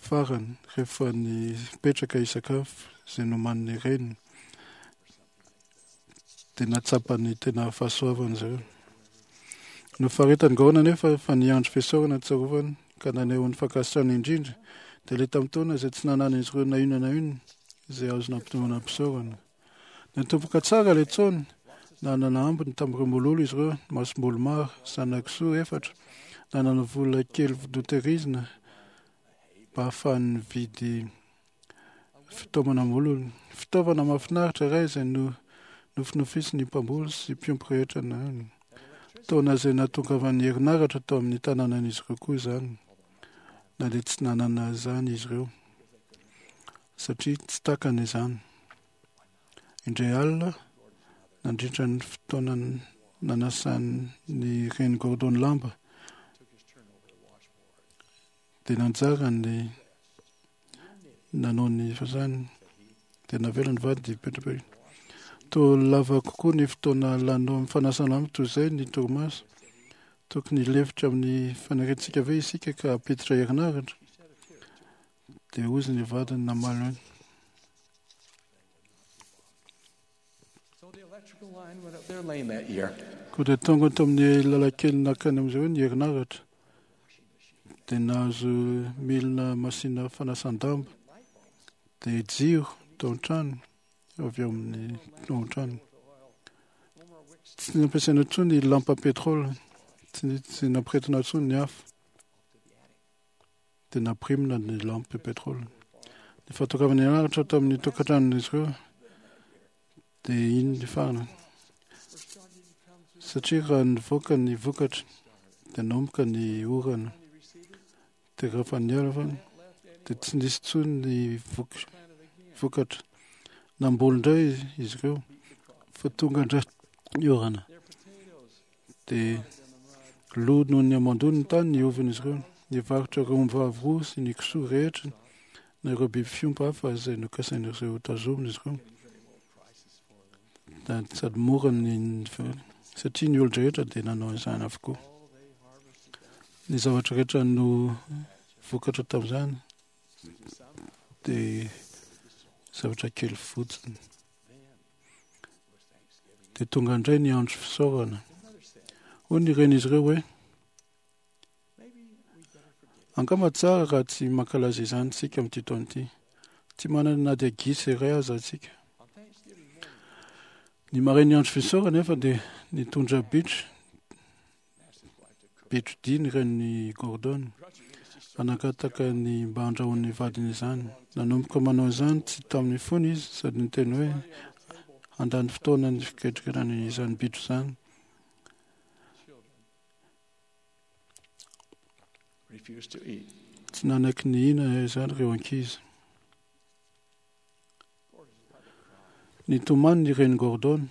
Farany, rehefa nipetraka hisakafo izay nomanin'ny reniny, dia nahatsapa ny tena fahasoavana izy ireo. Nofaritan'i Gaona anefa fa ny andro fisaorana tsarovany ka naneho ny fankasitrahany indrindra dia ilay tamin'ny taona izay tsy nananan'izy ireo na inona na inona izay azo nampitomboana am-pisaorana. Natomboka tsara ilay taona, nanana ambiny tamin'ireo mololo izy ireo, masomboly maro, zana-kisoa efatra, nanana vola kely notehirizina mba hahafahany nividy fitaomana mololo. Fitaovana mahafinaritra iray izay no nofinofisin'ny mpamboly sy mpiompy rehetra na taona izay nahatongavan'ny herinaratra tao amin'ny tanànan'izy ireo koa izany, na dia tsy nanana izany izy ireo satria tsy takany izany. Indray alina, nandritra ny fotoana nanasan'ny reny Gordon lamba, dia nanjara ny nanao ny fasany dia navela ny vady hipetrapetraka. Toa lava kokoa ny fotoana laninao amin'ny fanasana amiko toy izay ny torimaso. Tokony hilefitra amin'ny faniriantsika ve isika ka hampiditra herinaratra? Dia hozy ny vadiny namaly hoe. Koa dia tonga tao amin'ny lalan-kely nankany amin'izay hoe ny herinaratra. Dia nahazo milina masina fanasan-damba. Dia jiro tao an-trano, avy ao amin'ny ao an-trano. Tsy nampiasaina intsony ny lampa pétrole, tsy nampiretina intsony ny afo. Dia nampirimina ny lampe pétrole. Ny fahatongavana herinaratra tamin'ny tokantranon'izy ireo dia iny ny farany. Satria raha nivoaka ny vokatra dia nanomboka ny orana. Dia rehefa niala fa dia tsy nisy intsony ny vokatra. Namboly indray izy ireo fa tonga indray ny orana. Dia lo noho ny hamandoa ny tany ny ovin'izy ireo. Nivarotra ireo ombivavy roa sy ny kisoa rehetra na ireo biby fiompy hafa izay nokasain'izy ireo hotazomina izy ireo. Sady mora ny satria ny olon-drehetra dia nanao izany avokoa. Ny zavatra rehetra no vokatra tamin'izany dia zavatra kely fotsiny. Dia tonga indray ny andro fisaorana. Hoy ny renin'izy ireo hoe, Angamba tsara raha tsy mankalaza izany isika amin'ity taona ity. Tsy manana na dia gisa iray aza isika. Ny marain'ny andro fisaorana nefa dia nitondra bitro Betrodia ny renin'i Gordon fa nangataka ny mba handrahoan'ny vadiny izany. Nanomboka manao izany tsy tamin'ny fony izy sady niteny hoe handany fotoana ny fiketrekerana izany bitro izany. Tsy nanaiky nihinana izany ireo ankizy. Nitomany ny renin'i Gordon,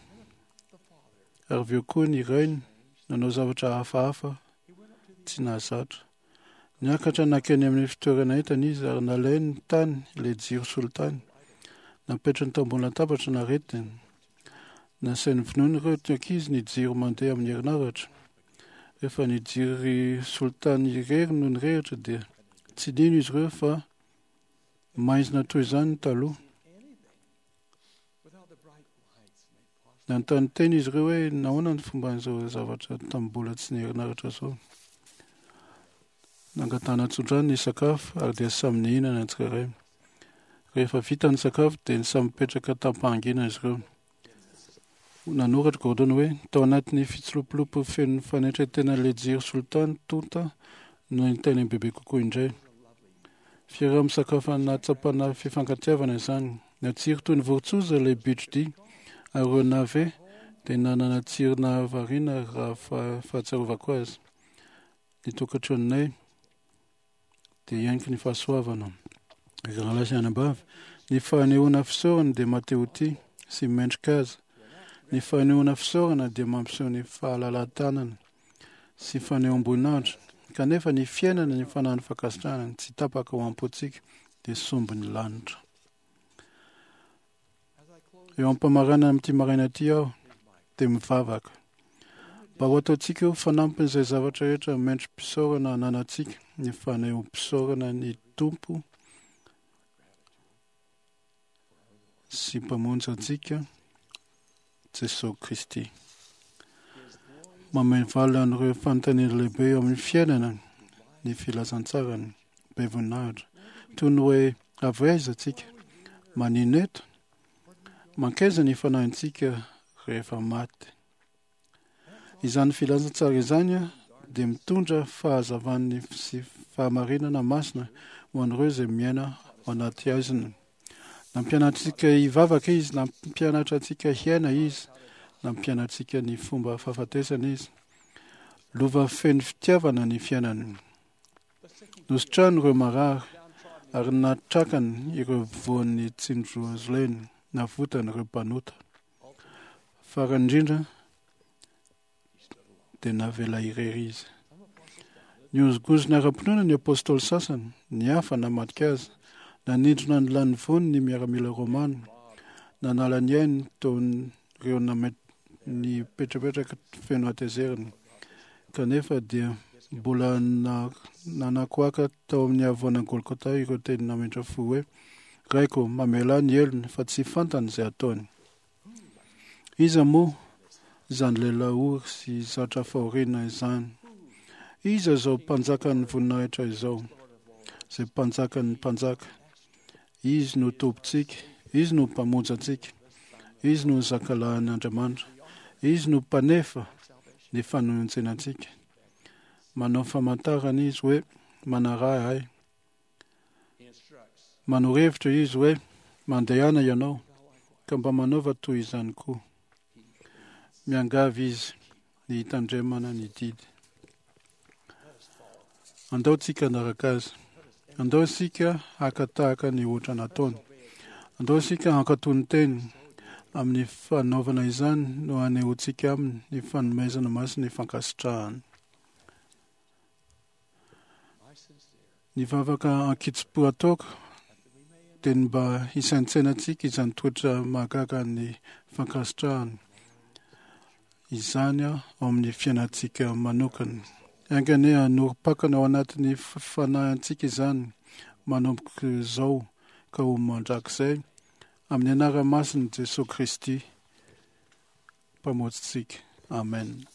ary avy eo koa ny rainy nanao zavatra hafahafa tsy nahazatra. Niakatra nankeny amin'ny fitoerana entana izy ary nalainy tany ilay jiro solitany. Napetrany tao ambony latabatra naretiny. Nasainy vonoiny ireo ankizy ny jiro mandeha amin'ny herinaratra. Rehefa ny jiro solitany irery no nirehitra dia tsy nino izy ireo fa maizina toy izany taloha. Nanontany tena izy ireo hoe nahoana ny fomban'izao zavatra tamin'ny mbola tsy niherinaratra izao. Nangatahana tsodrano ny sakafo ary dia samy nihinana ny tsirairay. Rehefa vita ny sakafo dia ny samy mipetraka tam-pahanginana izy ireo. Nanoratra Gordon hoe tao anatin'ny fitsilopilopy feno fanetren-tena ilay jiro solitany tonta no nitaina bebe kokoa indray. Fiaraha-misakafo nahatsapana fifankatiavana izany. Natsiro toy ny vorontsoza ilay bitro-dia, ary ireo nave dia nanana tsiro nahavariana raha fahatsiarovako azy. Ny tokantranonay dia hianiky ny fahasoavana. Ry rahalahy sy anabavy, ny fanehoana fisaorana dia maha-te-ho-tia sy mendrika azy. Ny fanehoana fisaorana dia mampiseho ny fahalalahan-tanana sy fanehoam-boninahitra, kanefa ny fiainana ny fanahin'ny fankasitrahana tsy tapaka ao am-pontsika dia sombin'ny lanitra. Eo am-pamaranana amin'ity maraina ity aho dia mivavaka mba ho ataontsika ho fanampin'izay zavatra rehetra mendri-pisaorana ananantsika ny fanehoam-pisaorana ny Tompo sy Mpamonjy antsika Jesosy Kristy. Mamehy valiny an'ireo fanontaniana lehibe eo amin'ny fiainana ny filazantsarany be voninahitra, toy ny hoe avy aiza antsika, manino eto, mankaiza ny fanahintsika rehefa maty. Izany filazantsara izany dia mitondra fahazavan'ny sy fahamarinana masina ho an'ireo izay miaina ao anaty haizina. Nampianatra antsika hivavaka izy, nampianatra antsika hiaina izy, nampianatra antsika ny fomba fahafatesana izy. Lova feno fitiavana ny fiainany. Nositrahany ireo marary ary natrakany ireo voan'ny tsindroazolena, navotany ireo mpanota. Farany indrindra dia navela irery izy. Nihozongozona ara-pinoana ny apostoly sasany, ny hafa namadika azy. Nanindrona ny lanivoany ny miaramila romana, nanala ny ainy teo ireo nipetrapetraka feno hatezerana. Kanefa dia mbola nanakoaka tao amin'ny havoana Golgota ireo teny nametra fo hoe, Raiko, mamelà ny helony, fa tsy fantany izay ataony. Iza moa izany lehilahy ory sy zatra fahoriana izany? Iza izao mpanjakan'ny voninahitra izao, izay mpanjakan'ny mpanjaka? Izy no Tompontsika, Izy no Mpamonjy antsika, Izy no Zakalahin'ny Andriamanitra, Izy no Mpanefa ny fanonjena antsika. Manao famantarana Izy hoe, Manaraha Ahy. Manoro hevitra Izy hoe, Mandehana ianao, ka mba manaova toy izany koa. Miangavy Izy ny hitandremana ny didy. Andao tsika hanaraka azy. Andao isika haka tahaka ny ohatra nataony. Andao isika hankatò ny teny. Amin'ny fanaovana izany no hanehoantsika aminy ny fanomezana masin'ny fankasitrahana. Ny vavaka ankitsim-po ataoko dia ny mba hisaintsainantsika izany toetra mahagaga ny fankasitrahana izany ao amin'ny fiainantsika manokana. Enga anie hanorim-pakana ao anatin'ny fanahintsika izany manomboka izao ka ho mandrakizay, amin'ny anarana masin'i Jesoa Kristy Mpamonjintsika. Amen.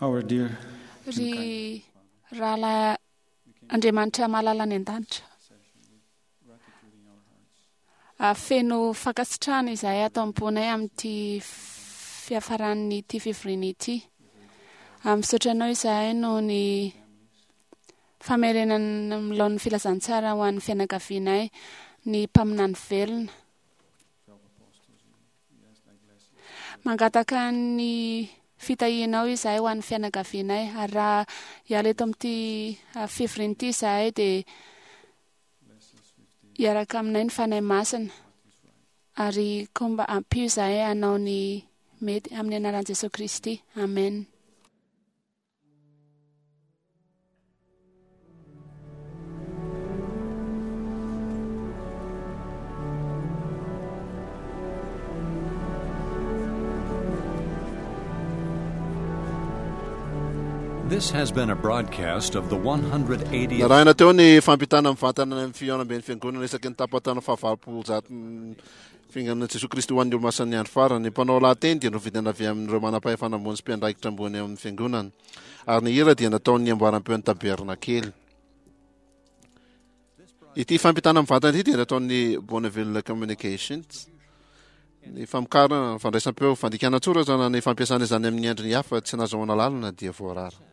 Our dear Ry rahalahy Andriamanitra malala any an-danitra, feno fankasitrahana izahay ato am-ponay amin'ity fiafaran'ity fivoriana ity. Misaotra anao izahay noho ny famerenana ny laon'ny filazantsara ho an'ny fianakavianay, ny mpaminany velona. Mangataka ny fitahianao izahay ho an'ny fianakavianay, ary raha hiala eto amin'ity fivoriana ity izahay dia hiaraka aminay ny Fanahy Masina, ary koa mba ampio izahay hanao ny mety amin'ny anaran'i Jesoa Kristy. Amen. This has been a broadcast of the 180th. Narahina teo ny fampitana mivantana ny fihaonamben'ny fiangonana isaky ny tapatana fahavalopolo zato Fiangonana Jesoa Kristy ho an'ny Olomasin'ny Andro Farany. Ny mpanao lahateny dia novidina avy amin'ireo manam-pahefana ambony sy mpiandraikitra ambony ao amin'ny Fiangonana, ary ny hira dia nataon'ny amboaram-peon'ny Tabernakely. Ity fampitana mivantana ity dia nataon'ny Bonneville Communications. Ny famokarana, fandraisam-peo, fandikana an-tsoratra na ny fampiasana izany amin'ny endriny hafa tsy nahazoana alalana dia voarara.